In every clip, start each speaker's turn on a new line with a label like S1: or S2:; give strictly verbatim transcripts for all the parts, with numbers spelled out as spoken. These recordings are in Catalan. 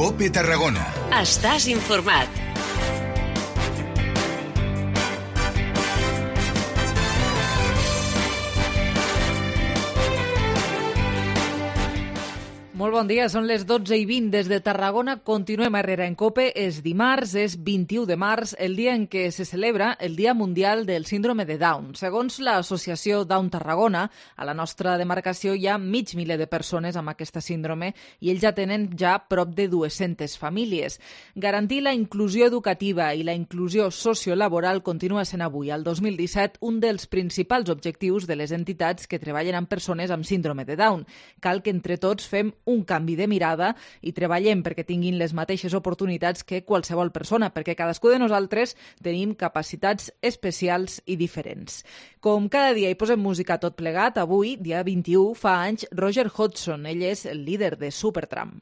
S1: COPE Tarragona.
S2: Estàs informat.
S3: Molt bon dia, són les dotze i vint des de Tarragona. Continuem a Herrera en COPE. És dimarts, és vint-i-u de març, el dia en què se celebra el Dia Mundial del Síndrome de Down. Segons l'associació Down Tarragona, a la nostra demarcació hi ha mig miler de persones amb aquesta síndrome i ells ja tenen ja prop de dues-centes famílies. Garantir la inclusió educativa i la inclusió sociolaboral continua sent avui, al dos mil disset, un dels principals objectius de les entitats que treballen amb persones amb síndrome de Down. Cal que entre tots fem un canvi de mirada i treballem perquè tinguin les mateixes oportunitats que qualsevol persona, perquè cadascú de nosaltres tenim capacitats especials i diferents. Com cada dia hi posem música tot plegat, avui, dia vint-i-u, fa anys, Roger Hodgson. Ell és el líder de Supertramp.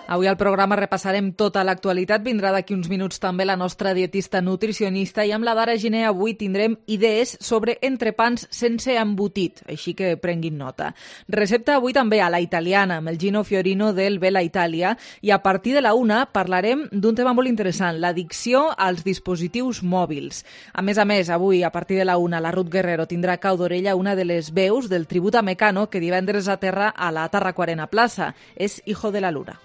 S3: Avui al programa repassarem tota l'actualitat. Vindrà d'aquí uns minuts també la nostra dietista nutricionista i amb la Dara Giner avui tindrem idees sobre entrepans sense embotit, així que prenguin nota. Recepta avui també a la italiana amb el Gino Fiorino del Bella Italia i a partir de la una parlarem d'un tema molt interessant, l'addicció als dispositius mòbils. A més a més, avui a partir de la una la Ruth Guerrero tindrà a cau d'orella una de les veus del tribut a Mecano que divendres aterra a la Tarraco-Arena Plaza. És Hijo de la Luna.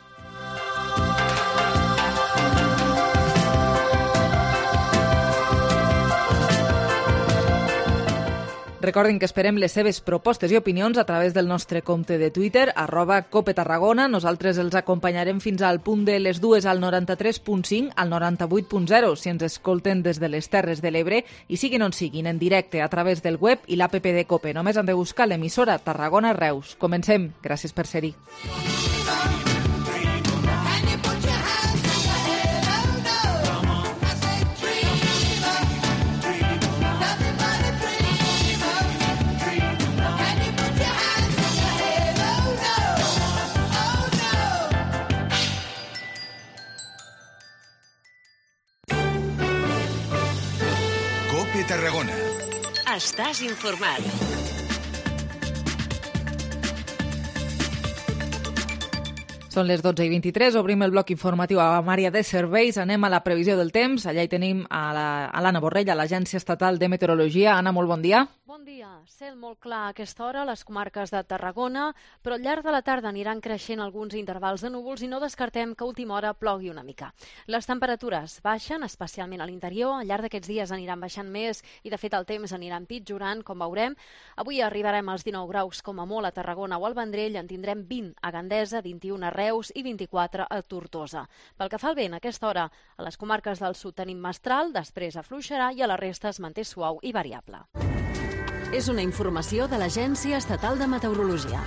S3: Recordin que esperem les seves propostes i opinions a través del nostre compte de Twitter, arroba Cope Tarragona. Nosaltres els acompanyarem fins al punt de les dues al noranta-tres punt cinc, al noranta-vuit punt zero, si ens escolten des de les Terres de l'Ebre, i siguin on siguin, en directe a través del web i l'app de Cope. Només han de buscar l'emissora Tarragona Reus. Comencem. Gràcies per ser-hi.
S1: COPE Tarragona.
S2: Estàs informat.
S3: Són les dotze i vint-i-tres, obrim el bloc informatiu a l'àrea de serveis, anem a la previsió del temps, allà hi tenim a l'Anna Borrell, a l'Agència Estatal de Meteorologia. Anna, molt bon dia.
S4: Bon dia. Cel molt clar a aquesta hora a les comarques de Tarragona, però al llarg de la tarda aniran creixent alguns intervals de núvols i no descartem que a última hora plogui una mica. Les temperatures baixen, especialment a l'interior, al llarg d'aquests dies aniran baixant més i de fet el temps anirà empitjorant, com veurem. Avui arribarem als dinou graus com a molt a Tarragona o al Vendrell, en tindrem vint a Gandesa, vint-i-u a Reus i vint-i-quatre a Tortosa. Pel que fa al vent, a aquesta hora a les comarques del sud tenim mestral, després afluixarà i a la resta es manté suau i variable.
S2: És una informació de l'Agència Estatal de Meteorologia.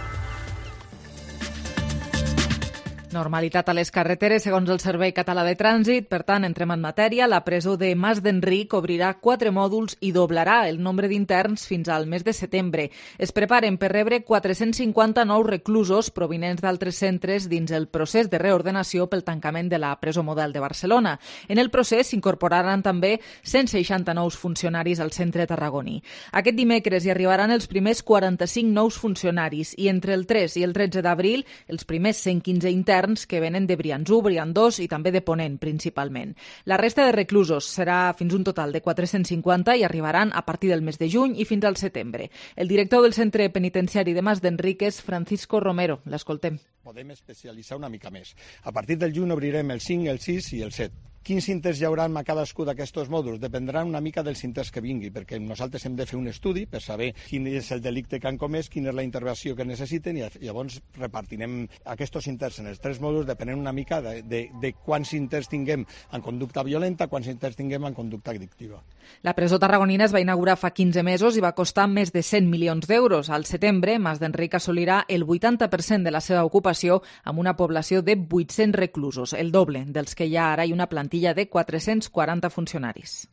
S3: Normalitat a les carreteres, segons el Servei Català de Trànsit. Per tant, entrem en matèria. La presó de Mas d'Enric obrirà quatre mòduls i doblarà el nombre d'interns fins al mes de setembre. Es preparen per rebre quatre-cents cinquanta nous reclusos provinents d'altres centres dins el procés de reordenació pel tancament de la presó model de Barcelona. En el procés s'incorporaran també cent seixanta nous funcionaris al centre tarragoní. Aquest dimecres hi arribaran els primers quaranta-cinc nous funcionaris i entre el tres i el tretze d'abril els primers cent quinze interns que venen de Brians u, Brians dos i també de Ponent, principalment. La resta de reclusos serà fins un total de quatre-cents cinquanta i arribaran a partir del mes de juny i fins al setembre. El director del centre penitenciari de Mas d'Enric és Francisco Romero. L'escoltem.
S5: Podem especialitzar una mica més. A partir del juny obrirem el cinc, el sis i el set. Quins inters hi haurà a cadascú d'aquests mòduls? Dependran una mica dels inters que vingui, perquè nosaltres hem de fer un estudi per saber quin és el delicte que han comès, quina és la intervenció que necessiten i llavors repartirem aquests inters en els tres mòduls depenent una mica de, de, de quants inters tinguem en conducta violenta, quants inters tinguem en conducta addictiva.
S3: La presó tarragonina es va inaugurar fa quinze mesos i va costar més de cent milions d'euros. Al setembre, Mas d'Enric assolirà el vuitanta per cent de la seva ocupació amb una població de vuit-cents reclusos, el doble dels que hi ha ara i una plantilla de quatre-cents quaranta funcionaris.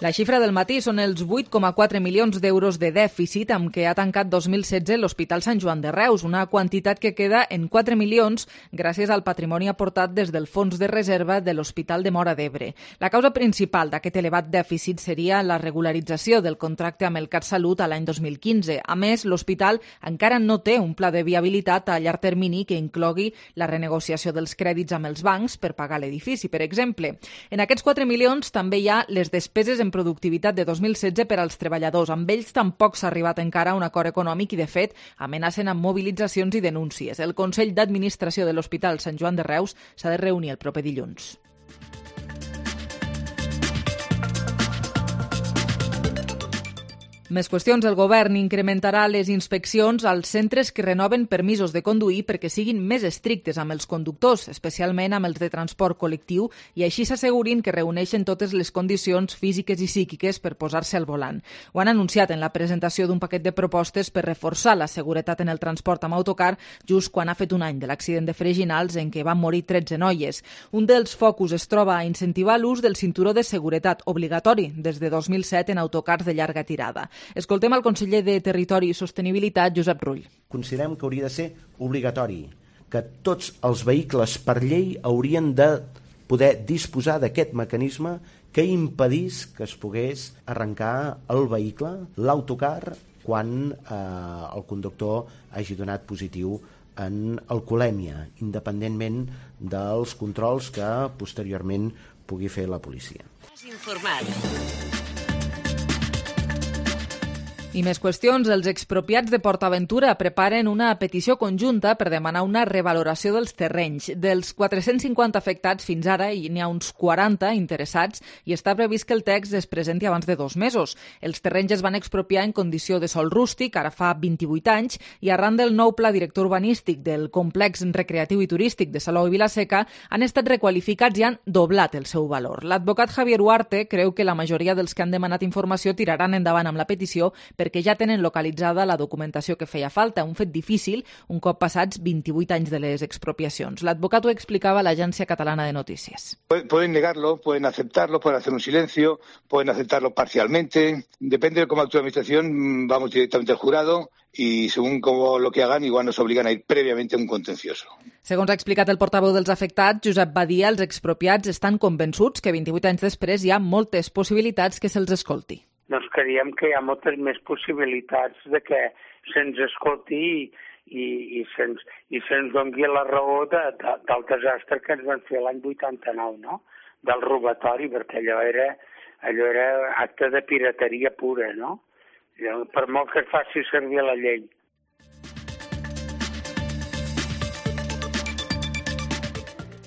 S3: La xifra del matí són els vuit coma quatre milions d'euros de dèficit amb què ha tancat dos mil setze l'Hospital Sant Joan de Reus, una quantitat que queda en quatre milions gràcies al patrimoni aportat des del fons de reserva de l'Hospital de Móra d'Ebre. La causa principal d'aquest elevat dèficit seria la regularització del contracte amb el CatSalut a l'any dos mil quinze. A més, l'hospital encara no té un pla de viabilitat a llarg termini que inclogui la renegociació dels crèdits amb els bancs per pagar l'edifici, per exemple. En aquests quatre milions també hi ha les despeses en productivitat de dos mil setze per als treballadors. Amb ells tampoc s'ha arribat encara a un acord econòmic i, de fet, amenacen amb mobilitzacions i denúncies. El Consell d'Administració de l'Hospital Sant Joan de Reus s'ha de reunir el proper dilluns. Més qüestions. El govern incrementarà les inspeccions als centres que renoven permisos de conduir perquè siguin més estrictes amb els conductors, especialment amb els de transport col·lectiu, i així s'assegurin que reuneixen totes les condicions físiques i psíquiques per posar-se al volant. Ho han anunciat en la presentació d'un paquet de propostes per reforçar la seguretat en el transport amb autocar just quan ha fet un any de l'accident de Freginals en què van morir tretze noies. Un dels focus es troba a incentivar l'ús del cinturó de seguretat obligatori des de dos mil set en autocars de llarga tirada. Escoltem el conseller de Territori i Sostenibilitat, Josep Rull.
S6: Considerem que hauria de ser obligatori, que tots els vehicles per llei haurien de poder disposar d'aquest mecanisme que impedís que es pogués arrencar el vehicle, l'autocar, quan eh, el conductor hagi donat positiu en alcoholèmia, independentment dels controls que posteriorment pugui fer la policia.
S3: I més qüestions. Els expropiats de PortAventura preparen una petició conjunta per demanar una revaloració dels terrenys. Dels quatre-cents cinquanta afectats fins ara hi n'hi ha uns quaranta interessats i està previst que el text es presenti abans de dos mesos. Els terrenys es van expropiar en condició de sòl rústic, ara fa vint-i-vuit anys, i arran del nou pla director urbanístic del complex recreatiu i turístic de Salou i Vila-seca han estat requalificats i han doblat el seu valor. L'advocat Javier Huarte creu que la majoria dels que han demanat informació tiraran endavant amb la petició per perquè ja tenen localitzada la documentació que feia falta, un fet difícil un cop passats vint-i-vuit anys de les expropiacions. L'advocat ho explicava a l'Agència Catalana de Notícies.
S7: Pueden negarlo, pueden aceptarlo, pueden hacer un silencio, pueden aceptarlo parcialmente. Depende de cómo actúe la Administración, vamos directamente al jurado y según cómo lo que hagan, igual nos obligan a ir previamente a un contencioso.
S3: Segons ha explicat el portaveu dels afectats, Josep Badia, els expropiats estan convençuts que vint-i-vuit anys després hi ha moltes possibilitats que se'ls escolti.
S8: Doncs creiem que hi ha moltes més possibilitats de que se'ns escolti i, i, i se'ns i se'ns doni la raó de, de, del desastre que ens van fer l'any vuitanta-nou, no? Del robatori, perquè allò era, allò era acte de pirateria pura, no? Per molt que es faci servir la llei.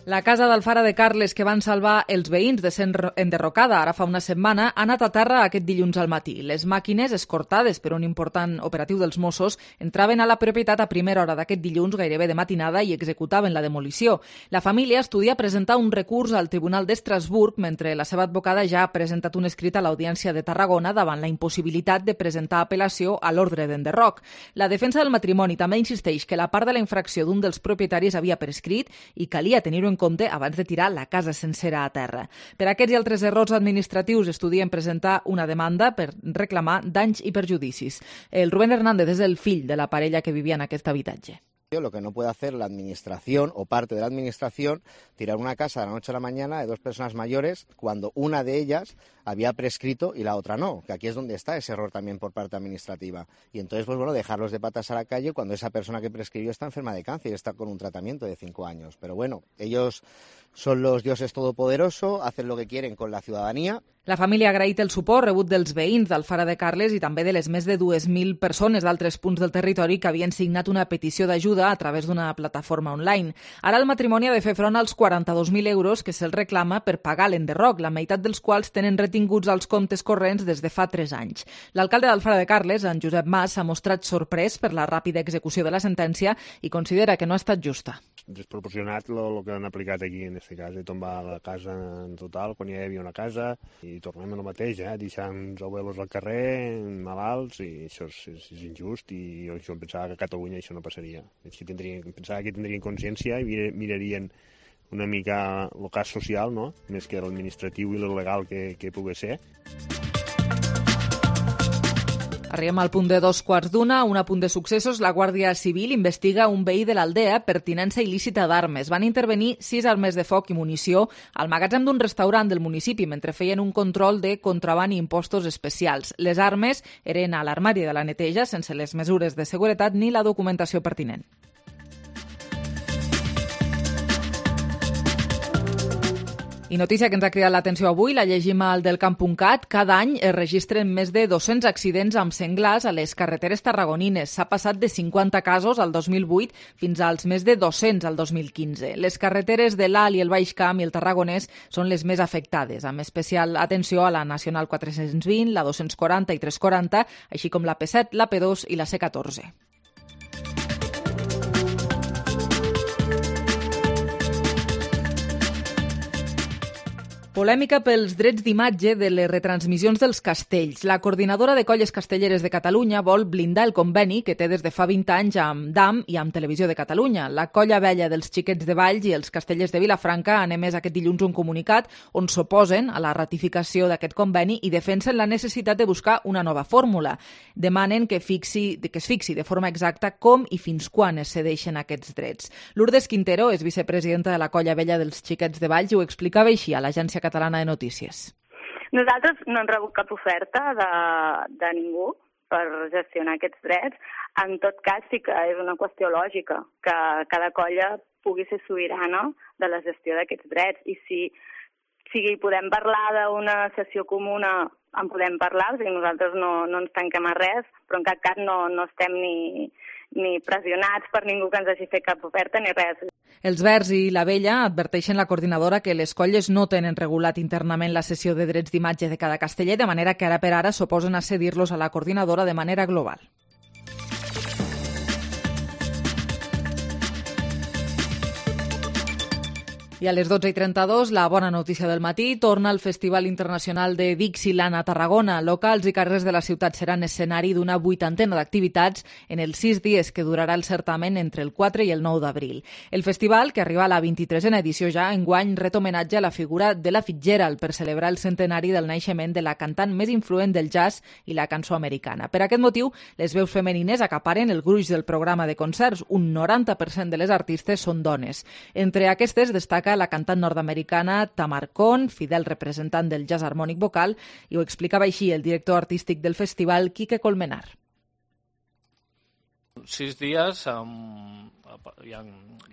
S3: La casa d'Alfara de Carles que van salvar els veïns de ser enderrocada ara fa una setmana ha anat a terra aquest dilluns al matí. Les màquines, escortades per un important operatiu dels Mossos, entraven a la propietat a primera hora d'aquest dilluns, gairebé de matinada, i executaven la demolició. La família estudia presentar un recurs al Tribunal d'Estrasburg, mentre la seva advocada ja ha presentat un escrit a l'Audiència de Tarragona davant la impossibilitat de presentar apel·lació a l'ordre d'enderroc. La defensa del matrimoni també insisteix que la part de la infracció d'un dels propietaris havia prescrit i calia tenir-ho en compte abans de tirar la casa sencera a terra. Per aquests i altres errors administratius estudien presentar una demanda per reclamar danys i perjudicis. El Rubén Hernández és el fill de la parella que vivia en aquest habitatge.
S9: Lo que no puede hacer la administración o parte de la administración, tirar una casa de la noche a la mañana de dos personas mayores cuando una de ellas había prescrito y la otra no, que aquí es donde está ese error también por parte administrativa. Y entonces, pues bueno, dejarlos de patas a la calle cuando esa persona que prescribió está enferma de cáncer y está con un tratamiento de cinco años. Pero bueno, ellos son los dioses todopoderosos, hacen lo que quieren con la ciudadanía.
S3: La família ha agraït el suport rebut dels veïns d'Alfara de Carles i també de les més de dues mil persones d'altres punts del territori que havien signat una petició d'ajuda a través d'una plataforma online. Ara el matrimoni ha de fer front als quaranta-dos mil euros que se'ls reclama per pagar l'enderroc, la meitat dels quals tenen retinguts als comptes corrents des de fa tres anys. L'alcalde d'Alfara de Carles, en Josep Mas, s'ha mostrat sorprès per la ràpida execució de la sentència i considera que no ha estat justa.
S10: Desproporcionat el que han aplicat aquí, en aquest cas, de tombar la casa en total, quan ja hi havia una casa, i tornem a lo mateix, eh? Deixar uns abuelos al carrer, malalts, i això és, és, és injust, i jo pensava que a Catalunya això no passaria. Així tindrien, pensava que tindrien consciència i mirarien una mica el cas social, no? Més que l'administratiu i el legal que, que pugui ser.
S3: Arribem al punt de dos quarts d'una, un apunt de successos. La Guàrdia Civil investiga un veí de l'Aldea per tinença il·lícita d'armes. Van intervenir sis armes de foc i munició al magatzem d'un restaurant del municipi mentre feien un control de contraban i impostos especials. Les armes eren a l'armari de la neteja sense les mesures de seguretat ni la documentació pertinent. I notícia que ens ha cridat l'atenció avui, la llegim al delcamp punt cat. Cada any es registren més de dos-cents accidents amb senglars a les carreteres tarragonines. S'ha passat de cinquanta casos al dos mil vuit fins als més de dos-cents al dos mil quinze. Les carreteres de l'Alt i el Baix Camp i el Tarragonès són les més afectades, amb especial atenció a la Nacional quatre-cents vint, la dos-cents quaranta i tres-cents quaranta, així com la P set, la P dos i la C catorze. Polèmica pels drets d'imatge de les retransmissions dels castells. La coordinadora de colles castelleres de Catalunya vol blindar el conveni que té des de fa vint anys amb D A M i amb Televisió de Catalunya. La colla vella dels xiquets de Valls i els castellers de Vilafranca han emès aquest dilluns un comunicat on s'oposen a la ratificació d'aquest conveni i defensen la necessitat de buscar una nova fórmula. Demanen que, fixi, que es fixi de forma exacta com i fins quan es cedeixen aquests drets. Lourdes Quintero és vicepresidenta de la colla vella dels xiquets de Valls i ho explicava així a l'Agència Catalana de Notícies.
S11: Nosaltres no hem rebut cap oferta de, de ningú per gestionar aquests drets. En tot cas, sí que és una qüestió lògica que cada colla pugui ser sobirana de la gestió d'aquests drets. I si, si podem parlar d'una sessió comuna, en podem parlar, o sigui, nosaltres no, no ens tanquem a res, però en cap cas no, no estem ni, ni pressionats per ningú que ens hagi fet cap oferta ni res.
S3: Els Verds i la Vella adverteixen la coordinadora que les colles no tenen regulat internament la cessió de drets d'imatge de cada casteller, de manera que ara per ara s'oposen a cedir-los a la coordinadora de manera global. I a les dotze i trenta-dos, la bona notícia del matí, torna el Festival Internacional de Dixieland a Tarragona. Locals i carrers de la ciutat seran escenari d'una vuitantena d'activitats en els sis dies que durarà el certamen entre el quatre i el nou d'abril. El festival, que arriba a la vint-i-tresena edició ja, enguany ret homenatge a la figura de la Fitzgerald per celebrar el centenari del naixement de la cantant més influent del jazz i la cançó americana. Per aquest motiu, les veus femenines acaparen el gruix del programa de concerts. Un noranta per cent de les artistes són dones. Entre aquestes destaca la cantant nord-americana Tamar Kohn, fidel representant del jazz harmònic vocal, i ho explicava així el director artístic del festival, Quique Colmenar.
S12: Sis dies amb, ja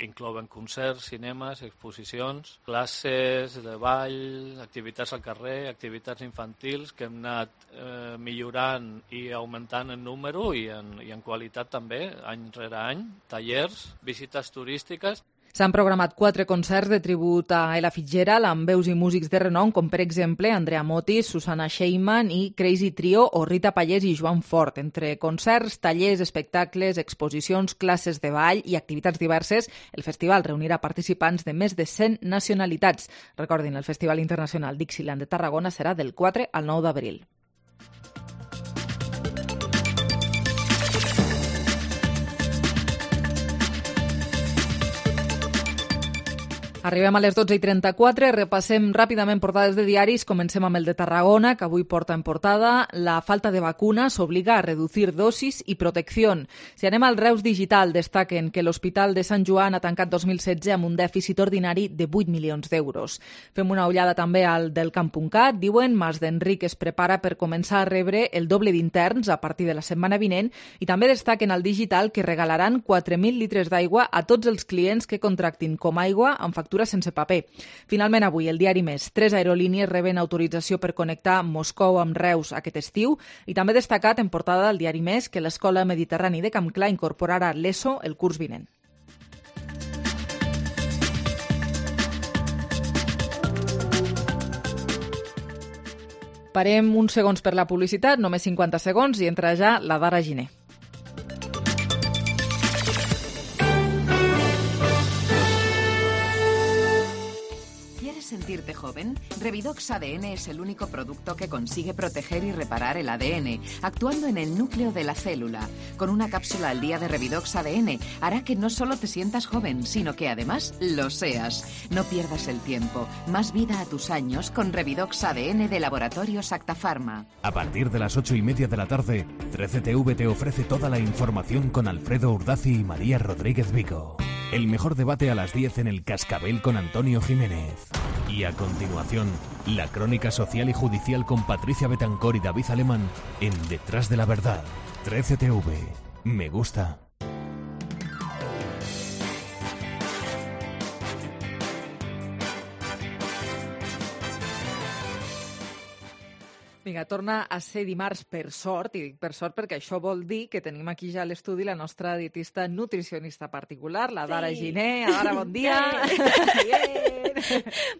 S12: inclouen concerts, cinemes, exposicions, classes de ball, activitats al carrer, activitats infantils que hem anat eh, millorant i augmentant en número i en, i en qualitat també, any rere any, tallers, visites turístiques.
S3: S'han programat quatre concerts de tribut a Ella Fitzgerald amb veus i músics de renom, com per exemple Andrea Motis, Susana Sheiman i Crazy Trio o Rita Pallés i Joan Fort. Entre concerts, tallers, espectacles, exposicions, classes de ball i activitats diverses, el festival reunirà participants de més de cent nacionalitats. Recordin, el Festival Internacional Dixieland de Tarragona serà del quatre al nou d'abril. Arribem a les dotze i trenta-quatre, repassem ràpidament portades de diaris, comencem amb el de Tarragona, que avui porta en portada la falta de vacunas obliga a reducir dosis i protecció. Si anem al Reus Digital, destaquen que l'Hospital de Sant Joan ha tancat dos mil setze amb un dèficit ordinari de vuit milions d'euros. Fem una ullada també al del camp punt cat, diuen Mas d'Enric es prepara per començar a rebre el doble d'interns a partir de la setmana vinent i també destaquen al Digital que regalaran quatre mil litres d'aigua a tots els clients que contractin com aigua amb factura sense paper. Finalment, avui, el diari Més. Tres aerolínies reben autorització per connectar Moscou amb Reus aquest estiu i també destacat en portada del diari Més que l'Escola Mediterrani de Campclar incorporarà l'ESO el curs vinent. Parem uns segons per la publicitat, només cinquanta segons, i entra ja la Dara Giner.
S2: Sentir
S13: sentirte joven? Revidox A D N es el único producto que consigue proteger y reparar el A D N, actuando en el núcleo de la célula. Con una cápsula al día de Revidox A D N hará que no solo te sientas joven, sino que además lo seas. No pierdas el tiempo. Más vida a tus años con Revidox A D N de Laboratorios Acta Pharma.
S14: A partir de las ocho y media de la tarde, trece T V te ofrece toda la información con Alfredo Urdazi y María Rodríguez Vico. El mejor debate a las diez en el Cascabel con Antonio Jiménez. Y a continuación, la crónica social y judicial con Patricia Betancor y David Alemán en Detrás de la Verdad. trece T V. Me gusta.
S3: Vinga, torna a ser dimarts per sort, i dic per sort perquè això vol dir que tenim aquí ja a l'estudi la nostra dietista nutricionista particular, la Dara
S15: Sí.
S3: Giner. Dara, bon dia!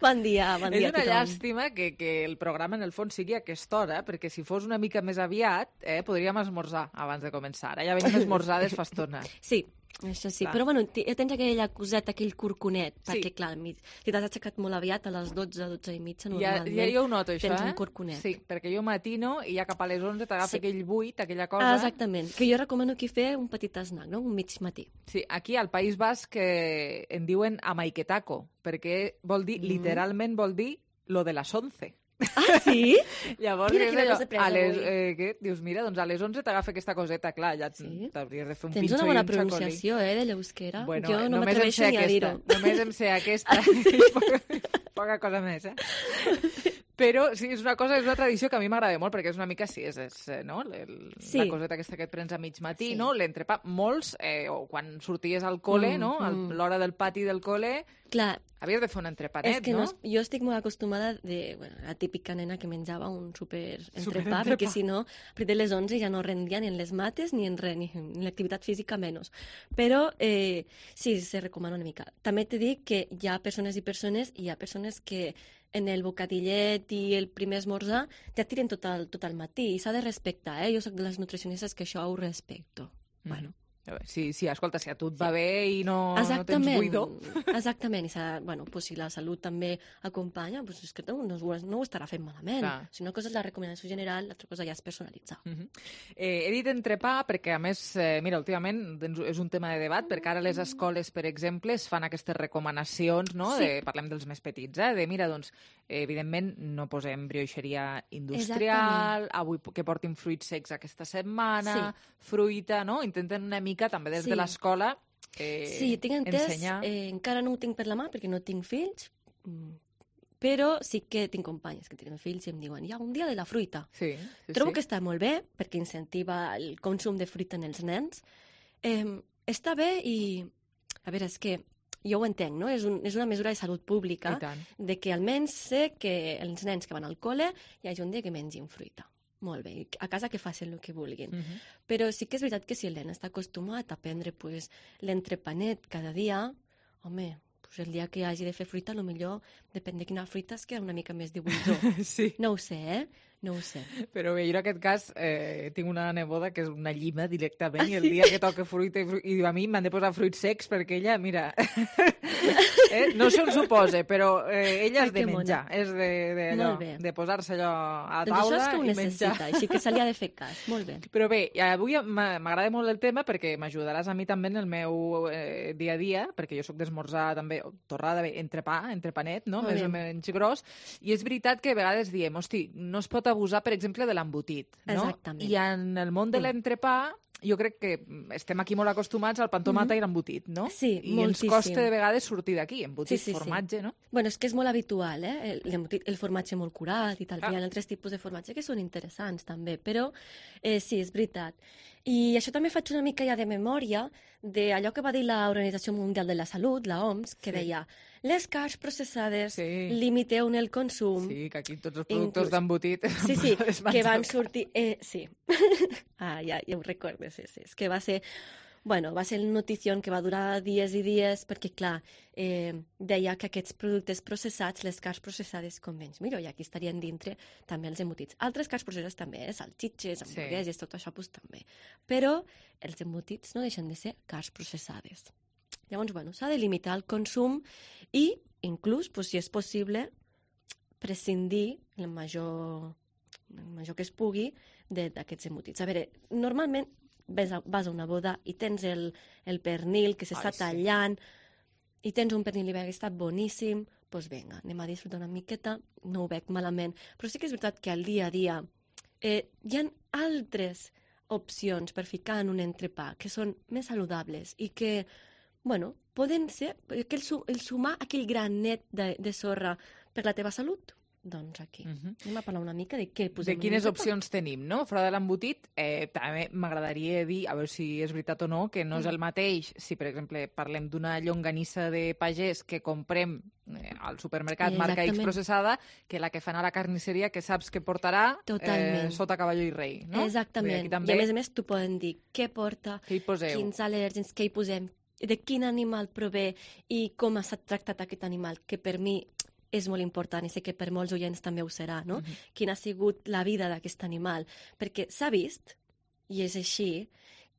S15: Bon dia, bon dia
S3: És
S15: a
S3: una
S15: tothom.
S3: llàstima que, que el programa en el fons sigui a aquesta hora, perquè si fos una mica més aviat, eh, podríem esmorzar abans de començar. Ara ja venim esmorzades fa estona.
S15: Sí, això sí,
S3: Clar.
S15: però bueno, ti- tens aquella coseta, aquell corconet,
S3: Sí.
S15: perquè clar, mi- si t'has aixecat molt aviat a les dotze, dotze i mitja,
S3: Ja,
S15: normalment
S3: ja jo ho noto, això,
S15: tens
S3: eh?
S15: un corconet.
S3: Sí, perquè jo matino i ja cap a les onze t'agafa
S15: Sí.
S3: aquell buit, aquella cosa.
S15: Ah, exactament, que jo recomano aquí fer un petit snack, no? Un mig matí.
S3: Sí, aquí al País Basc eh, en diuen amaiquetaco, perquè vol dir,
S15: Mm.
S3: literalment vol dir lo de les onze.
S15: Ah, sí?
S3: Llavors,
S15: Mira
S3: és
S15: quina
S3: allò,
S15: cosa he après
S3: a les,
S15: avui.
S3: eh, què? Dius, mira, doncs a les onze t'agafa aquesta coseta, clar, ja
S15: Sí?
S3: t'hauries de fer un
S15: Tens
S3: pinxo
S15: una
S3: i
S15: bona
S3: un xacolí.
S15: pronunciació, eh, de l'euskera.
S3: Bueno,
S15: jo no
S3: només em sé
S15: m'atreveixo ni a
S3: aquesta,
S15: dir-ho.
S3: només em sé aquesta, poca, poca cosa més, eh? Però sí, és una cosa, és una tradició que a mi m'agrada molt, perquè és una mica, sí, és, és eh, no? El,
S15: Sí.
S3: la coseta aquesta que et prens a mig matí,
S15: Sí.
S3: no? L'entrepà, molts, eh, o quan sorties al col·le,
S15: Mm,
S3: no? A
S15: mm.
S3: l'hora del pati del col·le,
S15: Clar,
S3: havies de fer un entrepanet,
S15: és que
S3: no?
S15: no? es- jo estic molt acostumada de, bueno, la típica nena que menjava un super entrepà,
S3: Superentrepà.
S15: perquè si no, a partir de les onze ja no rendia ni en les mates ni en res, ni en l'activitat física menys. Però eh, sí, se recomana una mica. També t'he dit que hi ha persones i persones, i hi ha persones que en el bocadillet i el primer esmorzar ja tiren tot el, tot el matí, i s'ha de respectar, eh? Jo soc de les nutricionistes que això ho respecto. Bueno.
S3: A veure, sí, sí, escolta, si a tu et va bé i no, no tens
S15: Exactament,
S3: buidor...
S15: exactament. I s'ha- bueno, pues si la salut també acompanya, pues és que no, no, ho- no ho estarà fent malament.
S3: Clar.
S15: Si una cosa és la recomanació general, l'altra cosa ja és personalitzar.
S3: Uh -huh. eh, he dit entrepà perquè, a més, eh, mira, últimament doncs, és un tema de debat, perquè ara a les escoles, per exemple, es fan aquestes recomanacions, no?
S15: Sí.
S3: De, parlem dels més petits, eh? De, mira, doncs, eh, evidentment, no posem brioixeria industrial, avui que portin fruits secs aquesta setmana, fruita, no? Intenten una mica, també des
S15: Sí.
S3: de l'escola, eh,
S15: Sí, tinc entès,
S3: ensenyar...
S15: eh, encara no ho tinc per la mà perquè no tinc fills, mm, però sí que tinc companyes que tenen fills i em diuen, hi ha un dia de la fruita.
S3: Sí, sí,
S15: Trobo
S3: sí.
S15: que està molt bé perquè incentiva el consum de fruita en els nens. Eh, està bé i, a veure, és que jo ho entenc, no? És, un, és una mesura de salut pública
S3: I tant.
S15: de que almenys sé que els nens que van al col·le hi hagi un dia que mengin fruita. Molt bé, i a casa que facin el que vulguin.
S3: Uh -huh.
S15: Però sí que és veritat que si el nen està acostumat a prendre pues, l'entrepanet cada dia, home, pues el dia que hagi de fer fruita, millor depèn de quina fruita es queda una mica més de buidor.
S3: Sí.
S15: No ho sé, eh? No ho sé.
S3: Però bé, jo en aquest cas eh, tinc una neboda que és una llima directament
S15: Ah,
S3: i el
S15: sí?
S3: dia que toca fruita i, fru i a mi m'han de posar fruits secs perquè ella, mira, eh, no sé on s'ho posa, però eh, ella
S15: Ai,
S3: és de
S15: que mona.
S3: menjar, és de, de, allò,
S15: Molt bé.
S3: de posar-se allò a
S15: Doncs això
S3: taula
S15: és que ho
S3: i
S15: necessita,
S3: menjar.
S15: així que se li ha de fer cas. Molt bé.
S3: Però bé, avui m'ha- m'agrada molt el tema perquè m'ajudaràs a mi també en el meu eh, dia a dia, perquè jo sóc d'esmorzar també, o torrada, bé, entrepà, entrepanet, no?
S15: Molt
S3: Més
S15: bé.
S3: o menys gros, i és veritat que a vegades diem, hosti, no es pot abusar, per exemple, de l'embotit, no?
S15: Exactament.
S3: I en el món de
S15: Mm.
S3: l'entrepà jo crec que estem aquí molt acostumats al pan tomata
S15: Mhm.
S3: i l'embotit, no?
S15: Sí,
S3: I
S15: moltíssim.
S3: ens costa de vegades sortir d'aquí, embotit,
S15: Sí, sí, sí.
S3: formatge, no?
S15: Bueno, és que és molt habitual, eh? El, l'embotit- el formatge molt curat i tal.
S3: Ah.
S15: Hi ha altres tipus de formatge que són interessants, també. Però eh, sí, és veritat. I això també faig una mica ja de memòria d'allò que va dir l'Organització Mundial de la Salut, la O M S, que
S3: Sí.
S15: deia les carns processades,
S3: Sí.
S15: limiteu el consum.
S3: Sí, que aquí tots els productes
S15: Inclús-
S3: d'embotit...
S15: Sí, sí,
S3: es van
S15: que van
S3: tocar.
S15: sortir... Eh, sí. ah, ja, ja ho recordo, sí, sí. És que va ser... Bueno, va ser una notició que va durar dies i dies perquè, clar, eh, deia que aquests productes processats, les carns processades, com menys millor, i aquí estarien dintre també els embotits. Altres carns processades també, eh? Salxitxes,
S3: Sí.
S15: hamburgueses, tot això pues, també. Però els embotits no deixen de ser carns processades. Llavors, bueno, s'ha de limitar el consum i, inclús, pues, si és possible, prescindir el major, el major que es pugui d'aquests embotits. A veure, normalment vas a, vas a una boda i tens el, el pernil que s'està tallant i tens un pernil ibèric que està boníssim, doncs vinga, anem a disfrutar una miqueta, no ho veig malament. Però sí que és veritat que al dia a dia eh, hi ha altres opcions per ficar en un entrepà que són més saludables i que, bueno, poden ser que el, el sumar aquell granet de, de sorra per la teva salut. Doncs aquí. Uh-huh. Anem a parlar una mica de què posem.
S3: De quines opcions tenim, no? Fora de l'embotit, eh, també m'agradaria dir, a veure si és veritat o no, que no és el mateix si, per exemple, parlem d'una llonganissa de pagès que comprem eh, al supermercat marca X processada, que la que fan a la carnisseria, que saps que portarà eh, sota cavalló i rei, no?
S15: Exactament. També... I a més a més t'ho poden dir què porta,
S3: què hi poseu,
S15: quins al·lèrgens, què hi posem, de quin animal prové i com ha estat tractat aquest animal, que per mi és molt important i sé que per molts oients també ho serà, no? Uh-huh. Quina ha sigut la vida d'aquest animal. Perquè s'ha vist, i és així,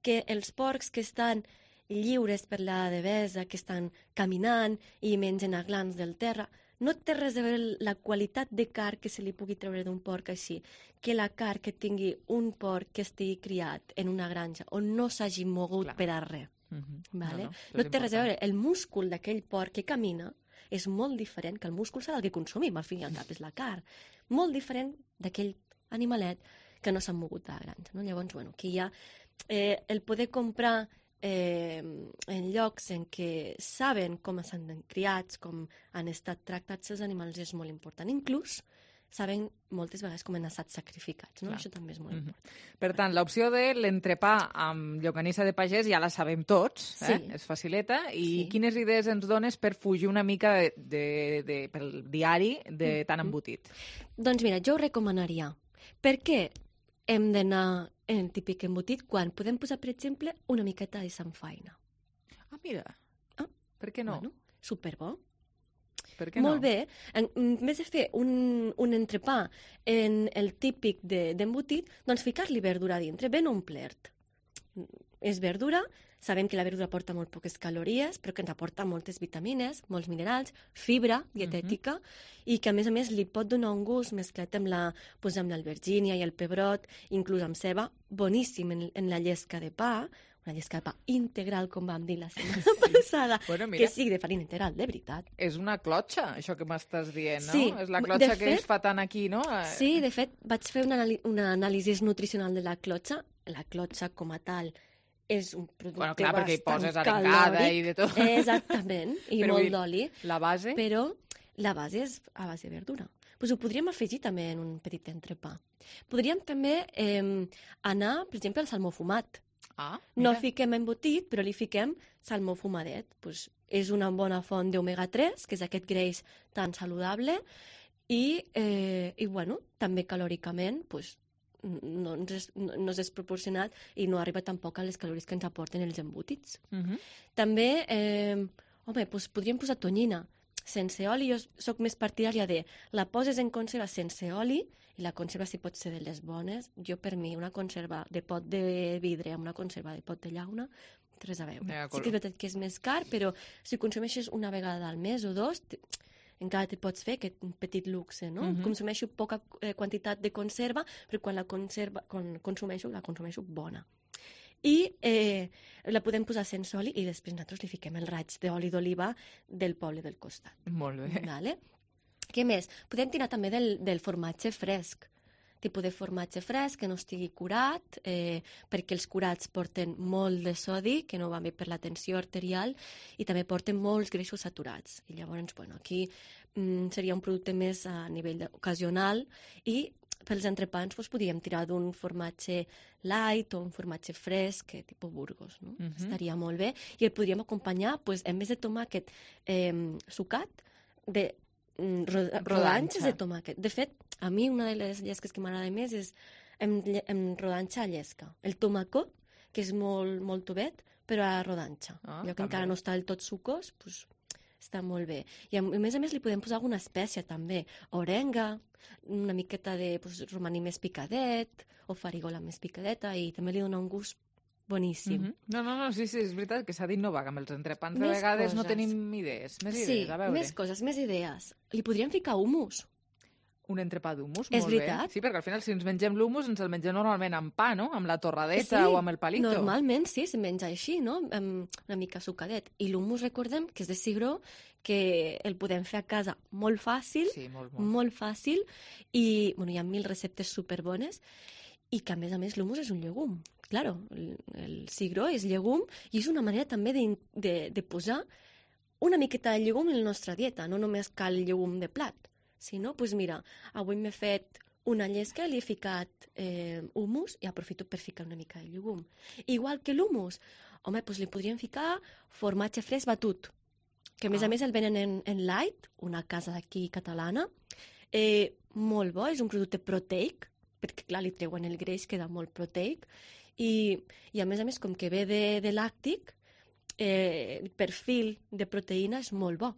S15: que els porcs que estan lliures per la devesa, que estan caminant i mengen aglans del terra, no té res a veure la qualitat de carn que se li pugui treure d'un porc així, que la carn que tingui un porc que estigui criat en una granja on no s'hagi mogut Clar. Per a res. Uh-huh. Vale? No, no, no té res a veure. El múscul d'aquell porc que camina és molt diferent que el múscul serà el que consumim, al fin i al cap és la carn. Molt diferent d'aquell animalet que no s'ha mogut a la granja. No? Llavors, bueno, aquí hi ha eh, el poder comprar eh, en llocs en què saben com s'han criats, com han estat tractats els animals, és molt important. Inclús saben moltes vegades com han estat sacrificats, no? Això també és molt important.
S3: Mm-hmm. Per tant, l'opció de l'entrepà amb llonganissa de pagès ja la sabem tots, eh? Sí. És facileta. I sí. Quines idees ens dones per fugir una mica de, de, de, pel diari de tan embotit?
S15: Doncs mira, jo ho recomanaria. Per què hem d'anar en el típic embotit quan podem posar, per exemple, una miqueta de samfaina?
S3: Ah, mira. Ah, per què no?
S15: Bueno, superbo.
S3: Per què no?
S15: Molt bé. En, en vez de fer un, un entrepà en el típic de, d'embotit, doncs ficar-li verdura a dintre, ben omplert. És verdura, sabem que la verdura porta molt poques calories, però que ens aporta moltes vitamines, molts minerals, fibra dietètica, uh-huh. i que a més a més li pot donar un gust mesclat amb la, pues, amb l'albergínia i el pebrot, inclús amb ceba, boníssim en, en la llesca de pa, una llesca de pa integral, com vam dir la setmana passada, bueno, mira, que sigui de farina integral, de veritat.
S3: És una clotxa, això que m'estàs dient, no?
S15: Sí,
S3: és la clotxa
S15: fet,
S3: que es fa tant aquí, no?
S15: Sí, de fet, vaig fer una, una anàlisi nutricional de la clotxa. La clotxa, com a tal, és un producte
S3: bueno, clar,
S15: bastant
S3: perquè hi poses arengada i de tot.
S15: Exactament, i però molt d'oli.
S3: La base?
S15: Però la base és a base de verdura. Pues ho podríem afegir també en un petit entrepà. Podríem també eh, anar, per exemple, al salmó fumat.
S3: Ah,
S15: no fiquem embotit, però li fiquem salmó fumadet. Pues és una bona font d'omega tres, que és aquest greix tan saludable, i, eh, i bueno, també calòricament pues, no, ens és, no, no és desproporcionat i no arriba tampoc a les calories que ens aporten els embotits. Uh-huh. També, eh, home, pues, podríem posar tonyina sense oli. Jo soc més partidària de la poses en conserva sense oli, i la conserva si pot ser de les bones. Jo, per mi, una conserva de pot de vidre amb una conserva de pot de llauna, res a veure. Ja, sí que és veritat que és més car, però si consumeixes una vegada al mes o dos, encara te pots fer aquest petit luxe, no? Uh-huh. Consumeixo poca eh, quantitat de conserva, però quan la conserva, quan consumeixo, la consumeixo bona. I eh, la podem posar sense oli i després nosaltres li fiquem el raig d'oli d'oliva del poble del costat.
S3: Molt bé.
S15: Vale? Què més? Podem tirar també del, del formatge fresc, tipus de formatge fresc que no estigui curat, eh, perquè els curats porten molt de sodi, que no va bé per la tensió arterial, i també porten molts greixos saturats. I llavors, bueno, aquí mm, seria un producte més a nivell ocasional, i pels entrepans doncs, podríem tirar d'un formatge light o un formatge fresc, eh, tipus Burgos, no? Uh-huh. Estaria molt bé. I el podríem acompanyar, doncs, en vez de tomàquet eh, sucat, de rodanxes de tomàquet. De fet, a mi una de les llesques que m'agrada més és en, en rodanxa a llesca. El tomàcot, que és molt, molt tovet, però a rodanxa. Ah, allò que també encara no està del tot sucós, doncs, està molt bé. I a més a més li podem posar alguna espècia també. Orenga, una miqueta de pues, romaní més picadet, o farigola més picadeta, i també li dona un gust boníssim.
S3: Mm-hmm. No, no, no, sí, sí, és veritat que s'ha dit no vaga amb els entrepans. De més vegades coses. No tenim idees. Més
S15: sí,
S3: idees, a veure.
S15: més coses, més idees. Li podríem ficar humus.
S3: Un entrepà d'humus,
S15: És
S3: molt
S15: veritat.
S3: bé. Sí, perquè al final si ens mengem l'humus ens el mengem normalment amb pa, no? Amb la torradeta
S15: Sí,
S3: o amb el palito.
S15: Normalment sí, se menja així, no? Amb una mica sucadet. I l'humus, recordem, que és de cigró, que el podem fer a casa molt fàcil,
S3: sí, molt, molt.
S15: molt fàcil, i bueno, hi ha mil receptes superbones, i que a més a més l'humus és un llegum. Claro, el, el cigró és llegum i és una manera també de, de, de posar una miqueta de llegum en la nostra dieta, no només cal llegum de plat. Si no, doncs mira, avui m'he fet una llesca, li he ficat eh, humus i aprofito per ficar una mica de llegum. Igual que l'humus, home, doncs li podríem ficar formatge fresc batut, que a més a més el venen en, en light, una casa d'aquí catalana, eh, molt bo, és un producte proteic, perquè clar, li treuen el greix, queda molt proteic, i, i a més a més, com que ve de, de làctic, eh, el perfil de proteïna és molt bo.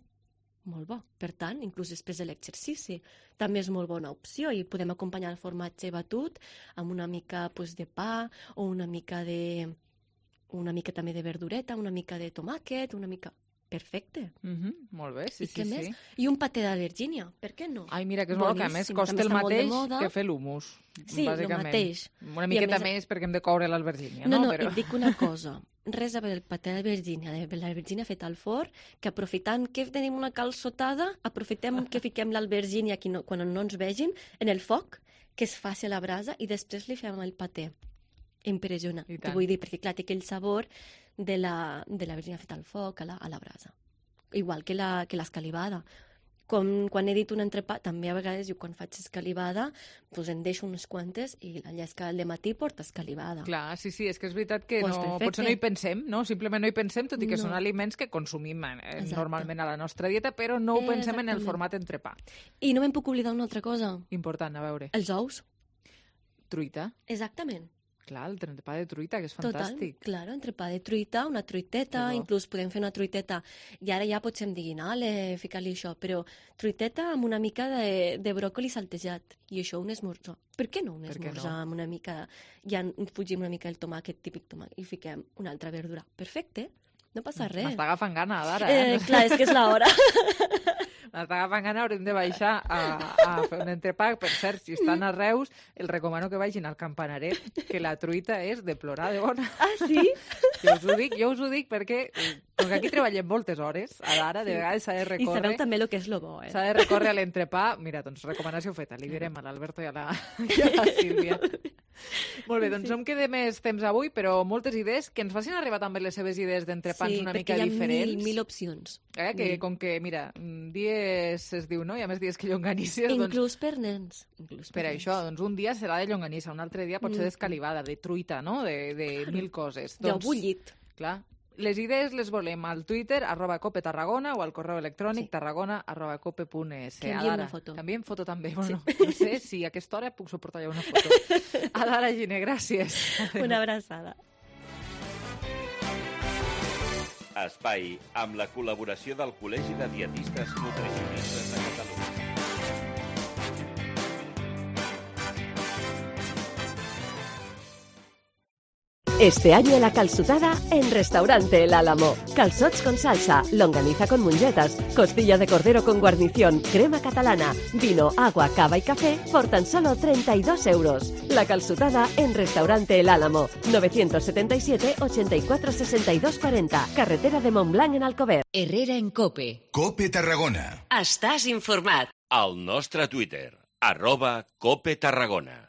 S15: Molt bo. Per tant, inclús després de l'exercici, també és molt bona opció i podem acompanyar el formatge batut amb una mica pues, de pa o una mica de una mica també de verdureta, una mica de tomàquet, una mica... Perfecte.
S3: Mm-hmm. Molt bé, sí,
S15: I
S3: sí,
S15: què
S3: sí.
S15: més? I un paté d'albergínia, per què no?
S3: Ai, mira, que és molt que a més costa el mateix que fer l'humus.
S15: Sí, el mateix.
S3: Una miqueta més, més perquè hem de coure l'albergínia,
S15: no?
S3: No,
S15: no,
S3: però...
S15: et dic una cosa. Res a veure el paté d'albergínia, l'albergínia feta al forn, que aprofitant que tenim una calçotada, aprofitem que fiquem l'albergínia no, quan no ens vegin, en el foc, que és fàcil a la brasa, i després li fem el paté. Impressiona. T'ho vull dir, perquè clar, té aquell sabor de la, de l'albergínia feta al foc, a la, a la brasa. Igual que la, que l'escalivada. Com quan he dit un entrepà, també a vegades jo quan faig escalivada, doncs en deixo unes quantes i la llesca del matí porta escalivada.
S3: Clar, sí, sí, és que és veritat que
S15: pues
S3: no, potser no hi pensem, no? Simplement no hi pensem, tot i que no. Són aliments que consumim eh, normalment a la nostra dieta, però no ho pensem en el format entrepà.
S15: I no me'n puc oblidar una altra cosa.
S3: Important, a veure.
S15: Els ous.
S3: Truita.
S15: Exactament.
S3: Clar, el entrepà de truita, que és fantàstic.
S15: Total, claro, entrepà de truita, una truiteta, inclús podem fer una truiteta, i ara ja potser em diguin, ale, ficar-li això, però truiteta amb una mica de, de bròcoli saltejat, i això un esmorzar. Per què no un esmorzar no? amb una mica, ja fugim una mica el tomàquet, típic tomàquet, i fiquem una altra verdura. Perfecte, no passa res.
S3: M'està agafant gana, ara.
S15: Eh? Eh, clar, és que és l'hora.
S3: M'està agafant gana, haurem de baixar a, a fer un entrepà. Per cert, si estan a Reus, el recomano que vagin al Campanaret, que la truita és de plorar de bona.
S15: Ah, sí?
S3: Jo us ho dic, jo us ho dic perquè, com que aquí treballem moltes hores, ara de vegades s'ha de recórrer...
S15: I sabeu també el que és lo bo, eh?
S3: S'ha de recórrer a l'entrepà. Mira, doncs recomanació feta, li direm a l'Alberto i a la, i a la Sílvia. Molt bé, doncs sí. No em queda més temps avui, però moltes idees que ens facin arribar també les seves idees d'entrepans sí, una mica diferents. Sí,
S15: perquè hi ha mil, mil opcions.
S3: Eh? Que, com que, mira, dies es diu, no? Hi ha més dies que llonganisses.
S15: Inclús
S3: doncs,
S15: per nens. Inclús
S3: per, per nens. Això, doncs un dia serà de llonganissa, un altre dia pot ser d'escalivada, de truita, no? De, de mil coses.
S15: Doncs, jo bullit.
S3: Clar. Les idees les volem al Twitter, arroba cope Tarragona, o al correu electrònic sí. tarragona arroba cope punt es.
S15: Que enviem una foto.
S3: Que enviem foto també. Bueno, sí. No sé si a aquesta hora puc suportar ja una foto. Adara Gine, gràcies.
S15: Una abraçada.
S16: Espai amb la col·laboració del Col·legi de Dietistes Nutricionistes de Catalunya.
S17: Este año la calçotada en Restaurante El Álamo. Calzots con salsa, longaniza con mungetas, costilla de cordero con guarnición, crema catalana, vino, agua, cava y café por tan solo treinta y dos euros. La calçotada en Restaurante El Álamo. novecientos setenta y siete, ochenta y cuatro, sesenta y dos cuarenta. Carretera de Montblanc en Alcover.
S2: Herrera en Cope.
S1: Cope Tarragona.
S2: Estàs informat.
S16: Al nostre Twitter, arroba Cope Tarragona.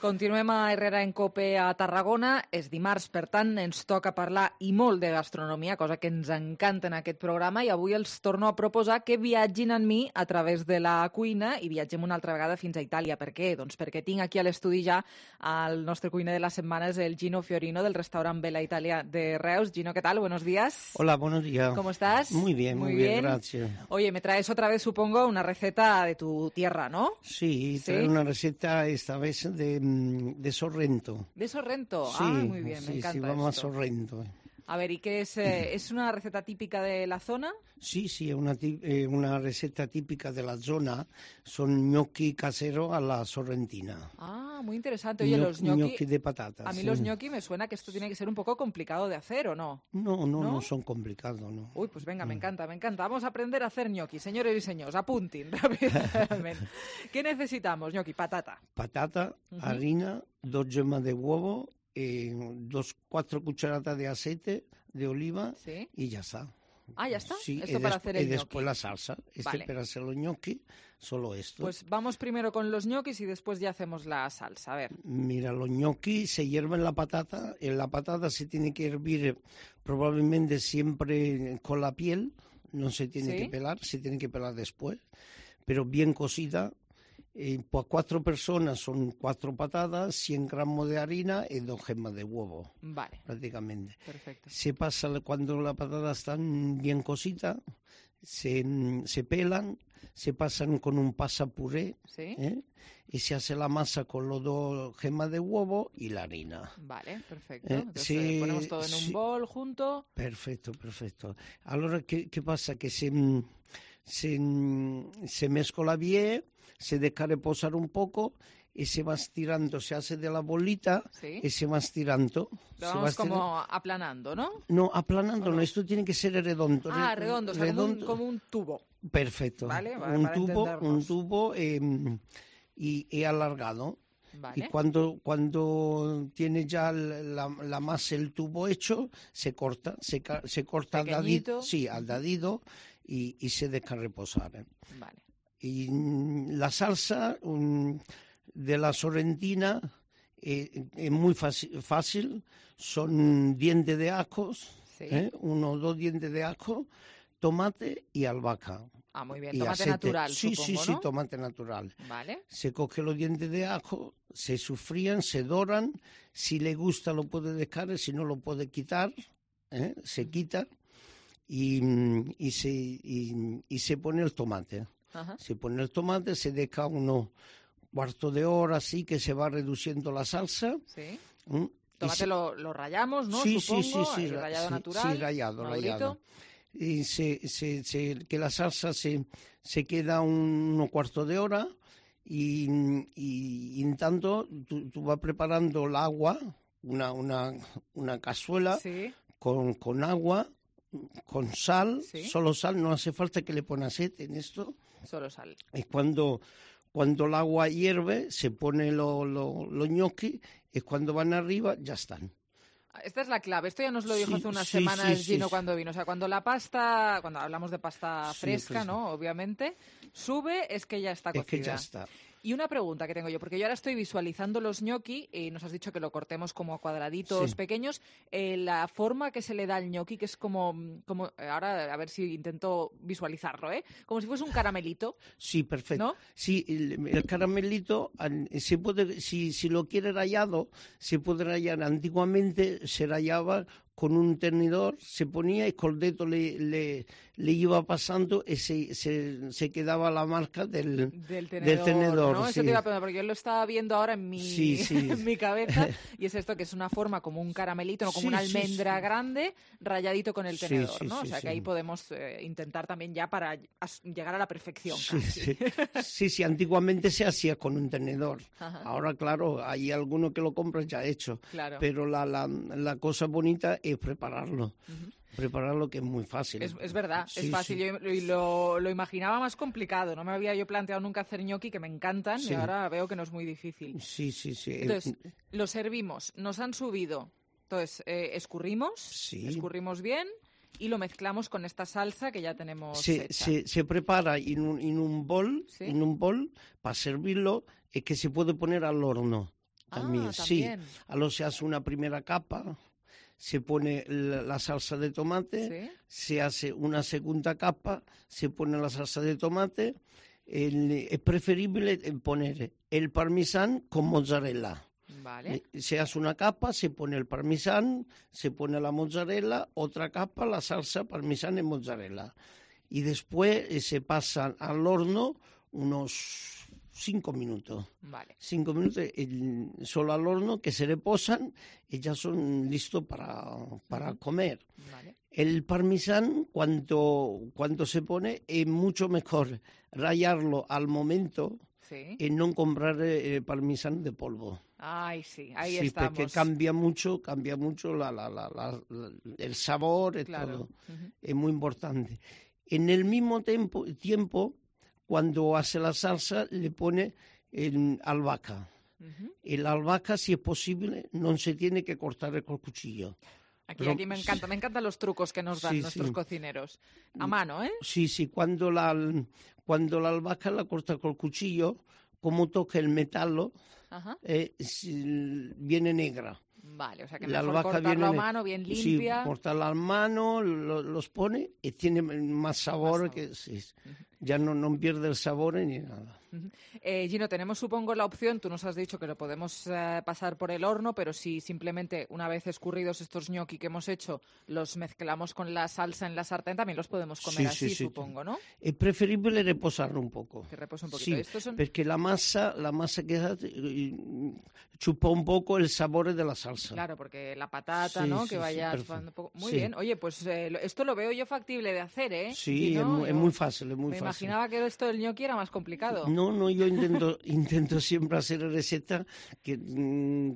S3: Continuem a Herrera en Cope a Tarragona. És dimarts, per tant, ens toca parlar i molt de gastronomia, cosa que ens encanta en aquest programa, i avui els torno a proposar que viatgin amb mi a través de la cuina i viatgem una altra vegada fins a Itàlia. Per què? Doncs perquè tinc aquí a l'estudi ja el nostre cuiner de la setmana, és el Gino Fiorino, del restaurant Vela Italia de Reus. Gino, ¿qué tal? Buenos días.
S18: Hola, buenos días.
S3: ¿Cómo estás?
S18: Muy bien, muy, muy bien, bien, gracias.
S3: Oye, me traes otra vez, supongo, una receta de tu tierra, ¿no?
S18: Sí, ¿Sí? Trae una receta esta vez de... de Sorrento.
S3: ¿De Sorrento?
S18: Sí,
S3: ah, muy bien,
S18: sí,
S3: me encanta
S18: sí, vamos
S3: esto.
S18: a Sorrento.
S3: A ver, ¿y qué es? Eh, ¿Es una receta típica de la zona?
S18: Sí, sí, es una, eh, una receta típica de la zona. Son gnocchi caseros a la sorrentina.
S3: Ah, muy interesante. Oye, los gnocchi...
S18: Gnocchi de patatas.
S3: A mí
S18: sí.
S3: los gnocchi me suena que esto tiene que ser un poco complicado de hacer, ¿o no?
S18: No, no,
S3: no,
S18: no son complicados, no.
S3: Uy, pues venga, me encanta, me encanta. Vamos a aprender a hacer gnocchi, señores y señores. Apunten rápidamente. ¿Qué necesitamos, gnocchi? Patata.
S18: Patata, uh-huh. harina, dos yemas de huevo, eh, dos, cuatro cucharadas de aceite de oliva
S3: ¿Sí?
S18: y ya está.
S3: Ah, ¿ya está?
S18: Sí,
S3: esto para hacer el
S18: y
S3: gnocchi.
S18: después la salsa. Este
S3: vale.
S18: para hacer los gnocchi, solo esto.
S3: Pues vamos primero con los gnocchis y después ya hacemos la salsa. A ver.
S18: Mira, los gnocchi se hierven la patata. En la patata se tiene que hervir probablemente siempre con la piel. No se tiene
S3: ¿Sí?
S18: que pelar, se tiene que pelar después. Pero bien cocida. Eh, por cuatro personas son cuatro patatas, cien gramos de harina y dos gemas de huevo.
S3: Vale.
S18: Prácticamente.
S3: Perfecto.
S18: Se pasa, cuando las patatas están bien cocidas, se, se pelan, se pasan con un pasapuré,
S3: ¿Sí?
S18: ¿eh? Y se hace la masa con los dos gemas de huevo y la harina.
S3: Vale, perfecto.
S18: Eh,
S3: Entonces
S18: sí,
S3: ponemos todo en un
S18: sí.
S3: bol junto.
S18: Perfecto, perfecto. Ahora, ¿qué, qué pasa? Que se, se, se mezcla bien, se deja reposar un poco y se va estirando, se hace de la bolita
S3: ¿Sí?
S18: y se va estirando.
S3: Lo
S18: se
S3: vamos
S18: va estirando.
S3: como aplanando, ¿no?
S18: No, aplanando, no?
S3: no,
S18: esto tiene que ser redondo.
S3: Ah,
S18: re-
S3: redondo, o sea,
S18: redondo.
S3: Como, un, como un tubo.
S18: Perfecto.
S3: Vale, va-
S18: un,
S3: para
S18: tubo,
S3: entendernos.
S18: un tubo eh, y, y alargado.
S3: Vale.
S18: Y cuando, cuando tiene ya la, la masa, el tubo hecho, se corta, se, ca- se corta al
S3: Pequeñito.
S18: dadito, sí, al dadito y, y se deja reposar. ¿eh?
S3: Vale.
S18: Y mm, la salsa mm, de la sorrentina eh, es muy fácil, fácil, son dientes de ajos,
S3: Sí.
S18: ¿eh? uno o dos dientes de ajo, tomate y albahaca.
S3: Ah, muy bien.
S18: Y
S3: Tomate
S18: aceite.
S3: natural,
S18: Sí,
S3: supongo,
S18: sí, sí,
S3: ¿no?
S18: tomate natural.
S3: Vale.
S18: Se coge los dientes de ajo, se sofrían, se doran. Si le gusta lo puede dejar, si no lo puede quitar, ¿eh? Se quita y, y, se, y, y se pone el tomate.
S3: Ajá.
S18: Se pone el tomate, se deja unos cuarto de hora así que se va reduciendo la salsa.
S3: Sí.
S18: ¿Mm? Y
S3: Tomate
S18: se-
S3: lo, lo rayamos, ¿no?
S18: Sí,
S3: Supongo.
S18: sí, sí, sí,
S3: ahí
S18: ra-
S3: rallado
S18: sí,
S3: natural.
S18: sí, rallado,
S3: madurito.
S18: rallado. Y se, se, se- que la salsa se, se queda un, unos cuarto de hora y, y, y en tanto tú, tú vas preparando el agua, una, una, una cazuela
S3: Sí.
S18: con, con agua, con sal,
S3: Sí.
S18: solo sal, no hace falta que le pongas aceite en esto.
S3: Solo sal.
S18: Y cuando, cuando el agua hierve, se pone los lo, los gnocchi y cuando van arriba ya están.
S3: Esta es la clave. Esto ya nos lo dijo
S18: Sí,
S3: hace unas
S18: sí,
S3: semanas
S18: sí,
S3: Gino
S18: sí.
S3: cuando vino. O sea, cuando la pasta, cuando hablamos de pasta
S18: Sí,
S3: fresca,
S18: fresca.
S3: ¿no? Obviamente, sube, es que ya está
S18: Es
S3: cocida.
S18: que ya está.
S3: Y una pregunta que tengo yo, porque yo ahora estoy visualizando los gnocchi y nos has dicho que lo cortemos como a cuadraditos
S18: Sí.
S3: pequeños. Eh, la forma que se le da al gnocchi, que es como, como, ahora a ver si intento visualizarlo, ¿eh? Como si fuese un caramelito.
S18: Sí, perfecto.
S3: ¿No?
S18: Sí, el, el caramelito, an- se puede, si, si lo quiere rallado, se puede rallar. Antiguamente se rallaba con un tenedor, se ponía y con el dedo le, le, le iba pasando y se, se, se quedaba la marca del,
S3: Del tenedor,
S18: tenedor,
S3: ¿no?
S18: sí.
S3: Eso te iba a preguntar, porque yo lo estaba viendo ahora en mi,
S18: Sí, sí.
S3: en mi cabeza, y es esto que es una forma como un caramelito, no como
S18: Sí,
S3: una
S18: sí,
S3: almendra
S18: sí.
S3: grande, rayadito con el
S18: Sí,
S3: tenedor,
S18: sí,
S3: ¿no?
S18: sí,
S3: o sea, que
S18: sí.
S3: ahí podemos eh, intentar también ya para as- llegar a la perfección.
S18: Sí,
S3: casi.
S18: sí. sí, sí, antiguamente se hacía con un tenedor.
S3: Ajá.
S18: Ahora, claro, hay alguno que lo compra ya hecho.
S3: Claro.
S18: Pero la, la, la cosa bonita es prepararlo. Prepararlo, que es muy fácil.
S3: Es, es verdad,
S18: Sí,
S3: es fácil.
S18: sí.
S3: Yo lo, lo, lo imaginaba más complicado. No me había yo planteado nunca hacer gnocchi, que me encantan,
S18: Sí.
S3: y ahora veo que no es muy difícil.
S18: Sí, sí, sí.
S3: Entonces, lo servimos, nos han subido. Entonces, eh, escurrimos,
S18: Sí.
S3: escurrimos bien y lo mezclamos con esta salsa que ya tenemos
S18: se,
S3: hecha.
S18: se, se prepara en un, en un bol,
S3: ¿Sí?
S18: en un bol para servirlo, es que se puede poner al horno. También,
S3: Ah,
S18: sí.
S3: también.
S18: A lo se hace una primera capa, se pone la, la salsa de tomate,
S3: ¿Sí?
S18: se hace una segunda capa, se pone la salsa de tomate. El- es preferible poner el parmesán con mozzarella.
S3: Vale.
S18: Eh, Se hace una capa, se pone el parmesán, se pone la mozzarella, otra capa, la salsa parmesán y mozzarella. Y después eh, se pasa al horno unos cinco minutos.
S3: Vale.
S18: Cinco minutos el, solo al horno, que se reposan y ya son listos para, para uh-huh. comer.
S3: Vale.
S18: El parmesán, cuando, cuando se pone, es mucho mejor rallarlo al momento
S3: sí.
S18: y no comprar eh, parmesán de polvo.
S3: Ay, sí, ahí
S18: sí,
S3: estamos.
S18: Porque cambia mucho, cambia mucho la, la, la, la, la, el sabor y
S3: claro.
S18: todo.
S3: Uh-huh.
S18: Es muy importante. En el mismo tiempo, tiempo cuando hace la salsa, le pone el albahaca. Uh-huh. El albahaca, si es posible, no se tiene que cortar con el cuchillo.
S3: Aquí, Pero, aquí me encanta, me encantan los trucos que nos dan sí, nuestros sí. cocineros. A mano, ¿eh?
S18: Sí, sí, cuando la, cuando la albahaca la corta con el cuchillo, como toca el metal, eh, viene negra.
S3: Vale, o sea que
S18: la
S3: mejor cortarlo a mano, bien limpia.
S18: Sí, cortarla a mano, lo, los pone y tiene más sabor, más sabor. que sí, uh-huh. ya no, no pierde el sabor ni nada.
S3: Uh-huh. Eh, Gino, tenemos supongo la opción, tú nos has dicho que lo podemos eh, pasar por el horno, pero si simplemente una vez escurridos estos ñoqui que hemos hecho, los mezclamos con la salsa en la sartén, también los podemos comer
S18: sí,
S3: así,
S18: sí, sí,
S3: supongo, ¿no?
S18: Es preferible reposarlo un poco.
S3: Que repose un poquito.
S18: Sí,
S3: Estos son...
S18: porque la masa, la masa queda, chupa un poco el sabor de la salsa.
S3: Claro, porque la patata,
S18: sí,
S3: ¿no?
S18: Sí,
S3: que vaya
S18: sí,
S3: chupando un poco. Muy
S18: sí.
S3: bien. Oye, pues eh, esto lo veo yo factible de hacer, ¿eh?
S18: Sí,
S3: Gino,
S18: es, muy,
S3: yo...
S18: es muy fácil, es muy
S3: Me
S18: fácil.
S3: imaginaba que esto del ñoqui era más complicado.
S18: No, no, yo intento, intento siempre hacer recetas que,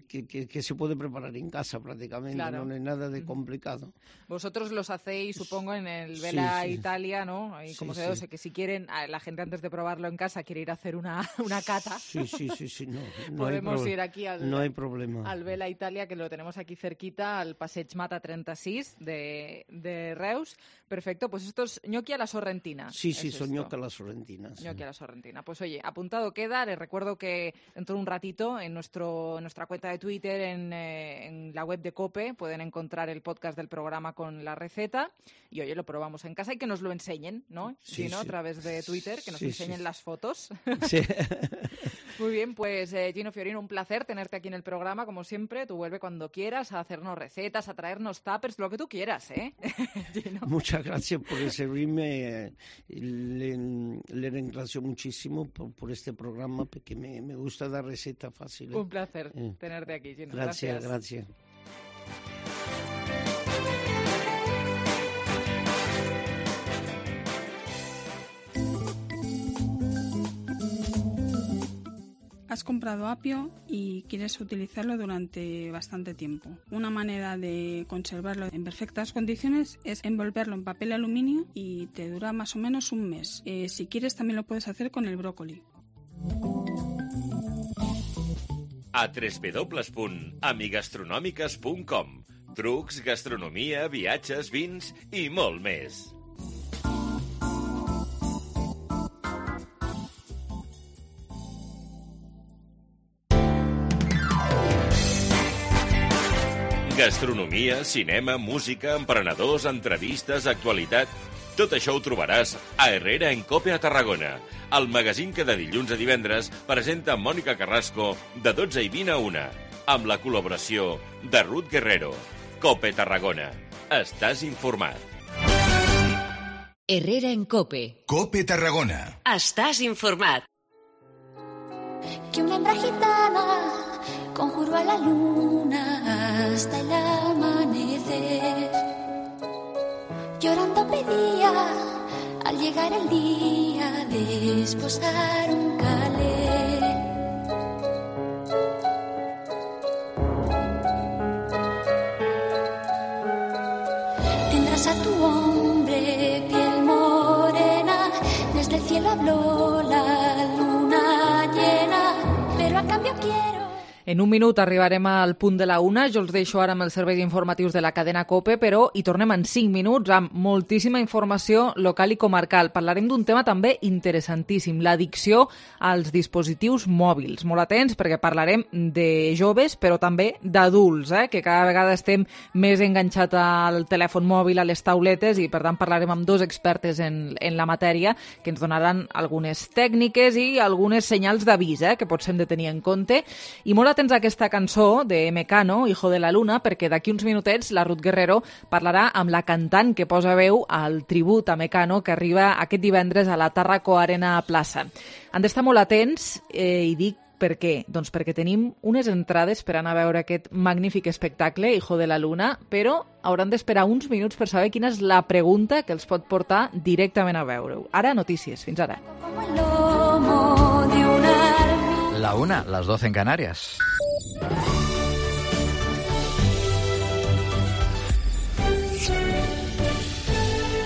S18: que, que, que se puede preparar en casa prácticamente,
S3: claro.
S18: no es nada de complicado.
S3: Vosotros los hacéis, supongo, en el Vela
S18: sí, sí.
S3: Italia, ¿no? Ahí, como
S18: sí,
S3: se ve,
S18: sí.
S3: o sea, que si quieren, la gente antes de probarlo en casa quiere ir a hacer una, una cata.
S18: Sí, sí, sí, sí, no, no
S3: podemos
S18: hay
S3: ir aquí al,
S18: no hay problema.
S3: al Vela Italia, que lo tenemos aquí cerquita, al Passeig Mata treinta-sis de, de Reus. Perfecto, pues esto es ñoqui a la sorrentina.
S18: Sí, sí,
S3: es
S18: son
S3: esto.
S18: ñoqui a la sorrentina. Sí.
S3: ñoqui a la sorrentina. Pues oye, apuntado queda. Les recuerdo que dentro de un ratito en, nuestro, en nuestra cuenta de Twitter, en, eh, en la web de COPE, pueden encontrar el podcast del programa con la receta. Y oye, lo probamos en casa y que nos lo enseñen, ¿no?
S18: Sí,
S3: Gino,
S18: sí.
S3: a través de Twitter, que nos
S18: sí,
S3: enseñen
S18: sí.
S3: las fotos.
S18: Sí.
S3: Muy bien, pues eh, Gino Fiorino, un placer tenerte aquí en el programa, como siempre. Tú vuelve cuando quieras a hacernos recetas, a traernos tuppers, lo que tú quieras, ¿eh? Gino.
S18: Muchas gracias por servirme. Eh, le, le agradezco muchísimo por, por este programa, porque me, me gusta dar recetas fáciles.
S3: Un placer
S18: eh.
S3: tenerte aquí, Gino.
S18: Gracias,
S3: gracias.
S18: gracias.
S19: Has comprado apio y quieres utilizarlo durante bastante tiempo. Una manera de conservarlo en perfectas condiciones es envolverlo en papel aluminio y te dura más o menos un mes. Eh, si quieres también lo puedes hacer con el brócoli.
S16: A w w w punt amigastronòmiques punt com. Trucs, gastronomia, viatges, vins i molt més. Gastronomia, cinema, música, emprenedors, entrevistes, actualitat... Tot això ho trobaràs a Herrera en Cope a Tarragona, el magazín que de dilluns a divendres presenta Mònica Carrasco de dotze i vint a una, amb la col·laboració de Ruth Guerrero. Cope Tarragona. Estàs informat.
S2: Herrera en Cope.
S1: Cope Tarragona.
S2: Estàs informat.
S20: Que una hembra gitana conjuró a la luna hasta el amanecer. Llorando pedía al llegar el día de esposar un calé. Tendrás a tu hombre piel morena, desde el cielo habló la luna llena, pero a cambio quiero...
S3: En un minut arribarem al punt de la una. Jo els deixo ara amb els serveis informatius de la cadena COPE, però hi tornem en cinc minuts amb moltíssima informació local i comarcal. Parlarem d'un tema també interessantíssim, l'addicció als dispositius mòbils. Molt atents perquè parlarem de joves, però també d'adults, eh? que cada vegada estem més enganxats al telèfon mòbil, a les tauletes, i per tant parlarem amb dos expertes en, en la matèria que ens donaran algunes tècniques i algunes senyals d'avís eh? que potser hem de tenir en compte. I molt atents a aquesta cançó de Mecano, Hijo de la Luna, perquè d'aquí uns minutets la Ruth Guerrero parlarà amb la cantant que posa veu al tribut a Mecano que arriba aquest divendres a la Tàrraco Arena Plaça. Han d'estar molt atents eh, i dic per què? Doncs perquè tenim unes entrades per anar a veure aquest magnífic espectacle, Hijo de la Luna, però hauran d'esperar uns minuts per saber quina és la pregunta que els pot portar directament a veure-ho. Ara, notícies. Fins ara.
S21: La una, las doce en Canarias.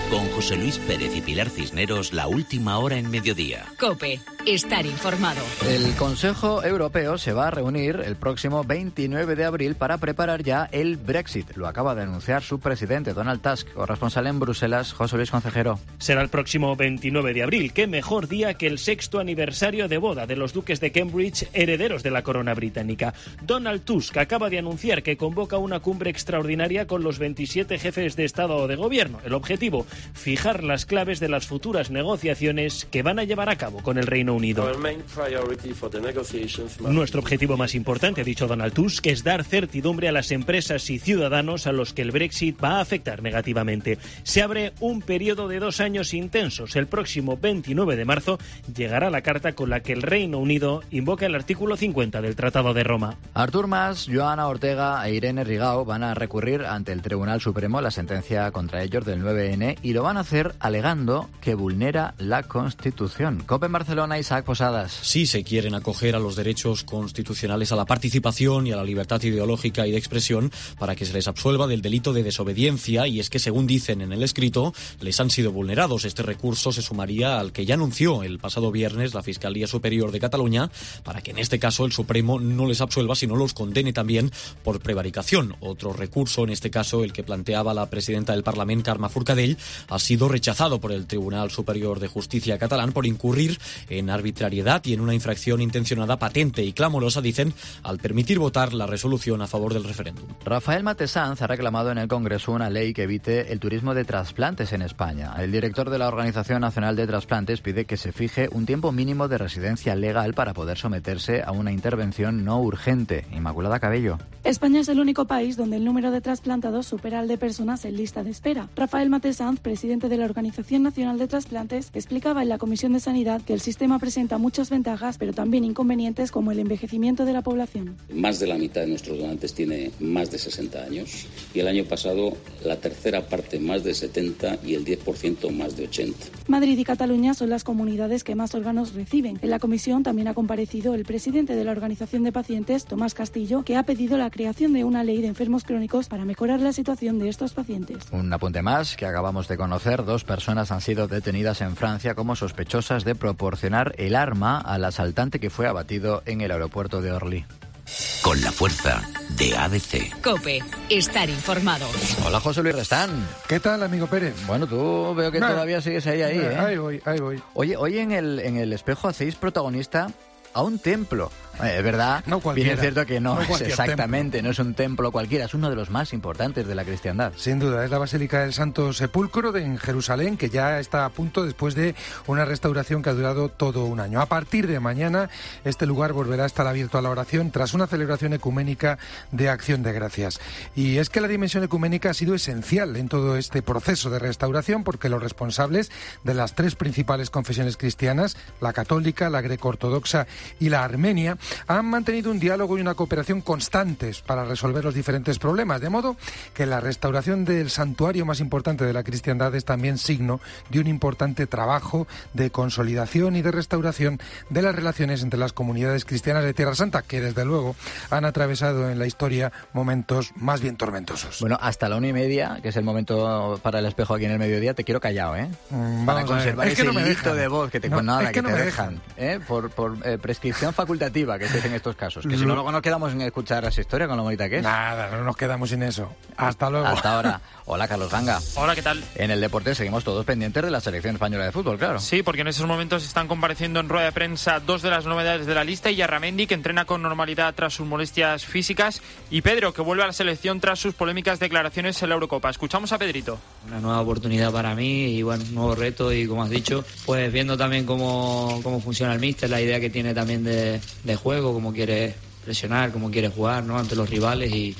S22: Con José Luis Pérez y Pilar Cisneros, la última hora en mediodía.
S13: COPE. Estar informado.
S21: El Consejo Europeo se va a reunir el próximo veintinueve de abril para preparar ya el Brexit. Lo acaba de anunciar su presidente, Donald Tusk. Corresponsal en Bruselas, José Luis Concejero.
S23: Será el próximo veintinueve de abril. Qué mejor día que el sexto aniversario de boda de los duques de Cambridge, herederos de la corona británica. Donald Tusk acaba de anunciar que convoca una cumbre extraordinaria con los veintisiete jefes de Estado o de Gobierno. El objetivo, fijar las claves de las futuras negociaciones que van a llevar a cabo con el Reino Unido. Nuestro objetivo más importante, ha dicho Donald Tusk, es dar certidumbre a las empresas y ciudadanos a los que el Brexit va a afectar negativamente. Se abre un periodo de dos años intensos. El próximo veintinueve de marzo llegará la carta con la que el Reino Unido invoca el artículo cincuenta del Tratado de Roma.
S21: Artur Mas, Joana Ortega e Irene Rigau van a recurrir ante el Tribunal Supremo la sentencia contra ellos del nueve ene y lo van a hacer alegando que vulnera la Constitución. COPE en Barcelona, Isaac Posadas.
S24: Sí se quieren acoger a los derechos constitucionales a la participación y a la libertad ideológica y de expresión para que se les absuelva del delito de desobediencia, y es que, según dicen en el escrito, les han sido vulnerados. Este recurso se sumaría al que ya anunció el pasado viernes la Fiscalía Superior de Cataluña para que en este caso el Supremo no les absuelva, sino los condene también por prevaricación. Otro recurso, en este caso el que planteaba la presidenta del Parlament, Carme Forcadell, ha sido rechazado por el Tribunal Superior de Justicia catalán por incurrir en arbitrariedad y en una infracción intencionada, patente y clamorosa, dicen, al permitir votar la resolución a favor del referéndum.
S21: Rafael Matesanz ha reclamado en el Congreso una ley que evite el turismo de trasplantes en España. El director de la Organización Nacional de Trasplantes pide que se fije un tiempo mínimo de residencia legal para poder someterse a una intervención no urgente. Inmaculada Cabello.
S25: España es el único país donde el número de trasplantados supera al de personas en lista de espera. Rafael Matesanz, presidente de la Organización Nacional de Trasplantes, explicaba en la Comisión de Sanidad que el sistema presenta muchas ventajas, pero también inconvenientes, como el envejecimiento de la población.
S26: Más de la mitad de nuestros donantes tiene más de sesenta años y el año pasado la tercera parte más de setenta y el diez por ciento más de ochenta.
S25: Madrid y Cataluña son las comunidades que más órganos reciben. En la comisión también ha comparecido el presidente de la Organización de Pacientes, Tomás Castillo, que ha pedido la creación de una ley de enfermos crónicos para mejorar la situación de estos pacientes.
S21: Un apunte más que acabamos de conocer. Dos personas han sido detenidas en Francia como sospechosas de proporcionar el arma al asaltante que fue abatido en el aeropuerto de Orly.
S22: Con la fuerza de A B C.
S13: COPE. Estar informado.
S21: Hola, José Luis Restán.
S27: ¿Qué tal, amigo Pérez?
S21: Bueno, tú veo que
S27: no,
S21: todavía sigues ahí, ahí,
S27: no,
S21: ¿eh?
S27: Ahí voy, ahí voy.
S21: Oye, hoy en el, en el espejo hacéis protagonista a un templo. Eh, es verdad,
S27: no
S21: bien es cierto que no,
S27: no
S21: es exactamente,
S27: templo.
S21: No es un templo cualquiera, es uno de los más importantes de la cristiandad.
S27: Sin duda, es la Basílica del Santo Sepulcro de, en Jerusalén, que ya está a punto después de una restauración que ha durado todo un año. A partir de mañana, este lugar volverá a estar abierto a la oración tras una celebración ecuménica de Acción de Gracias. Y es que la dimensión ecuménica ha sido esencial en todo este proceso de restauración, porque los responsables de las tres principales confesiones cristianas, la católica, la greco-ortodoxa y la armenia, han mantenido un diálogo y una cooperación constantes para resolver los diferentes problemas, de modo que la restauración del santuario más importante de la cristiandad es también signo de un importante trabajo de consolidación y de restauración de las relaciones entre las comunidades cristianas de Tierra Santa, que desde luego han atravesado en la historia momentos más bien tormentosos.
S21: Bueno, hasta la una y media, que es el momento para el espejo aquí en el mediodía, te quiero callado, ¿eh?
S27: Mm,
S21: para conservar
S27: es que
S21: ese
S27: no me
S21: hilito
S27: dejan.
S21: de voz que te,
S27: no,
S21: nada,
S27: es que
S21: que
S27: no
S21: te
S27: me
S21: dejan,
S27: dejan.
S21: ¿eh? Por, por eh, prescripción facultativa, que se dice en estos casos. Que si no, luego nos quedamos en escuchar esa historia con lo bonita que es.
S27: Nada, no nos quedamos sin eso. Hasta luego.
S21: Hasta ahora. Hola, Carlos Ganga.
S28: Hola, ¿qué tal?
S21: En el deporte seguimos todos pendientes de la selección española de fútbol, claro.
S28: Sí, porque en esos momentos están compareciendo en rueda de prensa dos de las novedades de la lista, y Yarramendi, que entrena con normalidad tras sus molestias físicas, y Pedro, que vuelve a la selección tras sus polémicas declaraciones en la Eurocopa. Escuchamos a Pedrito.
S29: Una nueva oportunidad para mí y bueno, un nuevo reto, y como has dicho, pues viendo también cómo, cómo funciona el míster, la idea que tiene también de, de juego, cómo quiere presionar, cómo quiere jugar, ¿no? Ante los rivales y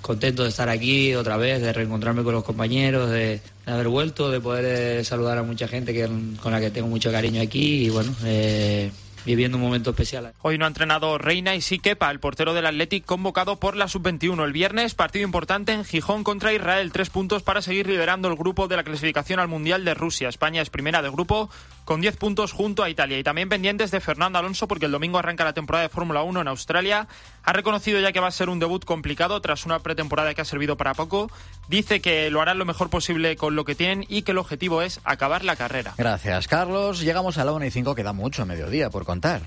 S29: contento de estar aquí otra vez, de reencontrarme con los compañeros, de, de haber vuelto, de poder eh, saludar a mucha gente que, con la que tengo mucho cariño aquí y bueno, eh, viviendo un momento especial.
S28: Hoy no ha entrenado Reina y sí Kepa, el portero del Athletic convocado por la sub veintiuno. El viernes, partido importante en Gijón contra Israel. Tres puntos para seguir liderando el grupo de la clasificación al Mundial de Rusia. España es primera de grupo con diez puntos junto a Italia. Y también pendientes de Fernando Alonso porque el domingo arranca la temporada de Fórmula uno en Australia. Ha reconocido ya que va a ser un debut complicado tras una pretemporada que ha servido para poco. Dice que lo harán lo mejor posible con lo que tienen y que el objetivo es acabar la carrera.
S21: Gracias, Carlos. Llegamos a la una y cinco, queda mucho mediodía por contar.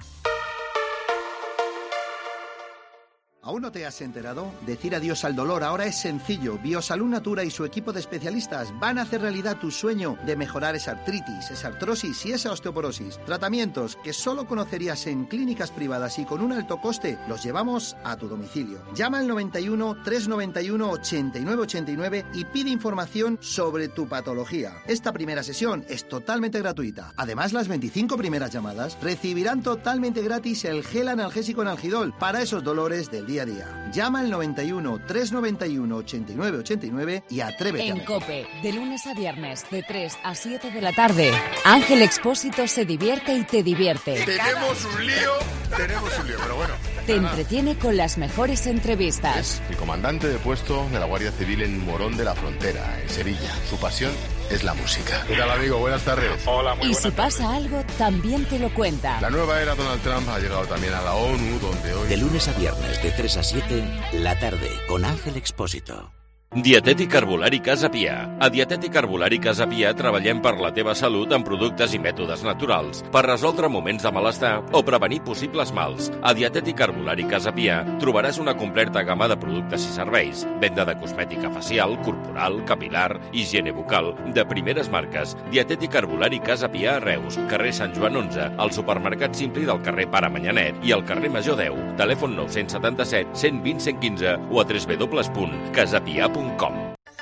S4: ¿Aún no te has enterado? Decir adiós al dolor ahora es sencillo. Biosalud Natura y su equipo de especialistas van a hacer realidad tu sueño de mejorar esa artritis, esa artrosis y esa osteoporosis. Tratamientos que solo conocerías en clínicas privadas y con un alto coste, los llevamos a tu domicilio. Llama al noventa y uno, trescientos noventa y uno, ochenta y nueve ochenta y nueve y pide información sobre tu patología. Esta primera sesión es totalmente gratuita. Además, las veinticinco primeras llamadas recibirán totalmente gratis el gel analgésico Analgidol para esos dolores del día a día. Llama al noventa y uno, trescientos noventa y uno, ochenta y nueve ochenta y nueve y atrévete
S2: en
S4: a
S2: COPE, de lunes a viernes, de tres a siete de la tarde, Ángel Expósito se divierte y te divierte.
S5: Tenemos un lío, tenemos un lío, pero bueno.
S2: Te entretiene con las mejores entrevistas.
S5: Es el comandante de puesto de la Guardia Civil en Morón de la Frontera, en Sevilla. Su pasión es la música. ¿Qué tal, amigo? Buenas tardes. Hola, muy
S2: Y
S5: buenas
S2: si pasa
S5: tardes.
S2: algo, también te lo cuenta.
S5: La nueva era Donald Trump ha llegado también a la ONU, donde hoy...
S22: De lunes a viernes, de tres a siete, la tarde, con Ángel Expósito.
S16: Dietètic Herbolari Casa Pia. A Dietètic Herbolari Casa Pia treballem per la teva salut amb productes i mètodes naturals, per resoldre moments de malestar o prevenir possibles mals. A Dietètic Herbolari Casa Pia trobaràs una completa gamma de productes i serveis, venda de cosmètica facial, corporal, capilar, higiene bucal, de primeres marques. Dietètic Herbolari Casa Pia a Reus, carrer Sant Joan onze, al supermercat Simpli del carrer Pare Manyanet i al carrer Major deu. Telèfon nou set set, cent vint, cent quinze o a w w w punt casapia punt com.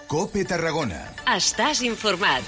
S1: COPE Tarragona.
S2: Estàs informat.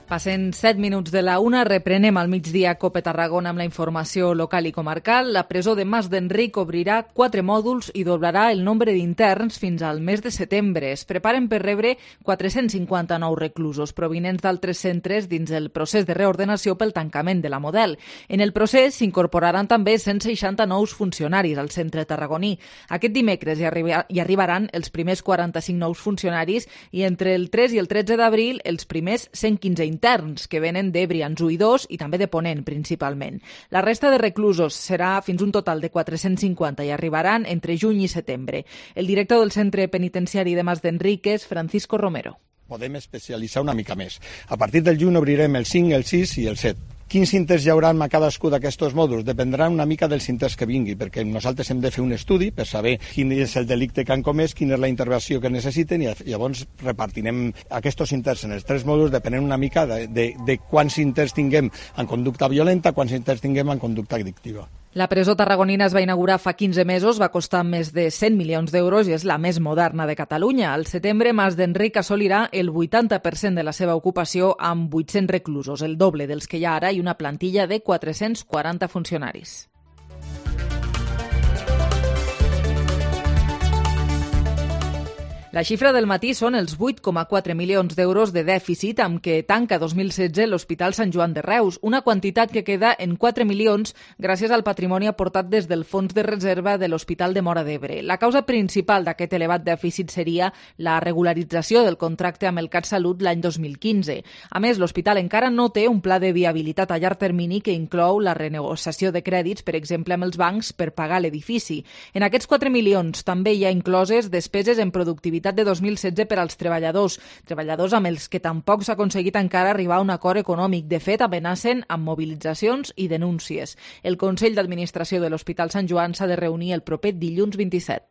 S3: Passen set minuts de la una, reprenem al migdia COPE Tarragona amb la informació local i comarcal. La presó de Mas d'Enric obrirà quatre mòduls i doblarà el nombre d'interns fins al mes de setembre. Es preparen per rebre quatre-cents cinquanta nous reclusos provinents d'altres centres dins el procés de reordenació pel tancament de la Model. En el procés s'incorporaran també cent seixanta nous funcionaris al centre tarragoní. Aquest dimecres hi, arriba, hi arribaran els primers quaranta-cinc nous funcionaris i entre el tres i el tretze d'abril els primers cent quinze interns interns que venen de Brians u i dos i també de Ponent, principalment. La resta de reclusos serà fins un total de quatre-cents cinquanta i arribaran entre juny i setembre. El director del centre penitenciari de Mas d'Enric és Francisco Romero.
S6: Podem especialitzar una mica més. A partir del juny obrirem el cinc, el sis i el set. Quins interns hi haurà a cadascú d'aquests mòduls? Dependrà una mica dels interns que vingui, perquè nosaltres hem de fer un estudi per saber quin és el delicte que han comès, quina és la intervenció que necessiten i llavors repartirem aquests interns en els tres mòduls depenent una mica de, de, de quants interns tinguem en conducta violenta, quants interns tinguem en conducta addictiva.
S3: La presó tarragonina es va inaugurar fa quinze mesos, va costar més de cent milions d'euros i és la més moderna de Catalunya. Al setembre, Mas d'Enric assolirà el vuitanta per cent de la seva ocupació amb vuit-cents reclusos, el doble dels que hi ha ara i una plantilla de quatre-cents quaranta funcionaris. La xifra del matí són els vuit coma quatre milions d'euros de dèficit amb què tanca dos mil setze l'Hospital Sant Joan de Reus, una quantitat que queda en quatre milions gràcies al patrimoni aportat des del Fons de Reserva de l'Hospital de Móra d'Ebre. La causa principal d'aquest elevat dèficit seria la regularització del contracte amb el CatSalut l'any dos mil quinze. A més, l'hospital encara no té un pla de viabilitat a llarg termini que inclou la renegociació de crèdits, per exemple, amb els bancs per pagar l'edifici. En aquests quatre milions també hi ha incloses despeses en productivitat de dos mil setze per als treballadors, treballadors amb els que tampoc s'ha aconseguit encara arribar a un acord econòmic. De fet, amenacen amb mobilitzacions i denúncies. El Consell d'Administració de l'Hospital Sant Joan s'ha de reunir el proper dilluns vint-i-set.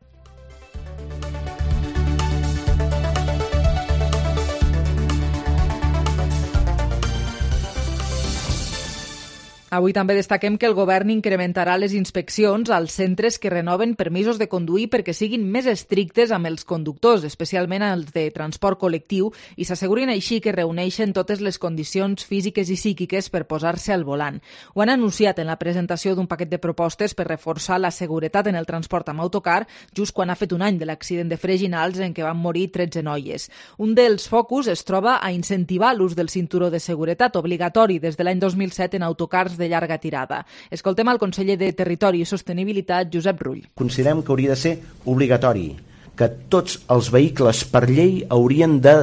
S3: Avui també destaquem que el govern incrementarà les inspeccions als centres que renoven permisos de conduir perquè siguin més estrictes amb els conductors, especialment els de transport col·lectiu, i s'assegurin així que reuneixen totes les condicions físiques i psíquiques per posar-se al volant. Ho han anunciat en la presentació d'un paquet de propostes per reforçar la seguretat en el transport amb autocar, just quan ha fet un any de l'accident de Freginals en què van morir tretze noies. Un dels focus es troba a incentivar l'ús del cinturó de seguretat obligatori des de l'any dos mil set en autocars de llarga tirada. Escoltem el conseller de Territori i Sostenibilitat, Josep Rull.
S7: Considerem que hauria de ser obligatori, que tots els vehicles per llei haurien de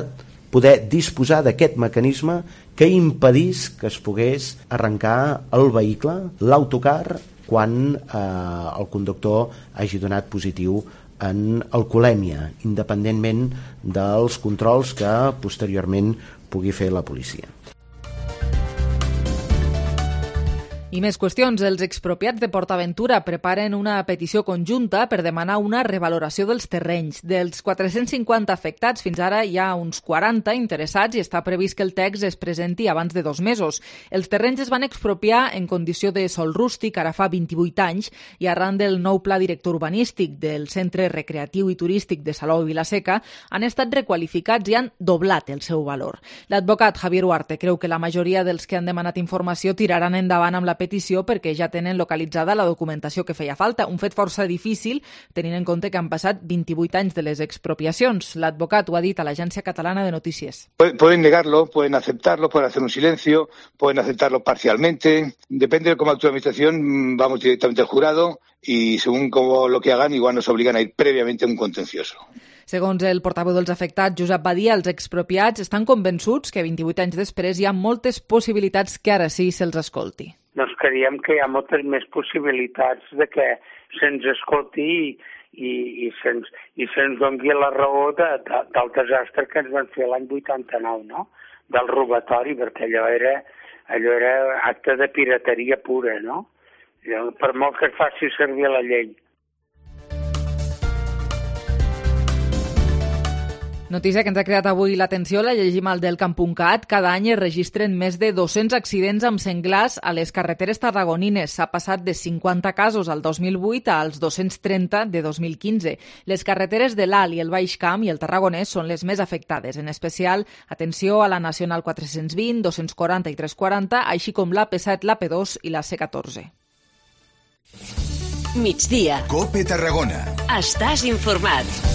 S7: poder disposar d'aquest mecanisme que impedís que es pogués arrencar el vehicle, l'autocar, quan eh, el conductor hagi donat positiu en alcoholèmia, independentment dels controls que posteriorment pugui fer la policia.
S3: I més qüestions. Els expropiats de PortAventura preparen una petició conjunta per demanar una revaloració dels terrenys. Dels quatre-cents cinquanta afectats, fins ara hi ha uns quaranta interessats i està previst que el text es presenti abans de dos mesos. Els terrenys es van expropiar en condició de sòl rústic ara fa vint-i-vuit anys i arran del nou pla director urbanístic del Centre Recreatiu i Turístic de Salou i Vila-seca han estat requalificats i han doblat el seu valor. L'advocat Javier Huarte creu que la majoria dels que han demanat informació tiraran endavant amb la petició perquè ja tenen localitzada la documentació que feia falta, un fet força difícil tenint en compte que han passat vint-i-vuit anys de les expropiacions. L'advocat ho ha dit a l'Agència Catalana de Notícies.
S8: Pueden negarlo, pueden aceptarlo, pueden hacer un silencio, pueden aceptarlo parcialmente. Depende de cómo actúe la administración, vamos directamente al jurado y según cómo lo que hagan, igual nos obligan a ir previamente a un contencioso.
S3: Segons el portaveu dels afectats, Josep Badia, els expropiats estan convençuts que vint-i-vuit anys després hi ha moltes possibilitats que ara sí se'ls escolti.
S9: Doncs creiem que hi ha moltes més possibilitats de que se'ns escolti i, i, i se'ns i se'ns doni la raó de, de, del desastre que ens van fer l'any vuitanta-nou, no? Del robatori, perquè allò era, allò era acte de pirateria pura, no? Per molt que es faci servir la llei.
S3: Notícia que ens ha creat avui l'atenció, la llegim al del camp punt cat. Cada any es registren més de dos-cents accidents amb senglars a les carreteres tarragonines. S'ha passat de cinquanta casos al dos mil vuit als dos-cents trenta de dos mil quinze. Les carreteres de l'Alt i el Baix Camp i el Tarragonès són les més afectades. En especial, atenció a la Nacional quatre-cents vint, dos-cents quaranta i tres-cents quaranta, així com l'A P set, l'A P dos i la C catorze.
S2: Migdia.
S1: COPE Tarragona.
S2: Estàs informat.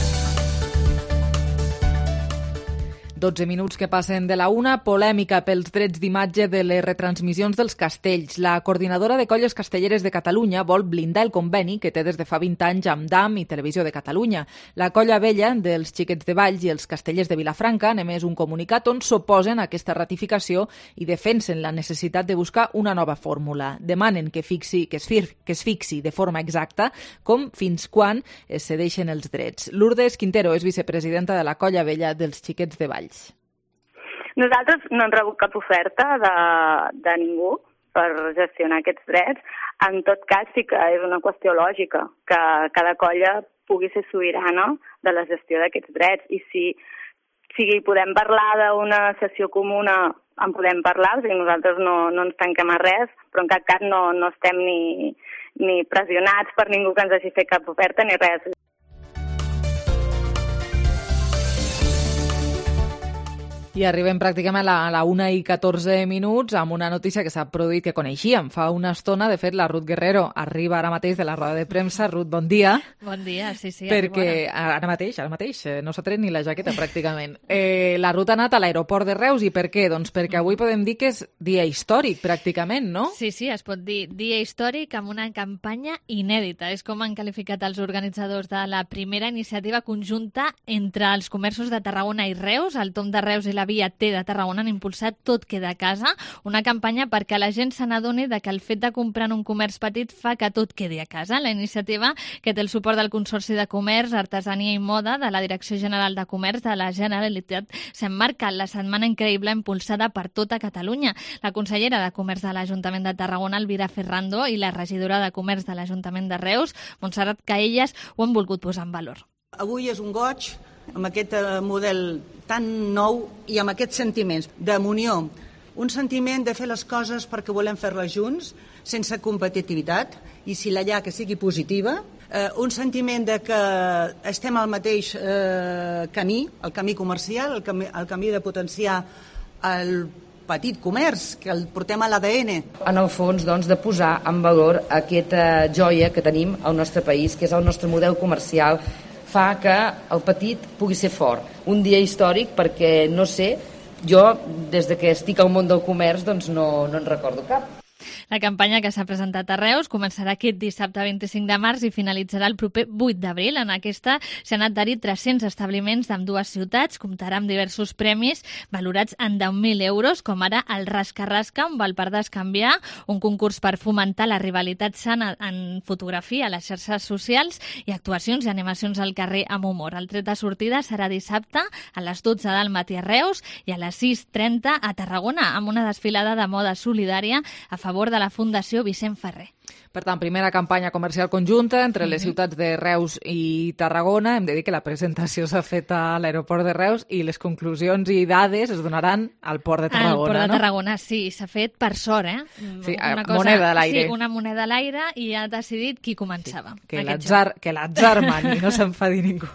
S3: dotze minuts que passen de la una, polèmica pels drets d'imatge de les retransmissions dels castells. La coordinadora de colles castelleres de Catalunya vol blindar el conveni que té des de fa vint anys amb D A M i Televisió de Catalunya. La colla vella dels Xiquets de Valls i els castellers de Vilafranca han emès un comunicat on s'oposen a aquesta ratificació i defensen la necessitat de buscar una nova fórmula. Demanen que, fixi, que, es, fir, que es fixi de forma exacta com fins quan es cedeixen els drets. Lourdes Quintero és vicepresidenta de la colla vella dels Xiquets de Valls.
S10: Nosaltres no hem rebut cap oferta de, de ningú per gestionar aquests drets. En tot cas, sí que és una qüestió lògica que cada colla pugui ser sobirana de la gestió d'aquests drets. I si, si podem parlar d'una sessió comuna, en podem parlar, o sigui, nosaltres no, no ens tanquem a res, però en cap cas no, no estem ni, ni pressionats per ningú que ens hagi fet cap oferta ni res.
S3: I arribem pràcticament a la, a la una i catorze minuts amb una notícia que s'ha produït que coneixíem fa una estona. De fet, la Ruth Guerrero arriba ara mateix de la roda de premsa. Ruth, bon dia.
S11: Bon dia, sí, sí.
S3: Perquè ara mateix, ara mateix, no s'ha tret ni la jaqueta pràcticament. Eh, la Ruth ha anat a l'aeroport de Reus i per què? Doncs perquè avui podem dir que és dia històric pràcticament, no?
S11: Sí, sí, es pot dir dia històric amb una campanya inèdita. És com han qualificat els organitzadors de la primera iniciativa conjunta entre els comerços de Tarragona i Reus. El Tom de Reus i la Via T de Tarragona han impulsat Tot queda a casa, una campanya perquè la gent se n'adoni de que el fet de comprar en un comerç petit fa que tot quedi a casa. La iniciativa, que té el suport del Consorci de Comerç, Artesania i Moda de la Direcció General de Comerç de la Generalitat, s'emmarca en la Setmana Increïble impulsada per tota Catalunya. La consellera de Comerç de l'Ajuntament de Tarragona, Elvira Ferrando, i la regidora de Comerç de l'Ajuntament de Reus, Montserrat Caelles, ho han volgut posar en valor.
S12: Avui és un goig amb aquest model tan nou i amb aquests sentiments d'unió, un sentiment de fer les coses perquè volem fer-les junts, sense competitivitat, i si la hi ha que sigui positiva, eh, un sentiment de que estem al mateix eh, camí, el camí comercial, el camí, el camí de potenciar el petit comerç, que el portem a l'A D N.
S14: En el fons, doncs, de posar en valor aquesta joia que tenim al nostre país, que és el nostre model comercial, fa que el petit pugui ser fort. Un dia històric perquè, no sé, jo, des de que estic al món del comerç, doncs no, no en recordo cap.
S11: La campanya que s'ha presentat a Reus començarà aquest dissabte vint-i-cinc de març i finalitzarà el proper vuit d'abril. En aquesta s'han adherit tres-cents establiments d'ambdues ciutats, comptarà amb diversos premis valorats en deu mil euros, com ara el Rasca-Rasca, on val per descanviar, un concurs per fomentar la rivalitat sana en fotografia a les xarxes socials i actuacions i animacions al carrer amb humor. El tret de sortida serà dissabte a les dotze del matí a Reus i a les sis trenta a Tarragona, amb una desfilada de moda solidària a favor de la Fundació Vicent Ferrer.
S3: Per tant, primera campanya comercial conjunta entre les ciutats de Reus i Tarragona. Hem de dir que la presentació s'ha fet a l'aeroport de Reus i les conclusions i dades es donaran al port de Tarragona,
S11: no? Al port de
S3: no?
S11: Tarragona, sí, s'ha fet per sort, eh?
S3: Sí,
S11: una cosa,
S3: moneda a l'aire.
S11: Sí, una moneda a l'aire i ha decidit qui començava.
S3: Sí, que l'atzar, que l'atzar mani, no s'enfadi ningú.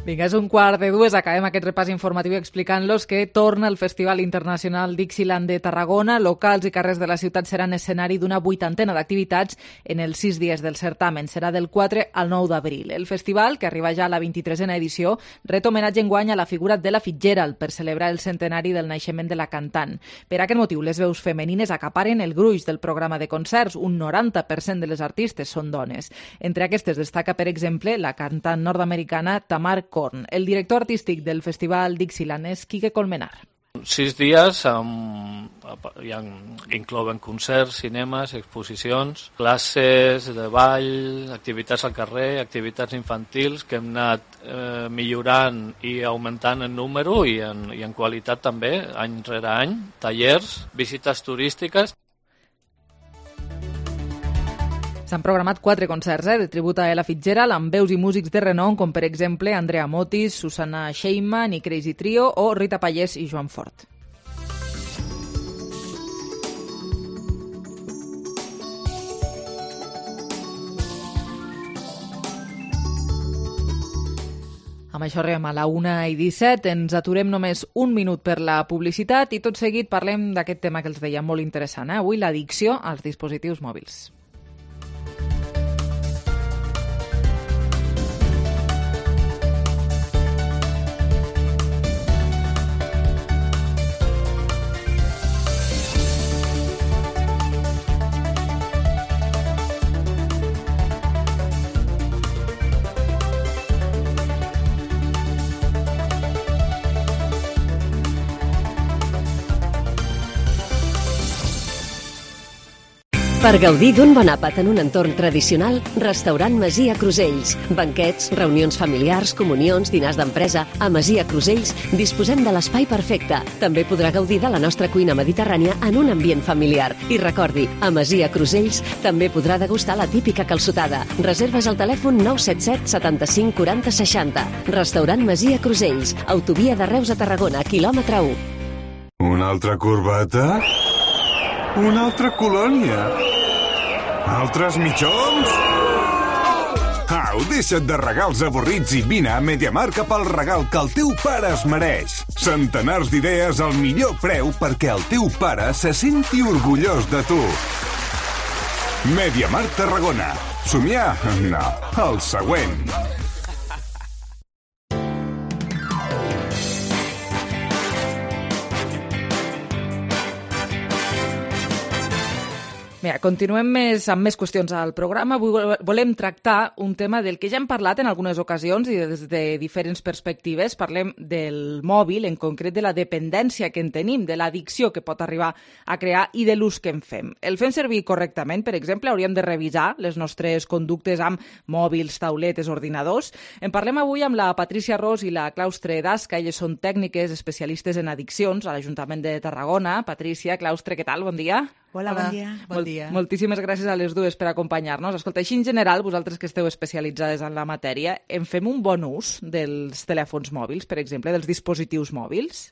S3: Vinga, és un quart de dues, acabem aquest repàs informatiu explicant-los que torna el Festival Internacional Dixieland de Tarragona. Locals i carrers de la ciutat seran escenari d'una vuitantena d'activitats en els sis dies del certamen. Serà del quatre al nou d'abril. El festival, que arriba ja a la vint-i-tresena edició, ret homenatge enguany a la figura d'Ella Fitzgerald per celebrar el centenari del naixement de la cantant. Per aquest motiu, les veus femenines acaparen el gruix del programa de concerts. Un noranta per cent de les artistes són dones. Entre aquestes destaca, per exemple, la cantant nord-americana Tamar Korn. El director artístic del Festival Dixieland és Quique Colmenar.
S15: Sis dies amb, hi ha, inclouen concerts, cinemes, exposicions, classes de ball, activitats al carrer, activitats infantils que hem anat eh, millorant i augmentant en número i en, i en qualitat també, any rere any, tallers, visites turístiques.
S3: S'han programat quatre concerts eh, de tribut a Ella Fitzgerald amb veus i músics de renom com, per exemple, Andrea Motis, Susana Sheinman i Crazy Trio o Rita Pallés i Joan Fort. Amb això arribem a la una i disset, ens aturem només un minut per la publicitat i tot seguit parlem d'aquest tema que els deia molt interessant, eh? Avui l'addicció als dispositius mòbils.
S17: Per gaudir d'un bon àpat en un entorn tradicional, Restaurant Masia Crusells. Banquets, reunions familiars, comunions, dinars d'empresa. A Masia Crusells disposem de l'espai perfecte. També podrà gaudir de la nostra cuina mediterrània en un ambient familiar. I recordi, a Masia Crusells també podrà degustar la típica calçotada. Reserves al telèfon nou set set setanta-cinc quaranta seixanta. Restaurant Masia Crusells, autovia de Reus a Tarragona, quilòmetre u.
S18: Una altra corbata? Una altra colònia? Altres mitjons? Au, deixa't de regals avorrits i vine a MediaMarkt cap al regal que el teu pare es mereix. Centenars d'idees al millor preu perquè el teu pare se senti orgullós de tu. MediaMarkt Tarragona. Somiar? No. El següent.
S3: Mira, continuem més, amb més qüestions al programa. Avui volem tractar un tema del que ja hem parlat en algunes ocasions i des de diferents perspectives. Parlem del mòbil, en concret de la dependència que en tenim, de l'addicció que pot arribar a crear i de l'ús que en fem. El fem servir correctament? Per exemple, hauríem de revisar les nostres conductes amb mòbils, tauletes, ordinadors. En parlem avui amb la Patricia Ros i la Claustre Dasca. Elles són tècniques especialistes en addiccions a l'Ajuntament de Tarragona. Patricia, Claustre, què tal? Bon dia.
S13: Hola, bon dia.
S12: Bon dia.
S3: Mol moltíssimes gràcies a les dues per acompanyar-nos. Escolta, així en general, vosaltres que esteu especialitzades en la matèria, en fem un bon ús dels telèfons mòbils, per exemple, dels dispositius mòbils?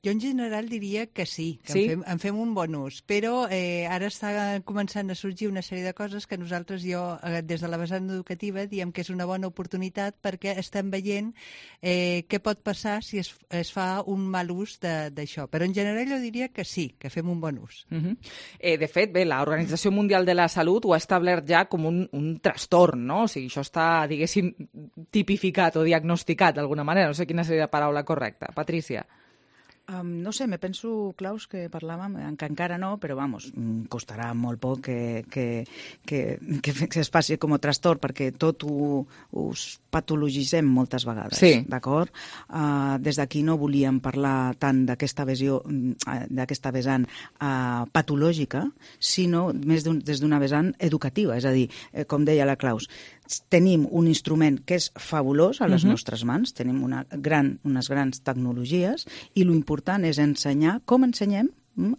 S13: Jo en general diria que sí, que
S3: sí?
S13: En, fem, en fem un bon ús, però eh, ara està començant a sorgir una sèrie de coses que nosaltres, jo, eh, des de la vessant educativa, diem que és una bona oportunitat perquè estem veient eh, què pot passar si es, es fa un mal ús d'això. Però en general jo diria que sí, que fem un bon ús.
S3: Uh -huh. eh, de fet, bé, l'Organització Mundial de la Salut ho ha establert ja com un, un trastorn, no? O sigui, això està, diguéssim, tipificat o diagnosticat d'alguna manera. No sé quina seria la paraula correcta. Patrícia.
S19: Um, no sé, me penso, Claus, que parlàvem, que encara no, però vamos, costarà molt poc que, que, que, que es faci com a trastorn, perquè tot ho, ho patologitzem moltes vegades,
S3: sí.
S19: D'acord? Uh, des d'aquí no volíem parlar tant d'aquesta visió, d'aquesta vessant uh, patològica, sinó més des d'una vessant educativa, és a dir, eh, com deia la Claus, tenim un instrument que és fabulós a les uh-huh. nostres mans, tenim una gran, unes grans tecnologies i l'important és ensenyar com ensenyem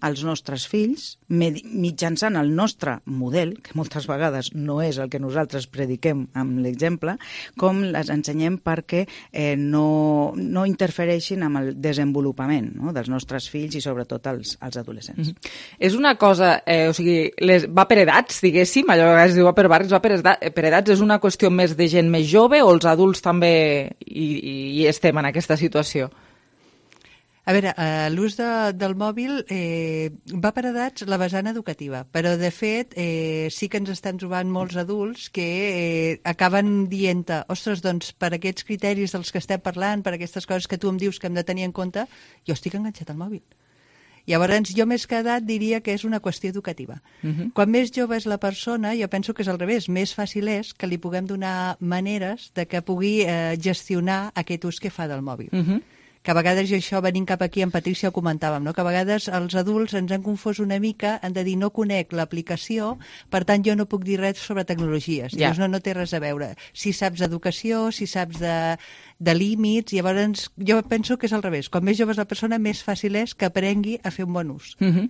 S19: als nostres fills, mitjançant el nostre model, que moltes vegades no és el que nosaltres prediquem amb l'exemple, com les ensenyem perquè eh, no, no interfereixin amb el desenvolupament, no?, dels nostres fills i sobretot els, els adolescents.
S3: Mm-hmm. És una cosa, eh, o sigui, les, va per edats, diguéssim, allò que es diu va per barris, va per, per edats, és una qüestió més de gent més jove o els adults també hi, hi estem en aquesta situació?
S13: A veure, eh, l'ús de, del mòbil eh, va per edats la vessant educativa, però de fet eh, sí que ens estem trobant molts adults que eh, acaben dient-te, ostres, doncs per aquests criteris dels que estem parlant, per aquestes coses que tu em dius que hem de tenir en compte, jo estic enganxat al mòbil. Llavors, jo més que edat diria que és una qüestió educativa. Uh-huh. Quan més jove és la persona, jo penso que és al revés, més fàcil és que li puguem donar maneres de que pugui eh, gestionar aquest ús que fa del mòbil. Uh-huh. Que a vegades, i això venint cap aquí, en Patrícia ho comentàvem, no? Que a vegades els adults ens han confós una mica, han de dir no conec l'aplicació, per tant jo no puc dir res sobre tecnologies. Ja. Llavors no, no té res a veure. Si saps d'educació, si saps de, de límits, llavors jo penso que és al revés. Quan més jove és la persona, més fàcil és que aprengui a fer un bon ús.
S3: Uh-huh.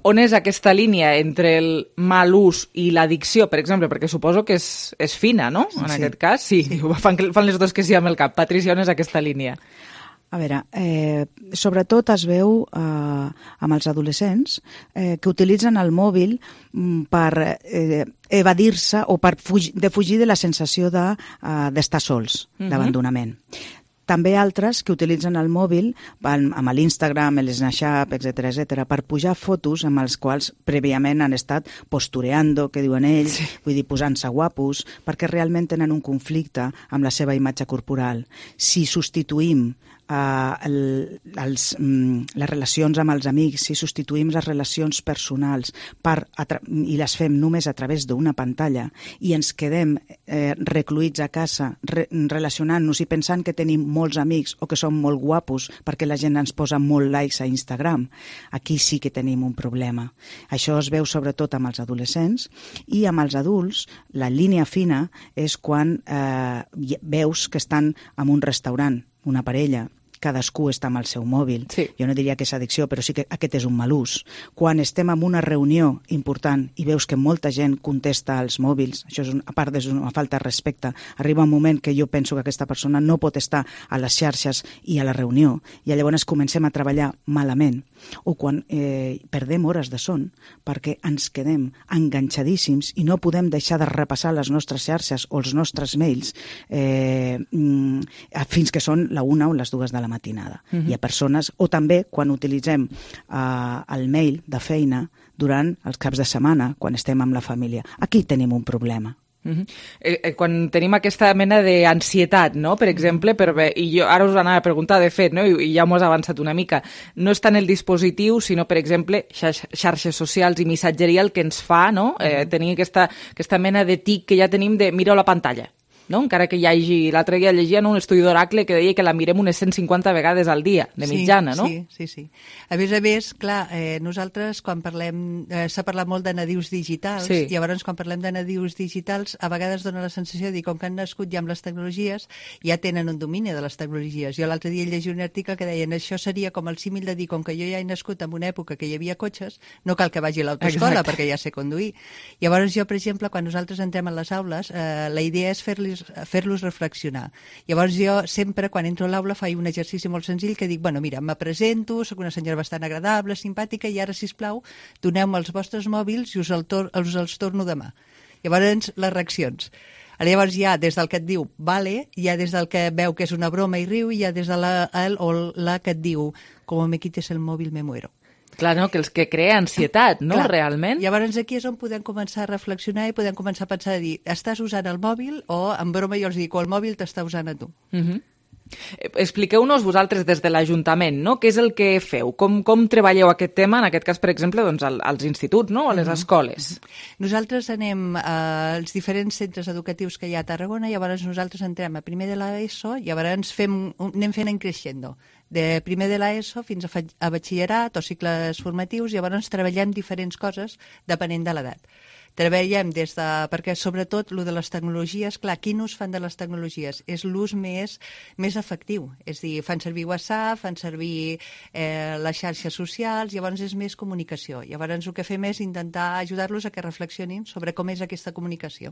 S3: On és aquesta línia entre el mal ús i l'addicció, per exemple? Perquè suposo que és, és fina, no? En sí. aquest cas, sí. sí. Fan, fan les dos que sí amb el cap. Patrícia, on és aquesta línia?
S19: A veure, eh, sobretot es veu eh, amb els adolescents eh, que utilitzen el mòbil per eh, evadir-se o per fugir, de fugir de la sensació de, eh, d'estar sols, uh-huh. d'abandonament. També altres que utilitzen el mòbil amb l'Instagram, l'Snapchat, etcètera, etcètera, per pujar fotos amb els quals prèviament han estat postureando, que diuen ells, sí. vull dir, posant-se guapos, perquè realment tenen un conflicte amb la seva imatge corporal. Si substituïm Uh, el, els, um, les relacions amb els amics, si substituïm les relacions personals per i les fem només a través d'una pantalla i ens quedem eh, recluïts a casa re relacionant-nos i pensant que tenim molts amics o que som molt guapos perquè la gent ens posa molt likes a Instagram, aquí sí que tenim un problema. Això es veu sobretot amb els adolescents i amb els adults la línia fina és quan eh, veus que estan en un restaurant, una parella, cadascú està amb el seu mòbil. Sí. Jo no diria que és addicció, però sí que aquest és un mal ús. Quan estem en una reunió important i veus que molta gent contesta als mòbils, això és un, a part és una falta de respecte, arriba un moment que jo penso que aquesta persona no pot estar a les xarxes i a la reunió, i llavors comencem a treballar malament. O quan eh, perdem hores de son perquè ens quedem enganxadíssims i no podem deixar de repassar les nostres xarxes o els nostres mails eh, fins que són la una o les dues de la matinada. Uh-huh. Hi ha persones, o també quan utilitzem uh, el mail de feina durant els caps de setmana, quan estem amb la família. Aquí tenim un problema.
S3: Uh-huh. eh, eh, quan tenim aquesta mena d'ansietat, no? Per exemple, per bé, i jo ara us anava a preguntar, de fet, no? I, i ja m'ho has avançat una mica, no és tant el dispositiu, sinó, per exemple, xar xarxes socials i missatgeria el que ens fa, no? Eh, tenir aquesta, aquesta mena de tic que ja tenim de miro la pantalla. no? Encara que hi hagi... L'altre dia llegia en un estudi d'Oracle que deia que la mirem unes cent cinquanta vegades al dia, de mitjana,
S13: sí,
S3: no?
S13: Sí, sí, sí. A més a més, clar, eh, nosaltres quan parlem... Eh, s'ha parlat molt de nadius digitals,
S3: sí.
S13: i llavors quan parlem de nadius digitals a vegades dona la sensació de dir, com que han nascut ja amb les tecnologies, ja tenen un domini de les tecnologies. Jo l'altre dia llegia un article que deien això seria com el símil de dir, com que jo ja he nascut en una època que hi havia cotxes, no cal que vagi a l'autoescola perquè ja sé conduir. Llavors jo, per exemple, quan nosaltres entrem a les aules, eh, la idea és fer-los fer-los reflexionar. Llavors jo sempre, quan entro a l'aula, faig un exercici molt senzill que dic, bueno, mira, me presento, sóc una senyora bastant agradable, simpàtica, i ara, sisplau, doneu-me els vostres mòbils i us, el tor us els torno demà. Llavors, les reaccions. Llavors hi ha des del que et diu vale, hi ha des del que veu que és una broma i riu, i hi ha des de la, el o la que et diu com me quites el mòbil me muero.
S3: Clar, no? Que els que crea ansietat, no?
S13: Clar.
S3: Realment.
S13: Llavors aquí és on podem començar a reflexionar i podem començar a pensar a dir, estàs usant el mòbil o, en broma jo els dic, o el mòbil t'està usant a tu.
S3: Uh -huh. Expliqueu-nos vosaltres des de l'Ajuntament, no? Què és el que feu? Com, com treballeu aquest tema, en aquest cas, per exemple, doncs, als instituts, no? O a les escoles?
S13: Nosaltres anem als diferents centres educatius que hi ha a Tarragona, llavors nosaltres entrem a primer de l'ESO, llavors fem, anem fent en creixendo, de primer de l'ESO fins a, a batxillerat o cicles formatius, llavors treballem diferents coses depenent de l'edat. Treballem des de... perquè sobretot el de les tecnologies, clar, quin ús fan de les tecnologies? És l'ús més, més efectiu, és a dir, fan servir WhatsApp, fan servir eh, les xarxes socials, llavors és més comunicació. Llavors el que fem és intentar ajudar-los a que reflexionin sobre com és aquesta comunicació.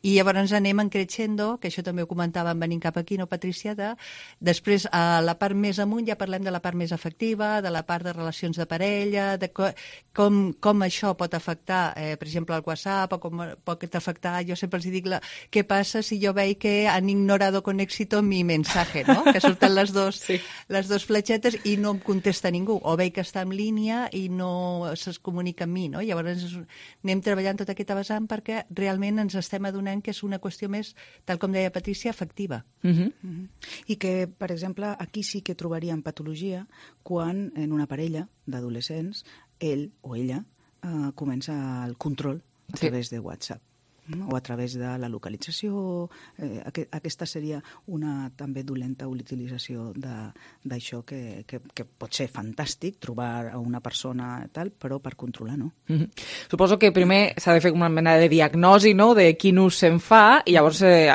S13: I llavors anem en creixendo, que això també ho comentàvem venint cap aquí, no, Patrícia? De... Després, a la part més amunt, ja parlem de la part més afectiva, de la part de relacions de parella, de co com, com això pot afectar, eh, per exemple, el WhatsApp, o com pot afectar, jo sempre els dic, la... què passa si jo veig que han ignorado con éxito mi mensaje, no? Que surten les dos, sí. les dos fletxetes i no em contesta ningú, o veig que està en línia i no es comunica amb mi, no? Llavors anem treballant tota aquesta vessant perquè realment ens estem adonant que és una qüestió més, tal com deia Patrícia, afectiva.
S19: Uh -huh. Uh -huh. I que, per exemple, aquí sí que trobaríem patologia quan en una parella d'adolescents ell o ella eh, comença el control a sí. través de WhatsApp, no? O a través de la localització. Eh, aqu aquesta seria una també dolenta utilització d'això que, que, que pot ser fantàstic, trobar a una persona tal, però per controlar, no?
S3: Mm -hmm. Suposo que primer s'ha de fer una mena de diagnosi, no?, de quin ús se'n fa, i llavors eh,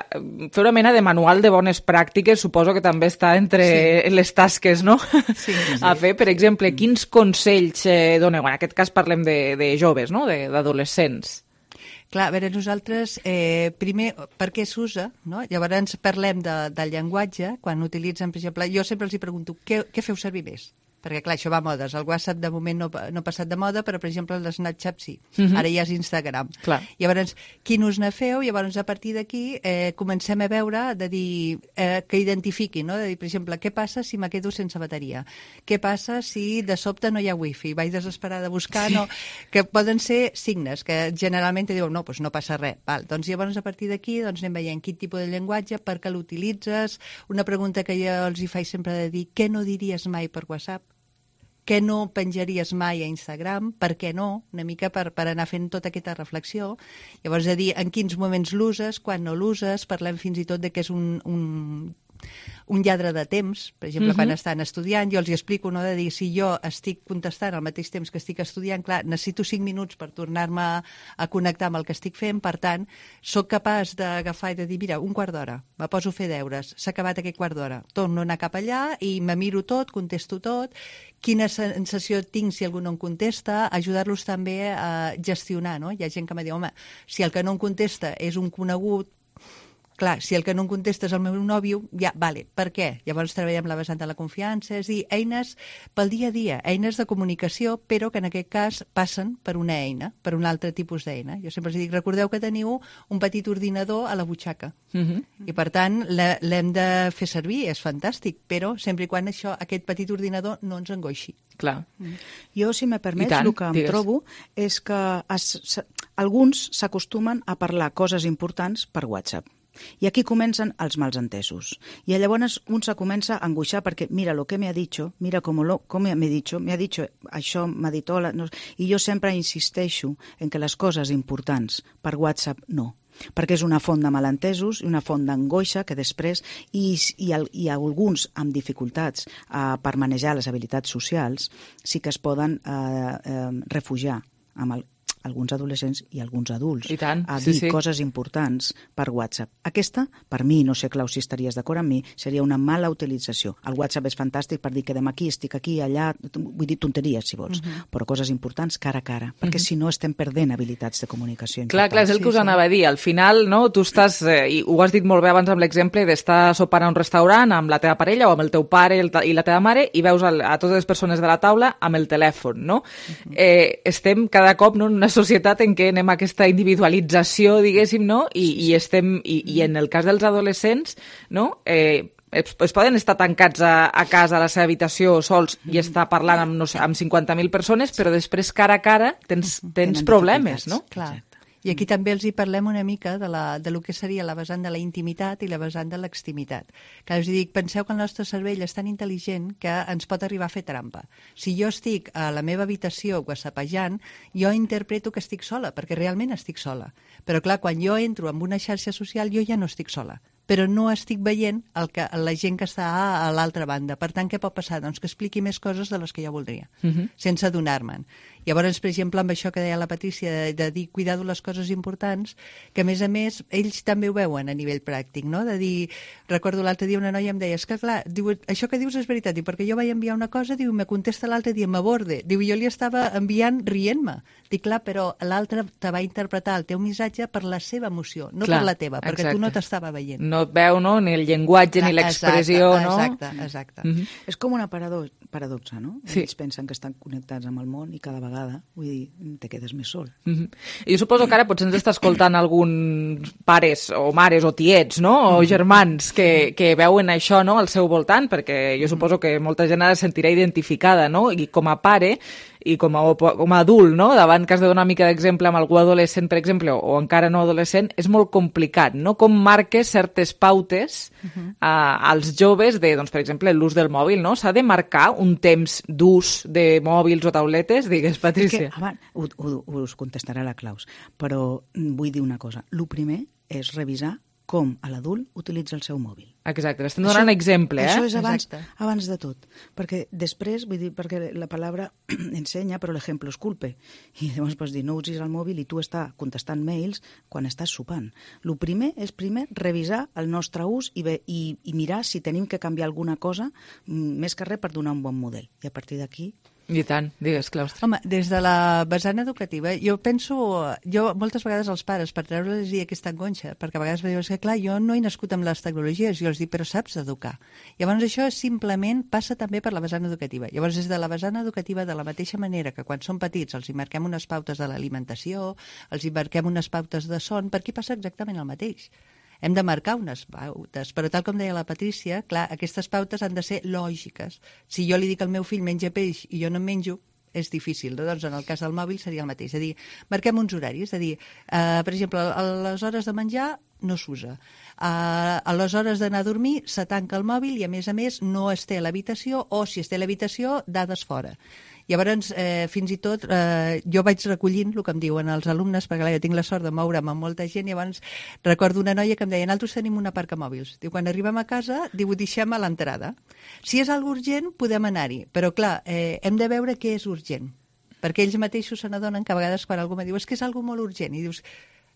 S3: fer una mena de manual de bones pràctiques suposo que també està entre sí. les tasques, no?, sí, sí. a fer. Per exemple, quins consells eh, doneu? En aquest cas parlem de, de joves, no?, d'adolescents.
S13: Clar, a veure, nosaltres, eh, primer, per què s'usa, no? Llavors parlem de, del llenguatge, quan utilitzen, per exemple, jo sempre els hi pregunto, què, què feu servir més? Perquè, clar, això va a modes. El WhatsApp, de moment, no, no ha passat de moda, però, per exemple, el Snapchat sí. Uh-huh. Ara ja és Instagram.
S3: Clar.
S13: Llavors, quin ús ne feu? Llavors, a partir d'aquí, eh, comencem a veure, de dir, eh, que identifiqui, no? De dir, per exemple, què passa si me quedo sense bateria? Què passa si de sobte no hi ha wifi? Vaig desesperada a buscar, sí. no? Que poden ser signes, que generalment diuen, no, doncs no passa res. Val. Doncs llavors, a partir d'aquí, doncs anem veient quin tipus de llenguatge, per què l'utilitzes. Una pregunta que jo els hi faig sempre de dir, què no diries mai per WhatsApp? Què no penjaries mai a Instagram? Per què no? Una mica per, per anar fent tota aquesta reflexió. Llavors, de dir en quins moments l'uses, quan no l'uses, parlem fins i tot de que és un, un, un lladre de temps. Per exemple, uh-huh. quan estan estudiant, jo els hi explico, no?, de dir, si jo estic contestant al mateix temps que estic estudiant, clar, necessito cinc minuts per tornar-me a, a connectar amb el que estic fent, per tant, sóc capaç d'agafar i de dir, mira, un quart d'hora, me poso a fer deures, s'ha acabat aquest quart d'hora, torno a anar cap allà i me miro tot, contesto tot, quina sensació tinc si algú no em contesta, ajudar-los també a gestionar, no? Hi ha gent que me diu, home, si el que no em contesta és un conegut, clar, si el que no em contesta és el meu nòvio, ja, vale, per què? Llavors treballem la vessant de la confiança, és a dir, eines pel dia a dia, eines de comunicació, però que en aquest cas passen per una eina, per un altre tipus d'eina. Jo sempre els dic, recordeu que teniu un petit ordinador a la butxaca, uh-huh. i per tant l'hem de fer servir, és fantàstic, però sempre i quan això, aquest petit ordinador no ens angoixi.
S3: Clar.
S19: Mm. Jo, si me permets, el que em digues. trobo és que es, se, alguns s'acostumen a parlar coses importants per WhatsApp. I aquí comencen els malentesos. I llavors un se comença a angoixar perquè mira lo que me ha dicho, mira com, lo, com me ha dicho, me ha dicho això, m'ha dit hola. No. I jo sempre insisteixo en que les coses importants per WhatsApp no. perquè és una font de malentesos i una font d'angoixa que després, i, i, i alguns amb dificultats eh, per manejar les habilitats socials, sí que es poden eh, eh, refugiar amb el, alguns adolescents i alguns adults
S3: I tant,
S19: a
S3: sí,
S19: dir
S3: sí.
S19: coses importants per WhatsApp. Aquesta, per mi, no sé, Clau, si estaries d'acord amb mi, seria una mala utilització. El WhatsApp és fantàstic per dir que demà aquí, estic aquí, allà, vull dir tonteries, si vols, uh-huh. però coses importants cara a cara, perquè uh-huh. si no estem perdent habilitats de comunicació importants.
S3: Clar, clar, és el que us
S19: sí,
S3: anava a dir. Al final, no, tu estàs, eh, i ho has dit molt bé abans amb l'exemple d'estar sopant a un restaurant amb la teva parella o amb el teu pare i la teva mare i veus a, a totes les persones de la taula amb el telèfon, no? Uh-huh. Eh, estem cada cop no, en una societat en què anem a aquesta individualització, diguéssim, no? I, i, estem, i, i en el cas dels adolescents, no? Eh, es, es poden estar tancats a, a casa, a la seva habitació, sols, i estar parlant amb, no sé, amb cinquanta mil persones, però després, cara a cara, tens, tens problemes, no?
S13: Clar. I aquí també els hi parlem una mica de, la, de lo que seria la vessant de la intimitat i la vessant de l'extimitat. Que us dic, penseu que el nostre cervell és tan intel·ligent que ens pot arribar a fer trampa. Si jo estic a la meva habitació whatsappejant, jo interpreto que estic sola, perquè realment estic sola. Però clar, quan jo entro en una xarxa social, jo ja no estic sola, però no estic veient el que, la gent que està a, a l'altra banda. Per tant, què pot passar? Doncs que expliqui més coses de les que jo voldria, uh-huh. sense adonar-me'n. Llavors, per exemple, amb això que deia la Patrícia, de, de dir cuidar de les coses importants, que a més a més, ells també ho veuen a nivell pràctic, no? De dir, recordo l'altre dia una noia em deia, és que clar, diu, això que dius és veritat, diu, perquè jo vaig enviar una cosa, diu, me contesta l'altre dia, m'aborde, diu, jo li estava enviant rient-me. Dic, clar, però l'altre te va interpretar el teu missatge per la seva emoció, no clar, per la teva, perquè exacte. Tu no t'estava veient.
S3: No et veu, no?, ni el llenguatge, clar, ni l'expressió, no?
S13: Exacte, exacte.
S19: Mm-hmm. És com una parado paradoxa, no?
S3: Sí.
S19: Ells pensen que estan connectats amb el món i cada vegada, vull dir, te quedes més sol.
S3: Mm-hmm. Jo suposo que ara potser ens està escoltant alguns pares o mares o tiets, no?, o germans que, que veuen això, no?, al seu voltant, perquè jo suposo que molta gent ara es sentirà identificada, no?, i com a pare i com a, com a adult, no?, davant que has de donar una mica d'exemple amb algú adolescent, per exemple, o, o encara no adolescent, és molt complicat, no?, com marques certes pautes uh-huh. a, als joves de, doncs, per exemple, l'ús del mòbil, no? S'ha de marcar un temps d'ús de mòbils o tauletes? Digues, Patrícia.
S19: És que, abans, ho, ho, us contestarà la Claus, però vull dir una cosa. El primer és revisar com a l'adult utilitza el seu mòbil.
S3: Exacte, estem donant això, exemple, eh?
S19: Això és abans, abans de tot, perquè després, vull dir, perquè la paraula ensenya, però l'exemple es culpe, i llavors pots dir, no usis el mòbil i tu estàs contestant mails quan estàs sopant. El primer és primer revisar el nostre ús i, bé, i, i mirar si tenim que canviar alguna cosa, més que res per donar un bon model, i a partir d'aquí
S3: I tant, digues, Claustre.
S13: Home, des de la vessant educativa, jo penso, jo moltes vegades als pares, per treure-los aquesta angoixa, perquè a vegades me diuen que, clar, jo no he nascut amb les tecnologies, jo els dic, però saps educar. Llavors això simplement passa també per la vessant educativa. Llavors, des de la vessant educativa, de la mateixa manera que quan són petits els hi marquem unes pautes de l'alimentació, els hi marquem unes pautes de son, per aquí passa exactament el mateix. Hem de marcar unes pautes, però tal com deia la Patrícia, clar, aquestes pautes han de ser lògiques. Si jo li dic al meu fill menja peix i jo no en menjo, és difícil. Doncs en el cas del mòbil seria el mateix. És a dir, marquem uns horaris. És a dir, eh, per exemple, a les hores de menjar no s'usa. Eh, a les hores d'anar a dormir se tanca el mòbil i, a més a més, no es té a l'habitació o, si es té a l'habitació, dades fora. Llavors, eh, fins i tot, eh, jo vaig recollint el que em diuen els alumnes, perquè clar, jo tinc la sort de moure'm amb molta gent, i llavors recordo una noia que em deia, nosaltres tenim una parca mòbils. Diu, quan arribem a casa, diu, ho deixem a l'entrada. Si és algo urgent, podem anar-hi, però clar, eh, hem de veure què és urgent, perquè ells mateixos se n'adonen que a vegades quan algú me diu, és que és algo molt urgent, i dius,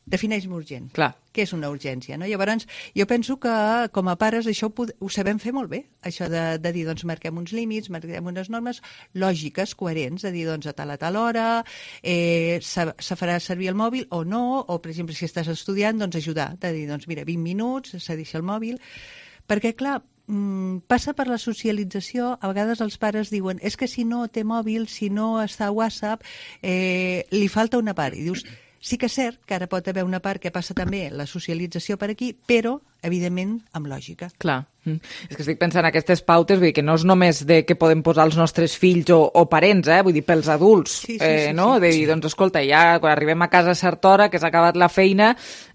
S13: defineix-me urgent.
S3: Clar.
S13: Què és una urgència, no? Llavors, jo penso que com a pares això ho, ho sabem fer molt bé, això de, de dir, doncs, marquem uns límits, marquem unes normes lògiques, coherents, de dir, doncs, a tal a tal hora, eh, se, se farà servir el mòbil o no, o, per exemple, si estàs estudiant, doncs, ajudar, de dir, doncs, mira, vint minuts, se deixa el mòbil, perquè, clar, passa per la socialització, a vegades els pares diuen, és que si no té mòbil, si no està a WhatsApp, eh, li falta una part, i dius, sí que és cert que ara pot haver una part que passa també la socialització per aquí, però, evidentment, amb lògica.
S3: Clar. Mm. És que estic pensant en aquestes pautes, vull dir que no és només de què podem posar els nostres fills o, o parents, eh? Vull dir, pels adults, sí, sí, eh, sí, no? Sí, de dir, sí. Doncs, escolta, ja quan arribem a casa a certa hora, que s'ha acabat la feina,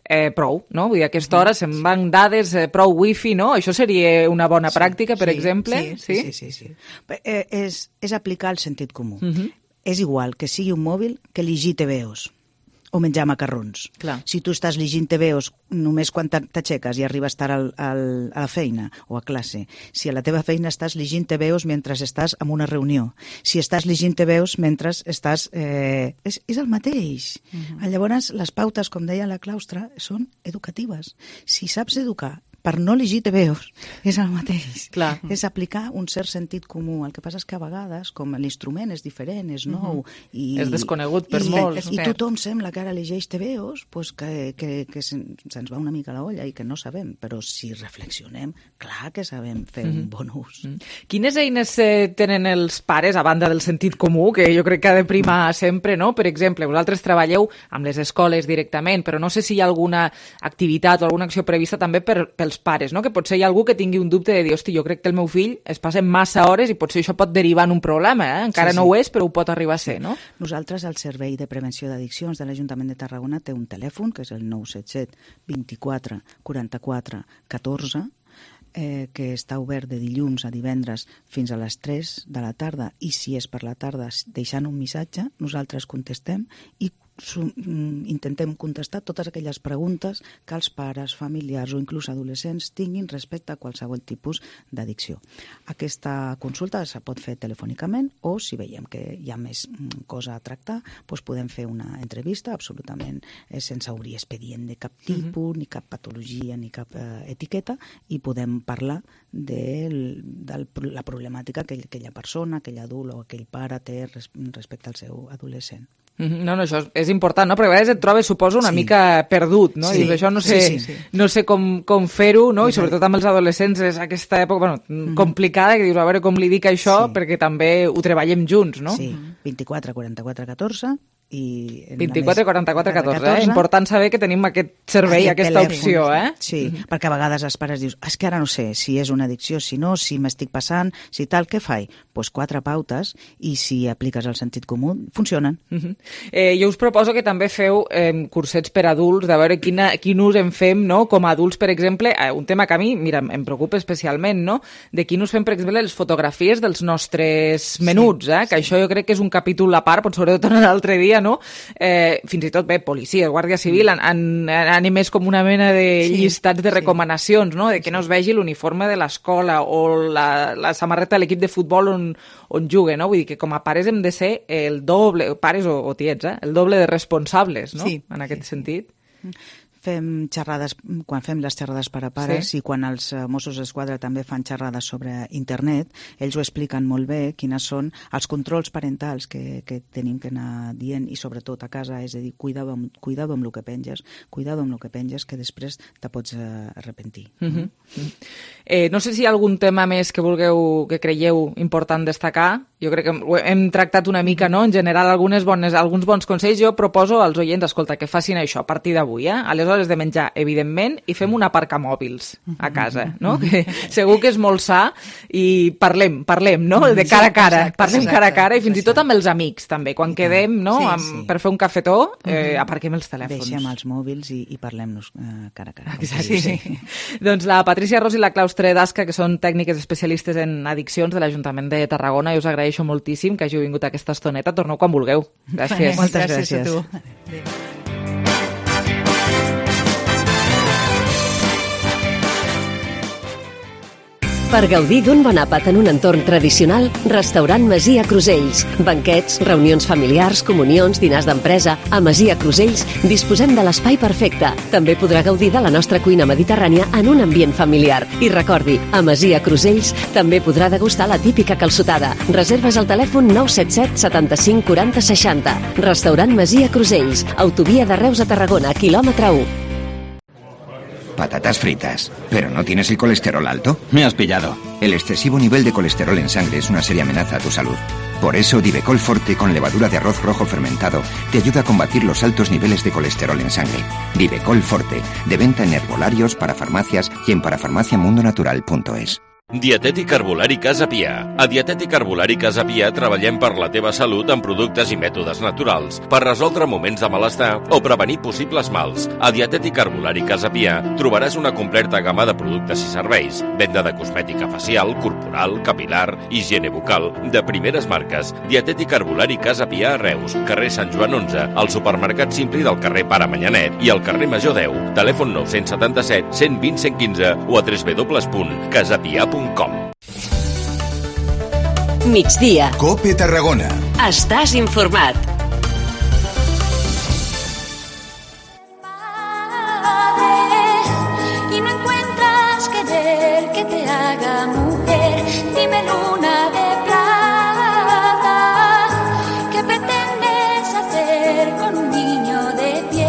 S3: eh, prou, no? Vull dir, a aquesta hora se'n van dades, eh, prou wifi, no? Això seria una bona sí, pràctica, per
S19: sí,
S3: exemple?
S19: Sí, sí, sí. sí, sí, sí. Eh, és, és aplicar el sentit comú.
S3: Uh-huh.
S19: És igual que sigui un mòbil que llegir T V Os o menjar macarrons.
S3: Clar.
S19: Si tu estàs llegint T V Os només quan t'aixeques i arribes tard al, al, a la feina o a classe, si a la teva feina estàs llegint T V Os mentre estàs en una reunió, si estàs llegint T V Os mentre estàs... Eh, és, és el mateix. Uh-huh. Llavors, les pautes, com deia la Claustra, són educatives. Si saps educar per no llegir T V Os, és el mateix.
S3: Clar.
S19: És aplicar un cert sentit comú. El que passa és que a vegades, com l'instrument és diferent, és nou...
S3: Uh-huh.
S19: i,
S3: és desconegut per
S19: i,
S3: molts.
S19: I tothom sembla que ara llegeix T V Os, pues que, que, que se'ns va una mica la olla i que no sabem, però si reflexionem, clar que sabem fer uh-huh. un bon ús.
S3: Uh-huh. Quines eines eh, tenen els pares, a banda del sentit comú, que jo crec que ha de primar sempre, no? Per exemple, vosaltres treballeu amb les escoles directament, però no sé si hi ha alguna activitat o alguna acció prevista també per, pels pares, no? Que potser hi ha algú que tingui un dubte de dir, hosti, jo crec que el meu fill es passa massa hores i potser això pot derivar en un problema, eh? Encara sí, sí. no ho és, però ho pot arribar a ser, no?
S19: Nosaltres, el Servei de Prevenció d'Addiccions de l'Ajuntament de Tarragona té un telèfon, que és el nou set set vint-i-quatre quaranta-quatre catorze, eh, que està obert de dilluns a divendres fins a les tres de la tarda, i si és per la tarda deixant un missatge, nosaltres contestem i intentem contestar totes aquelles preguntes que els pares, familiars o inclús adolescents tinguin respecte a qualsevol tipus d'addicció. Aquesta consulta se pot fer telefònicament o, si veiem que hi ha més cosa a tractar, doncs podem fer una entrevista absolutament sense obrir expedient de cap tipus, uh-huh. ni cap patologia, ni cap eh, etiqueta, i podem parlar de, de la problemàtica que aquella persona, aquell adult o aquell pare té respecte al seu adolescent.
S3: No, no, això és important, no? Perquè a vegades et trobes, suposo, una sí. mica perdut, no? Sí. I això no sé, sí, sí, sí. no sé com, com fer-ho, no? I sobretot amb els adolescents és aquesta època, bueno, mm-hmm. complicada, que dius, a veure com li dic això, sí. perquè també ho treballem junts, no?
S19: Sí, vint-i-quatre quaranta-quatre catorze i...
S3: vint-i-quatre quaranta-quatre catorze, eh? Important saber que tenim aquest servei, aquest aquesta telèfon, opció, eh?
S19: Sí, mm-hmm. perquè a vegades els pares dius, és que ara no sé si és una addicció, si no, si m'estic passant, si tal, què faig? Doncs pues quatre pautes, i si apliques el sentit comú, funcionen.
S3: Mm-hmm. Eh, jo us proposo que també feu eh, cursets per adults, de veure quina, quin ús en fem, no? Com a adults, per exemple, eh, un tema que a mi, mira, em preocupa especialment, no? De quin ús fem, per exemple, les fotografies dels nostres menuts, eh? Que sí. Això jo crec que és un capítol a part, pot sobretot en l'altre dia, no? Eh, fins i tot, bé, policia, Guàrdia Civil, han, han, han emès com una mena de sí, llistats de recomanacions, no? De que no es vegi l'uniforme de l'escola o la, la samarreta de l'equip de futbol on, on juguen, no? Vull dir que com a pares hem de ser el doble, pares o, o tiets, eh? El doble de responsables, no?
S19: Sí,
S3: en aquest
S19: sí,
S3: sentit.
S19: Fem xerrades, quan fem les xerrades per a pares sí. i quan els Mossos d'Esquadra també fan xerrades sobre internet, ells ho expliquen molt bé, quines són els controls parentals que, que tenim que anar dient, i sobretot a casa, és a dir, cuidado amb, cuidado amb el que penges, cuidado amb el que penges, que després te pots uh, arrepentir.
S3: Uh-huh. eh, no sé si hi ha algun tema més que vulgueu, que creieu important destacar. Jo crec que hem tractat una mica, no?, en general, algunes bones, alguns bons consells. Jo proposo als oients, escolta, que facin això a partir d'avui, eh? A les hores de menjar, evidentment, i fem un aparcamòbils a casa, no? Que segur que és molt sa, i parlem, parlem, no? De cara a cara,
S19: exacte,
S3: parlem
S19: exacte,
S3: cara a cara, i fins i tot amb els amics, també. Quan quedem, no?,
S19: sí,
S3: amb,
S19: sí.
S3: per fer un cafetó, eh, aparquem els telèfons.
S19: Deixem els mòbils i, i parlem-nos eh, cara a cara.
S3: Exacte. Sí. Sí. Doncs la Patrícia Ros i la Claustre Dasca, que són tècniques especialistes en addiccions de l'Ajuntament de Tarragona, i us agraeixo moltíssim que hàgiu vingut a aquesta estoneta. Torneu quan vulgueu. Gràcies.
S19: Moltes gràcies.
S13: Gràcies a tu.
S17: Per gaudir d'un bon àpat en un entorn tradicional, Restaurant Masia Crusells. Banquets, reunions familiars, comunions, dinars d'empresa... A Masia Crusells disposem de l'espai perfecte. També podrà gaudir de la nostra cuina mediterrània en un ambient familiar. I recordi, a Masia Crusells també podrà degustar la típica calçotada. Reserves al telèfon nou set set setanta-cinc quaranta seixanta. Restaurant Masia Crusells. Autovia de Reus a Tarragona, quilòmetre u.
S1: Patatas fritas. ¿Pero no tienes el colesterol alto?
S20: Me has pillado.
S1: El excesivo nivel de colesterol en sangre es una seria amenaza a tu salud. Por eso, Divecol Forte con levadura de arroz rojo fermentado te ayuda a combatir los altos niveles de colesterol en sangre. Divecol Forte, de venta en herbolarios, parafarmacias y en parafarmaciamundonatural punto es.
S16: Dietètic Herbolari Casa Pia. A Dietètic Herbolari Casa Pia treballem per la teva salut amb productes i mètodes naturals, per resoldre moments de malestar o prevenir possibles mals. A Dietètic Herbolari Casa Pia trobaràs una completa gamma de productes i serveis, venda de cosmètica facial, corporal, capilar, higiene bucal, de primeres marques. Dietètic Herbolari Casa Pia a Reus, carrer Sant Joan onze, al supermercat Simpli del carrer Pare Manyanet i al carrer Major deu. Telèfon nou set set, cent vint, cent quinze o a w w w punt casapia punt com.
S17: Migdia.
S22: Cope Tarragona.
S17: Estàs informat.
S20: Y no encuentras querer que te haga mujer, dime luna de plata, ¿qué pretendes hacer con un niño de piel?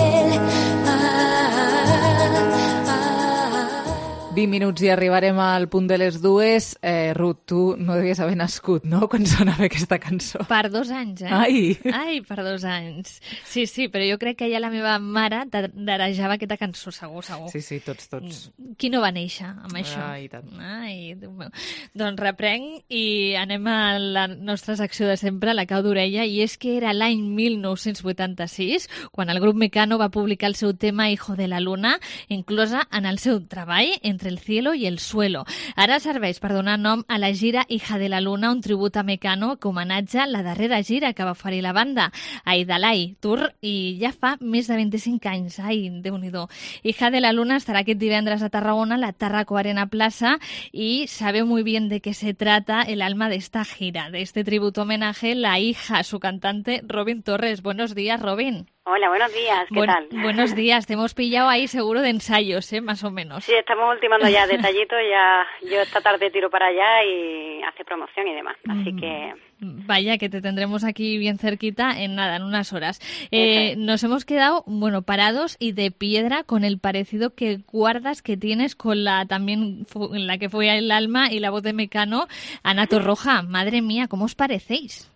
S3: vint minuts i arribarem al punt de les dues. Eh, Ruth, tu no devies haver nascut, no?, quan sonava aquesta cançó.
S11: Per dos anys, eh?
S3: Ai!
S11: Ai, per dos anys. Sí, sí, però jo crec que ja la meva mare darejava aquesta cançó, segur, segur.
S3: Sí, sí, tots, tots.
S11: Qui no va néixer amb això?
S3: Ai, tant.
S11: Ai, Déu meu. Doncs reprenc i anem a la nostra secció de sempre, la cau d'orella, i és que era l'any mil nou-cents vuitanta-sis quan el grup Mecano va publicar el seu tema Hijo de la Luna, inclosa en el seu treball Entre el cielo y el suelo. Ara serveix per donar nom a la gira Hija de la Luna, un tribut a Mecano que homenatja la darrera gira que va oferir la banda, Aidalai Tour, i ja fa més de vint-i-cinc anys. Ai, Déu-n'hi-do. Hija de la Luna estarà aquest divendres a Tarragona, a la Tarraco Arena Plaza, y sabe muy bien de qué se trata el alma de esta gira, de este tributo homenaje, la hija, su cantante, Robin Torres. Buenos días, Robin.
S21: Hola, buenos días, ¿qué
S11: Buen,
S21: tal?
S11: Buenos días, te hemos pillado ahí seguro de ensayos, ¿eh? Más o menos.
S21: Sí, estamos ultimando ya detallitos, ya yo esta tarde tiro para allá y hace promoción y demás, así
S11: Mm.
S21: que...
S11: Vaya, que te tendremos aquí bien cerquita en nada, en unas horas. Eh, nos hemos quedado, bueno, parados y de piedra con el parecido que guardas, que tienes con la también fu- la que fue el alma y la voz de Mecano, Ana Torroja. Madre mía, ¿cómo os parecéis?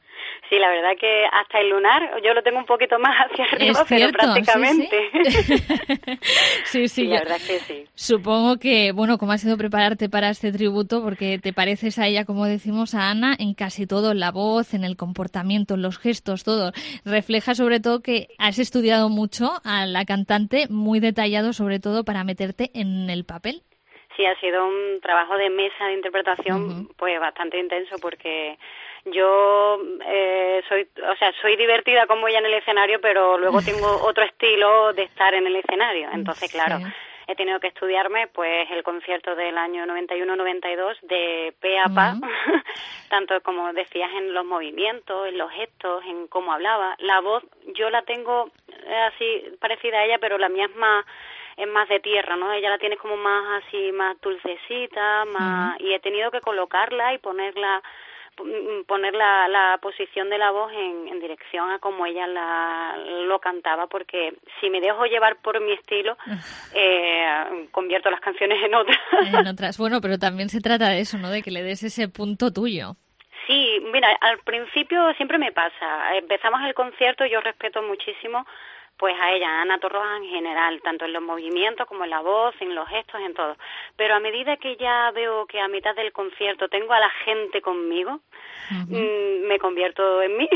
S21: Sí, la verdad que hasta el lunar yo lo tengo un poquito más hacia arriba,
S11: Es cierto,
S21: pero prácticamente.
S11: Sí, sí,
S21: la
S11: yo-
S21: verdad es que sí.
S11: Supongo que, bueno, ¿cómo ha sido prepararte para este tributo? Porque te pareces a ella, como decimos, a Ana, en casi todo, en la voz, en el comportamiento, en los gestos, todo. Refleja sobre todo que has estudiado mucho a la cantante, muy detallado sobre todo para meterte en el papel.
S21: Sí, ha sido un trabajo de mesa de interpretación pues bastante intenso porque yo eh, soy, o sea, soy divertida como ella en el escenario, pero luego tengo otro estilo de estar en el escenario. Entonces, claro, he tenido que estudiarme pues el concierto del año noventa y uno noventa y dos de pe a pa, tanto como decías en los movimientos, en los gestos, en cómo hablaba. La voz yo la tengo eh, así parecida a ella, pero la mía es más es más de tierra, ¿no? Ella la tiene como más así, más dulcecita, más y he tenido que colocarla y ponerla poner la, la posición de la voz en, en dirección a como ella la, lo cantaba, porque si me dejo llevar por mi estilo, eh, convierto las canciones en otras.
S11: En otras, bueno, pero también se trata de eso, ¿no? De que le des ese punto tuyo.
S21: Sí, mira, al principio siempre me pasa. Empezamos el concierto, yo respeto muchísimo pues a ella, a Ana Torroja en general, tanto en los movimientos como en la voz, en los gestos, en todo. Pero a medida que ya veo que a mitad del concierto tengo a la gente conmigo, uh-huh. me convierto en mí.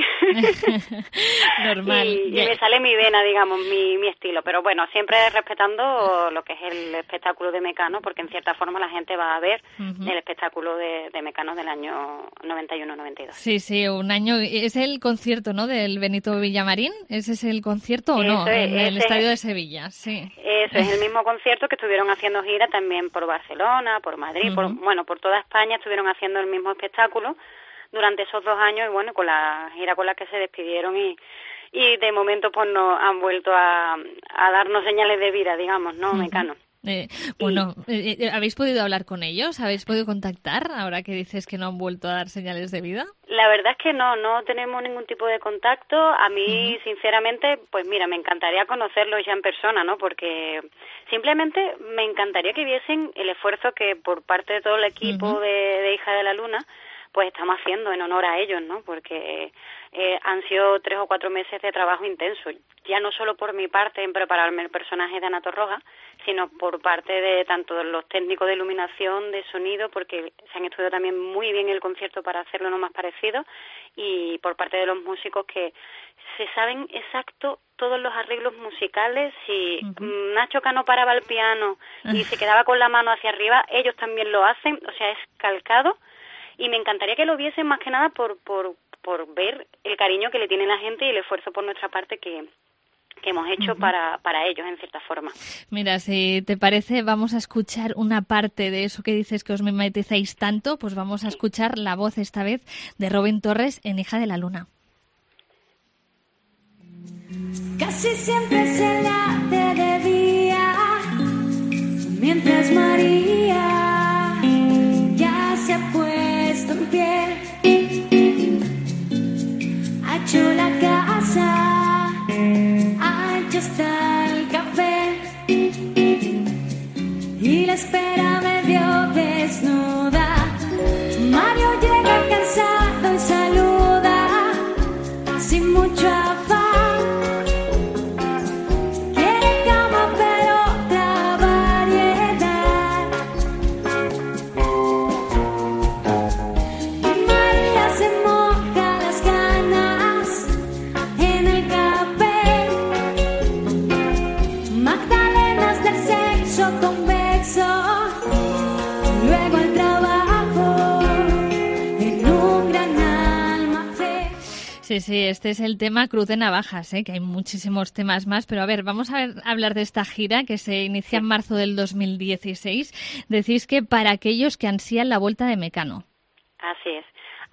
S11: Normal.
S21: Y, y me sale mi vena, digamos, mi, mi estilo. Pero bueno, siempre respetando lo que es el espectáculo de Mecano, porque en cierta forma la gente va a ver uh-huh. el espectáculo de, de Mecano del año noventa y uno noventa y dos.
S11: Sí, sí, un año. ¿Es el concierto, no, del Benito Villamarín? ¿Ese es el concierto o no? No, en el Estadio de Sevilla, sí.
S21: Eso es el mismo concierto que estuvieron haciendo gira también por Barcelona, por Madrid, uh-huh. por bueno, por toda España estuvieron haciendo el mismo espectáculo durante esos dos años y bueno, con la gira con la que se despidieron y y de momento pues no han vuelto a, a darnos señales de vida, digamos, ¿no, uh-huh. Mecano?
S11: Eh, bueno, eh, ¿habéis podido hablar con ellos? ¿Habéis podido contactar ahora que dices que no han vuelto a dar señales de vida?
S21: La verdad es que no, no tenemos ningún tipo de contacto. A mí, uh-huh. sinceramente, pues mira, me encantaría conocerlos ya en persona, ¿no? Porque simplemente me encantaría que viesen el esfuerzo que por parte de todo el equipo uh-huh. de, de Hija de la Luna pues estamos haciendo en honor a ellos, ¿no? Porque eh, han sido tres o cuatro meses de trabajo intenso, ya no solo por mi parte en prepararme el personaje de Ana Torroja, sino por parte de tanto de los técnicos de iluminación, de sonido, porque se han estudiado también muy bien el concierto para hacerlo lo más parecido, y por parte de los músicos que se saben exacto todos los arreglos musicales. Si uh-huh. Nacho Cano paraba el piano y se quedaba con la mano hacia arriba, ellos también lo hacen, o sea, es calcado, y me encantaría que lo viesen más que nada por, por, por ver el cariño que le tiene la gente y el esfuerzo por nuestra parte que... que hemos hecho uh-huh. para, para ellos, en cierta forma.
S11: Mira, si te parece, vamos a escuchar una parte de eso que dices que os mimetizáis tanto, pues vamos a escuchar la voz esta vez de Robin Torres en Hija de la Luna.
S20: Casi siempre se la hace de día, mientras María ya se ha puesto en pie, ha hecho la casa, ancho está el café y la espera medio desnuda. Mario llega cansado y saluda sin mucho afán. Quiere cama pero otra variedad. Y María se moja las ganas en el café. Magdalenas del sexo convexo, luego el trabajo en un gran almacén.
S11: Sí, sí, este es el tema Cruz de Navajas, ¿eh? Que hay muchísimos temas más, pero a ver, vamos a, ver, a hablar de esta gira que se inicia en marzo del dos mil dieciséis. Decís que para aquellos que ansían la vuelta de Mecano.
S21: Así es.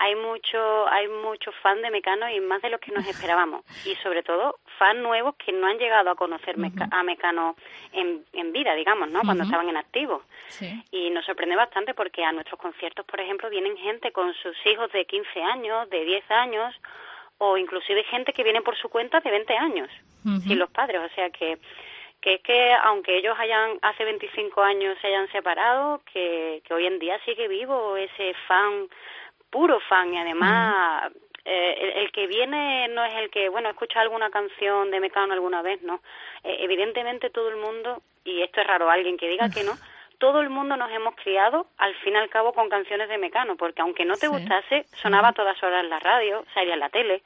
S21: Hay mucho, hay mucho fan de Mecano y más de los que nos esperábamos. Y sobre todo, fan nuevos que no han llegado a conocer Meca- uh-huh. a Mecano en, en vida, digamos, ¿no? Cuando uh-huh. estaban en activo.
S11: Sí.
S21: Y nos sorprende bastante porque a nuestros conciertos, por ejemplo, vienen gente con sus hijos de quince años, de diez años, o inclusive gente que viene por su cuenta de veinte años, uh-huh. sin los padres. O sea que, que es que aunque ellos hayan hace veinticinco años se hayan separado, que, que hoy en día sigue vivo ese fan, puro fan, y además uh-huh. eh, el, el que viene no es el que, bueno, escucha alguna canción de Mecano alguna vez, no. Eh, evidentemente todo el mundo, y esto es raro alguien que diga uh-huh. que no, todo el mundo nos hemos criado, al fin y al cabo, con canciones de Mecano, porque aunque no te sí. gustase, sonaba a todas horas en la radio, salía en la tele,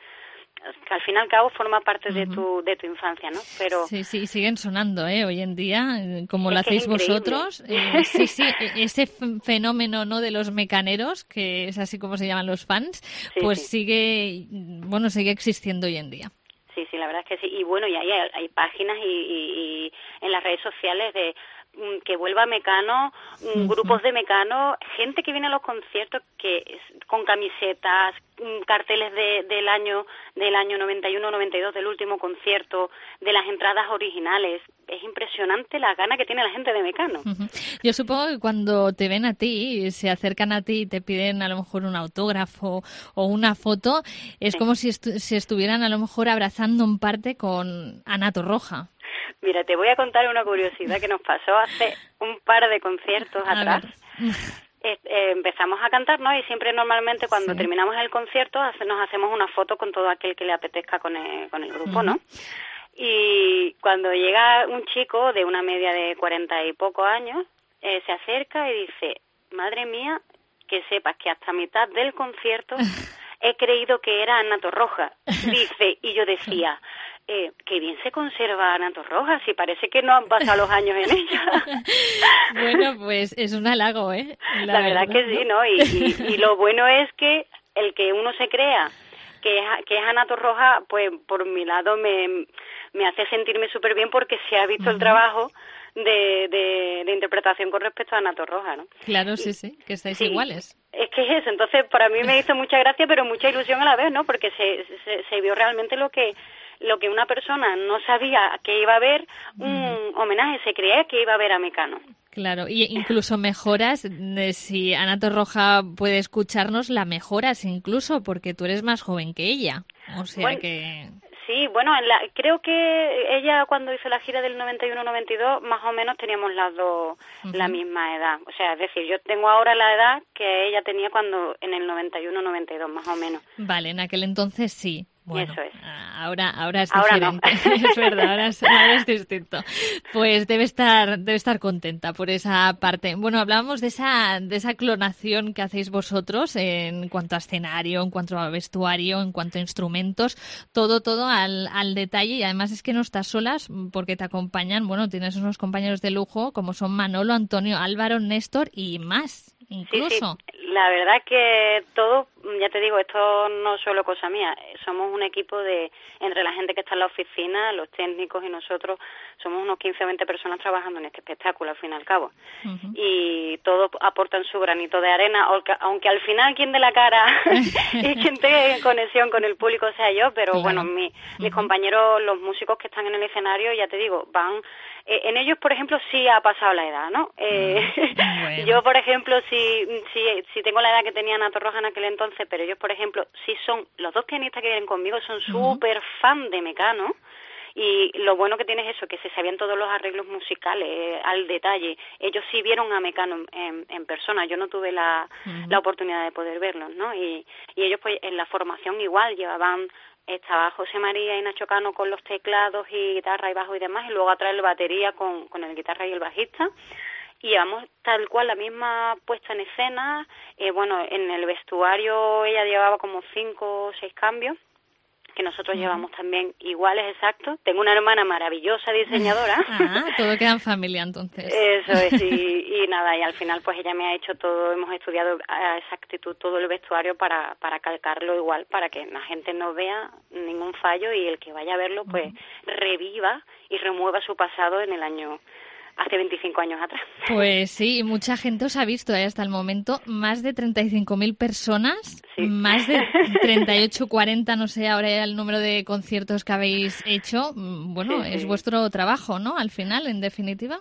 S21: que al fin y al cabo forma parte uh-huh. de tu de tu infancia, ¿no? Pero
S11: sí, sí, siguen sonando, ¿eh? Hoy en día, como lo hacéis vosotros. Eh, sí, sí, ese fenómeno, ¿no? De los mecaneros, que es así como se llaman los fans, sí, pues sí. sigue, bueno, sigue existiendo hoy en día.
S21: Sí, sí, la verdad es que sí. Y bueno, y hay, hay páginas y, y, y en las redes sociales de que vuelva Mecano, uh-huh. grupos de Mecano, gente que viene a los conciertos que con camisetas, carteles de, del año del año noventa y uno noventa y dos, del último concierto, de las entradas originales. Es impresionante la gana que tiene la gente de Mecano.
S11: Uh-huh. Yo supongo que cuando te ven a ti, se acercan a ti y te piden a lo mejor un autógrafo o una foto, es sí. como si, estu- si estuvieran a lo mejor abrazando en parte con Ana Torroja.
S21: Mira, te voy a contar una curiosidad que nos pasó hace un par de conciertos atrás. Eh, eh, empezamos a cantar, ¿no? Y siempre normalmente cuando sí. terminamos el concierto hace, nos hacemos una foto con todo aquel que le apetezca con el, con el grupo, uh-huh. ¿no? Y cuando llega un chico de una media de cuarenta y pocos años, eh, se acerca y dice, madre mía, que sepas que hasta mitad del concierto he creído que era Ana Torroja. Dice, y yo decía... Eh, que bien se conserva Ana Torroja, si parece que no han pasado los años en ella.
S11: Bueno, pues es un halago, ¿eh?
S21: La, La verdad, verdad que sí, ¿no? Y, y, y lo bueno es que el que uno se crea que es, que es Ana Torroja, pues por mi lado me, me hace sentirme súper bien porque se ha visto uh-huh. el trabajo de, de, de interpretación con respecto a Ana Torroja, ¿no?
S11: Claro, sí, sí, que estáis sí. iguales.
S21: Es que es eso, entonces para mí me hizo mucha gracia, pero mucha ilusión a la vez, ¿no? Porque se, se, se vio realmente lo que lo que una persona no sabía que iba a ver, un mm. homenaje, se creía que iba a ver a Mecano.
S11: Claro, y incluso mejoras, si Ana Torroja puede escucharnos, la mejoras incluso, porque tú eres más joven que ella, o sea
S21: bueno,
S11: que...
S21: Sí, Sí, bueno, en la, creo que ella cuando hizo la gira del noventa y uno noventa y dos, más o menos teníamos las dos uh-huh. la misma edad. O sea, es decir, yo tengo ahora la edad que ella tenía cuando en el noventa y uno noventa y dos, más o menos.
S11: Vale, en aquel entonces sí. Bueno,
S21: eso es.
S11: ahora, ahora es
S21: ahora
S11: diferente,
S21: no.
S11: Es verdad, ahora es, ahora es distinto. Pues debe estar, debe estar contenta por esa parte. Bueno, hablábamos de esa, de esa clonación que hacéis vosotros en cuanto a escenario, en cuanto a vestuario, en cuanto a instrumentos, todo, todo al, al detalle, y además es que no estás solas porque te acompañan, bueno, tienes unos compañeros de lujo como son Manolo, Antonio, Álvaro, Néstor y más, incluso.
S21: Sí, sí. La verdad que todo, ya te digo, esto no es solo cosa mía, somos un equipo de, entre la gente que está en la oficina, los técnicos y nosotros, somos unos quince o veinte personas trabajando en este espectáculo, al fin y al cabo. Uh-huh. Y todos aportan su granito de arena, aunque, aunque al final quien dé la cara y quien tenga conexión con el público sea yo, pero claro. bueno, mi, uh-huh. mis compañeros, los músicos que están en el escenario, ya te digo, van... Eh, en ellos, por ejemplo, sí ha pasado la edad, ¿no? Eh, bueno. Yo, por ejemplo, sí, sí, sí tengo la edad que tenía Ana Torroja en aquel entonces, pero ellos, por ejemplo, sí son, los dos pianistas que vienen conmigo son uh-huh. súper fan de Mecano, y lo bueno que tiene es eso, que se sabían todos los arreglos musicales eh, al detalle. Ellos sí vieron a Mecano en, en, en persona, yo no tuve la, uh-huh. la oportunidad de poder verlos, ¿no? Y, y ellos, pues, en la formación igual llevaban... Estaba José María y Nacho Cano con los teclados y guitarra y bajo y demás, y luego atrás la batería con, con el guitarra y el bajista. Y llevamos tal cual la misma puesta en escena. Eh, bueno, en el vestuario ella llevaba como cinco o seis cambios, que nosotros uh-huh. llevamos también iguales, exactos. Tengo una hermana maravillosa diseñadora.
S11: Ah, todo queda en familia entonces.
S21: Eso es, y, y nada, y al final pues ella me ha hecho todo, hemos estudiado a exactitud todo el vestuario para, para calcarlo igual, para que la gente no vea ningún fallo y el que vaya a verlo pues uh-huh. reviva y remueva su pasado en el año... hace veinticinco años atrás.
S11: Pues sí, mucha gente os ha visto ¿eh? Hasta el momento, más de treinta y cinco mil personas, sí. más de treinta y ocho, cuarenta, no sé ahora el número de conciertos que habéis hecho. Bueno, sí, sí. es vuestro trabajo, ¿no? Al final, en definitiva.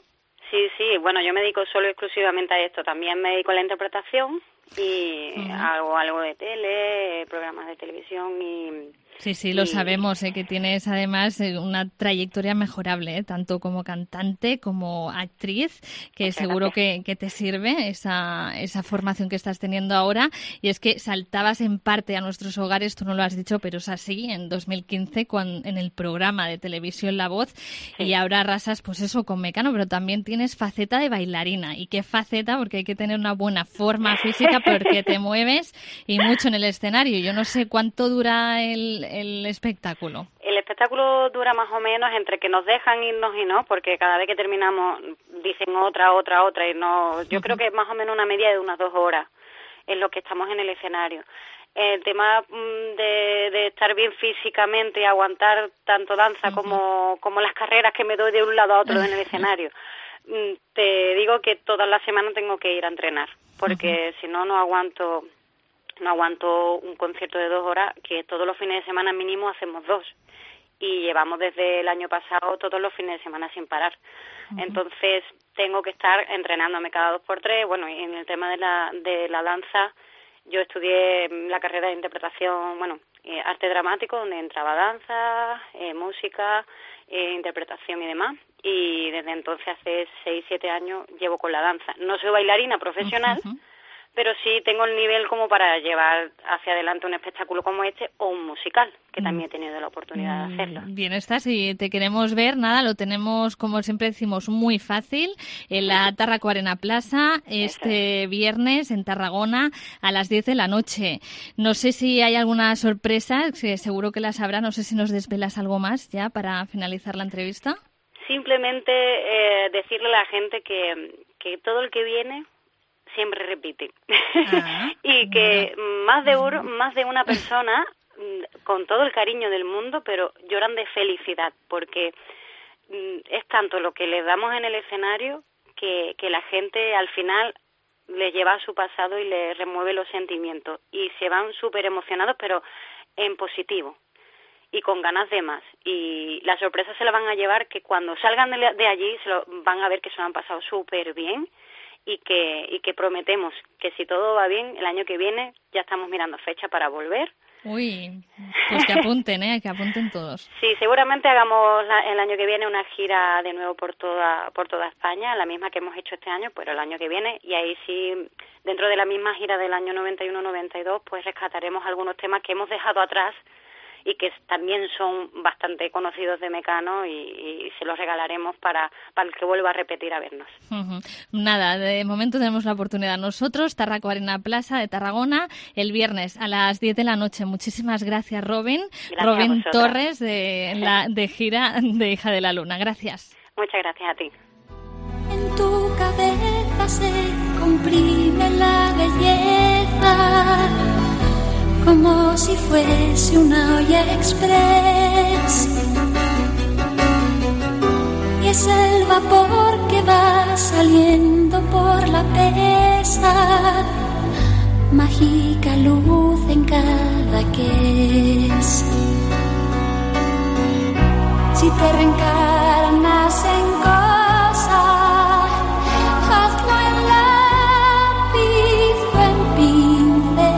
S21: Sí, sí, bueno, yo me dedico solo exclusivamente a esto, también me dedico a la interpretación y uh-huh. hago algo de tele, programas de televisión y...
S11: Sí, sí, lo y... sabemos, ¿eh? Que tienes además una trayectoria mejorable, ¿eh? Tanto como cantante como actriz, que Muchas seguro que, que te sirve esa, esa formación que estás teniendo ahora. Y es que saltabas en parte a nuestros hogares, tú no lo has dicho, pero es así, en dos mil quince cuando, en el programa de televisión La Voz, sí. y ahora arrasas pues eso con Mecano, pero también tienes faceta de bailarina. ¿Y qué faceta? Porque hay que tener una buena forma física porque te mueves y mucho en el escenario. Yo no sé cuánto dura el el espectáculo.
S21: El espectáculo dura más o menos entre que nos dejan irnos y no, porque cada vez que terminamos dicen otra, otra, otra y no. Yo uh-huh. creo que es más o menos una media de unas dos horas en lo que estamos en el escenario. El tema de, de estar bien físicamente y aguantar tanto danza uh-huh. como, como las carreras que me doy de un lado a otro en el escenario. Te digo que todas las semanas tengo que ir a entrenar, porque uh-huh. si no, no aguanto... No aguanto un concierto de dos horas, que todos los fines de semana mínimo hacemos dos. Y llevamos desde el año pasado todos los fines de semana sin parar. Uh-huh. Entonces tengo que estar entrenándome cada dos por tres. Bueno, y en el tema de la, de la danza, yo estudié la carrera de interpretación, bueno, eh, arte dramático, donde entraba danza, eh, música, eh, interpretación y demás. Y desde entonces, hace seis, siete años, llevo con la danza. No soy bailarina profesional, uh-huh. pero sí tengo el nivel como para llevar hacia adelante un espectáculo como este o un musical, que también he tenido la oportunidad de hacerlo.
S11: Bien, estás, y te queremos ver, nada, lo tenemos, como siempre decimos, muy fácil, en la Tarraco Arena Plaza, este viernes en Tarragona, a las diez de la noche. No sé si hay alguna sorpresa, que seguro que las habrá, no sé si nos desvelas algo más ya para finalizar la entrevista.
S21: Simplemente eh, decirle a la gente que, que todo el que viene siempre repite. Ah, y que bueno. más de uno, más de una persona, con todo el cariño del mundo, pero lloran de felicidad, porque es tanto lo que les damos en el escenario que, que la gente al final les lleva a su pasado y les remueve los sentimientos. Y se van súper emocionados, pero en positivo y con ganas de más. Y la sorpresa se la van a llevar, que cuando salgan de, de allí se lo van a ver que se lo han pasado súper bien. y que, y que prometemos que si todo va bien, el año que viene ya estamos mirando fecha para volver.
S11: Uy, pues que apunten, ¿eh? Que apunten todos.
S21: Sí, seguramente hagamos la, el año que viene una gira de nuevo por toda por toda España, la misma que hemos hecho este año, pero el año que viene, y ahí sí, dentro de la misma gira del año noventa y uno noventa y dos, pues rescataremos algunos temas que hemos dejado atrás y que también son bastante conocidos de Mecano, y, y se los regalaremos para, para el que vuelva a repetir a vernos.
S11: Uh-huh. Nada, de momento tenemos la oportunidad nosotros, Tarraco Arena Plaza de Tarragona, el viernes a las diez de la noche. Muchísimas gracias, Robin.
S21: Gracias
S11: Robin
S21: a
S11: Torres, de, la, de gira de Hija de la Luna. Gracias.
S21: Muchas gracias a ti.
S20: En tu cabeza se comprime la belleza, como si fuese una olla express, y es el vapor que va saliendo por la presa, mágica luz en cada que es. Si te reencarnas en cosa, hazlo en lápiz o en pincel.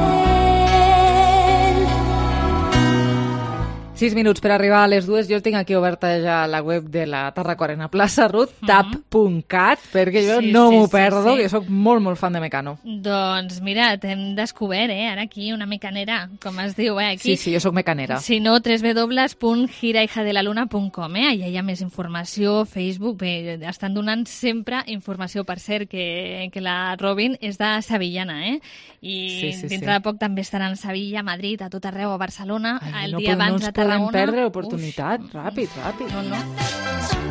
S3: Sis minuts per arribar a les dues. Jo tinc aquí oberta ja la web de la Tarraco Arena Plaça, Ruth, uh-huh. tap punt cat, perquè jo
S11: sí,
S3: no
S11: sí,
S3: m'ho
S11: sí,
S3: perdo,
S11: sí.
S3: que sóc molt, molt fan de Mecano.
S11: Doncs mira, t'hem descobert, eh, ara aquí, una mecanera, com es diu, eh, aquí.
S3: Sí, sí, jo sóc mecanera.
S11: Si no, doble u doble u doble u punt gira hija de la luna punt com, eh? Allà hi ha més informació, Facebook, bé, estan donant sempre informació, per cert, que, que la Robin és de Sevillana, eh? I
S3: sí, sí,
S11: dintre
S3: sí.
S11: de poc també estaran a Sevilla, a Madrid, a tot arreu, a Barcelona,
S3: Ai,
S11: el
S3: no,
S11: dia
S3: no
S11: abans
S3: ens
S11: a Tarragona.
S3: podem perdre l'oportunitat. Uf. Ràpid, ràpid.
S11: No, no.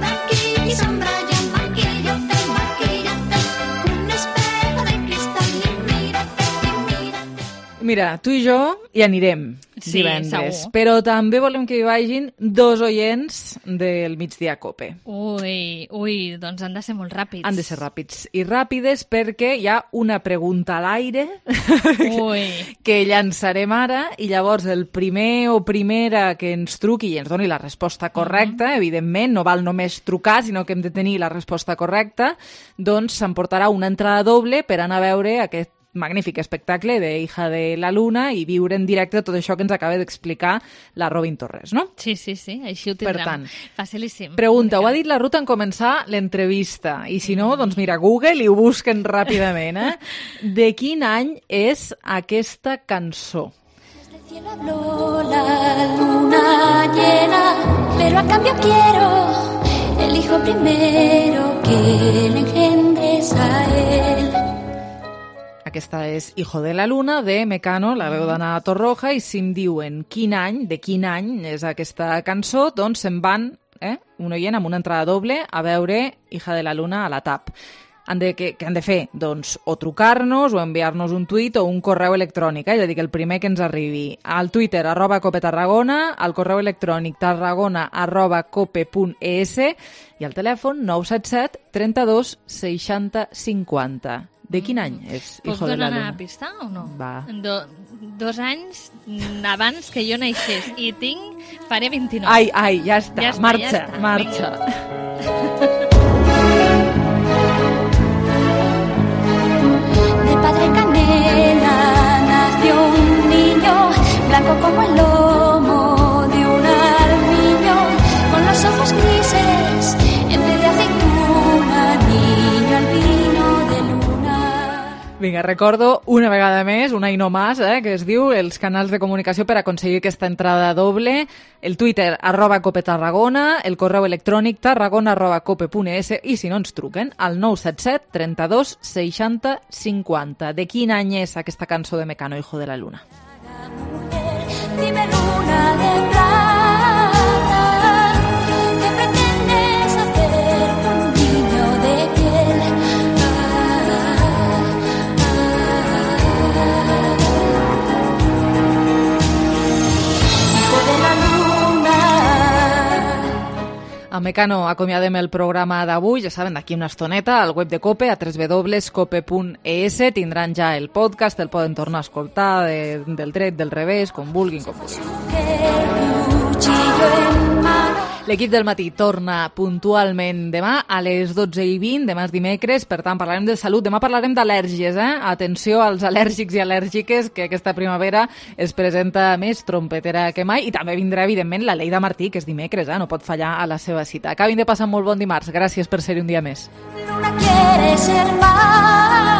S20: Aquí y sombra, yo maquillate, maquillate, un espejo de cristal y mírate, y mírate.
S3: Mira, tu i jo hi anirem
S11: Sí,
S3: divendres,
S11: segur.
S3: però també volem que hi vagin dos oients del Migdia Cope.
S11: Ui, ui, doncs han de ser molt ràpids.
S3: Han de ser ràpids i ràpides perquè hi ha una pregunta a l'aire
S11: Ui.
S3: que llançarem ara, i llavors el primer o primera que ens truqui i ens doni la resposta correcta, uh-huh. evidentment, no val només trucar, sinó que hem de tenir la resposta correcta, doncs s'emportarà una entrada doble per anar a veure aquest magnífic espectacle de Hija de la Luna i viure en directe tot això que ens acaba d'explicar la Robin Torres, no?
S11: Sí, sí, sí, així ho tindrem.
S3: Per tant,
S11: facilíssim.
S3: Pregunta, ho ha dit la Ruth en començar l'entrevista, i si no, doncs mira, Google i ho busquen ràpidament, eh? De quin any és aquesta cançó?
S20: Desde el cielo habló la luna llena, pero a cambio quiero el hijo primero que le engendres a él.
S3: Aquesta és Hijo de la Luna, de Mecano, la veu d'Anna Torroja, i si em diuen quin any, de quin any és aquesta cançó, doncs se'n van, eh, un oient amb una entrada doble, a veure Hija de la Luna a la T A P. Han de, què, què han de fer? Doncs o trucar-nos o enviar-nos un tuit o un correu electrònic, eh? És a dir, que el primer que ens arribi al Twitter, arroba cope tarragona, al correu electrònic tarragona arroba cope punt es i al telèfon nou set set trenta-dos seixanta cinquanta. De quin any és Hijo de la Luna?
S11: Puc donar una pista o no?
S3: Va.
S11: Do, dos anys abans que jo naixés i tinc, faré vint-i-nou.
S3: Ai, ai, ja està,
S11: ja està
S3: marxa,
S11: ja està.
S3: marxa.
S20: De padre canela nació un niño, blanco como el lomo de un armiño, con los ojos grises en vez de aceituna, niño albino de luna.
S3: Vinga, recordo una vegada més, un any no más, eh, que es diu els canals de comunicació per aconseguir aquesta entrada doble, el Twitter arroba cope tarragona, el correu electrònic tarragona arroba cope punt es i si no ens truquen al nou set set trenta-dos seixanta cinquanta. De quin any és aquesta cançó de Mecano, Hijo de la Luna?
S20: Dime luna de plata, ¿qué pretendes hacer con un niño de piel? Hijo de la luna.
S3: A Mecano acomiadem el programa d'avui, ja saben, d'aquí una estoneta, al web de Cope, a doble u doble u doble u punt cope punt es, tindran ja el podcast, el poden tornar a escoltar de, del dret, del revés, com vulguin, com vulguin.
S20: Cuchillo en mano.
S3: L'equip del matí torna puntualment demà a les dotze i vint, demà és dimecres, per tant parlarem de salut, demà parlarem d'al·lèrgies, eh? Atenció als al·lèrgics i al·lèrgiques, que aquesta primavera es presenta més trompetera que mai, i també vindrà, evidentment, la Leida Martí, que és dimecres, eh? No pot fallar a la seva cita. Acabin de passar molt bon dimarts, gràcies per ser-hi un dia més.
S20: Luna quiere ser más.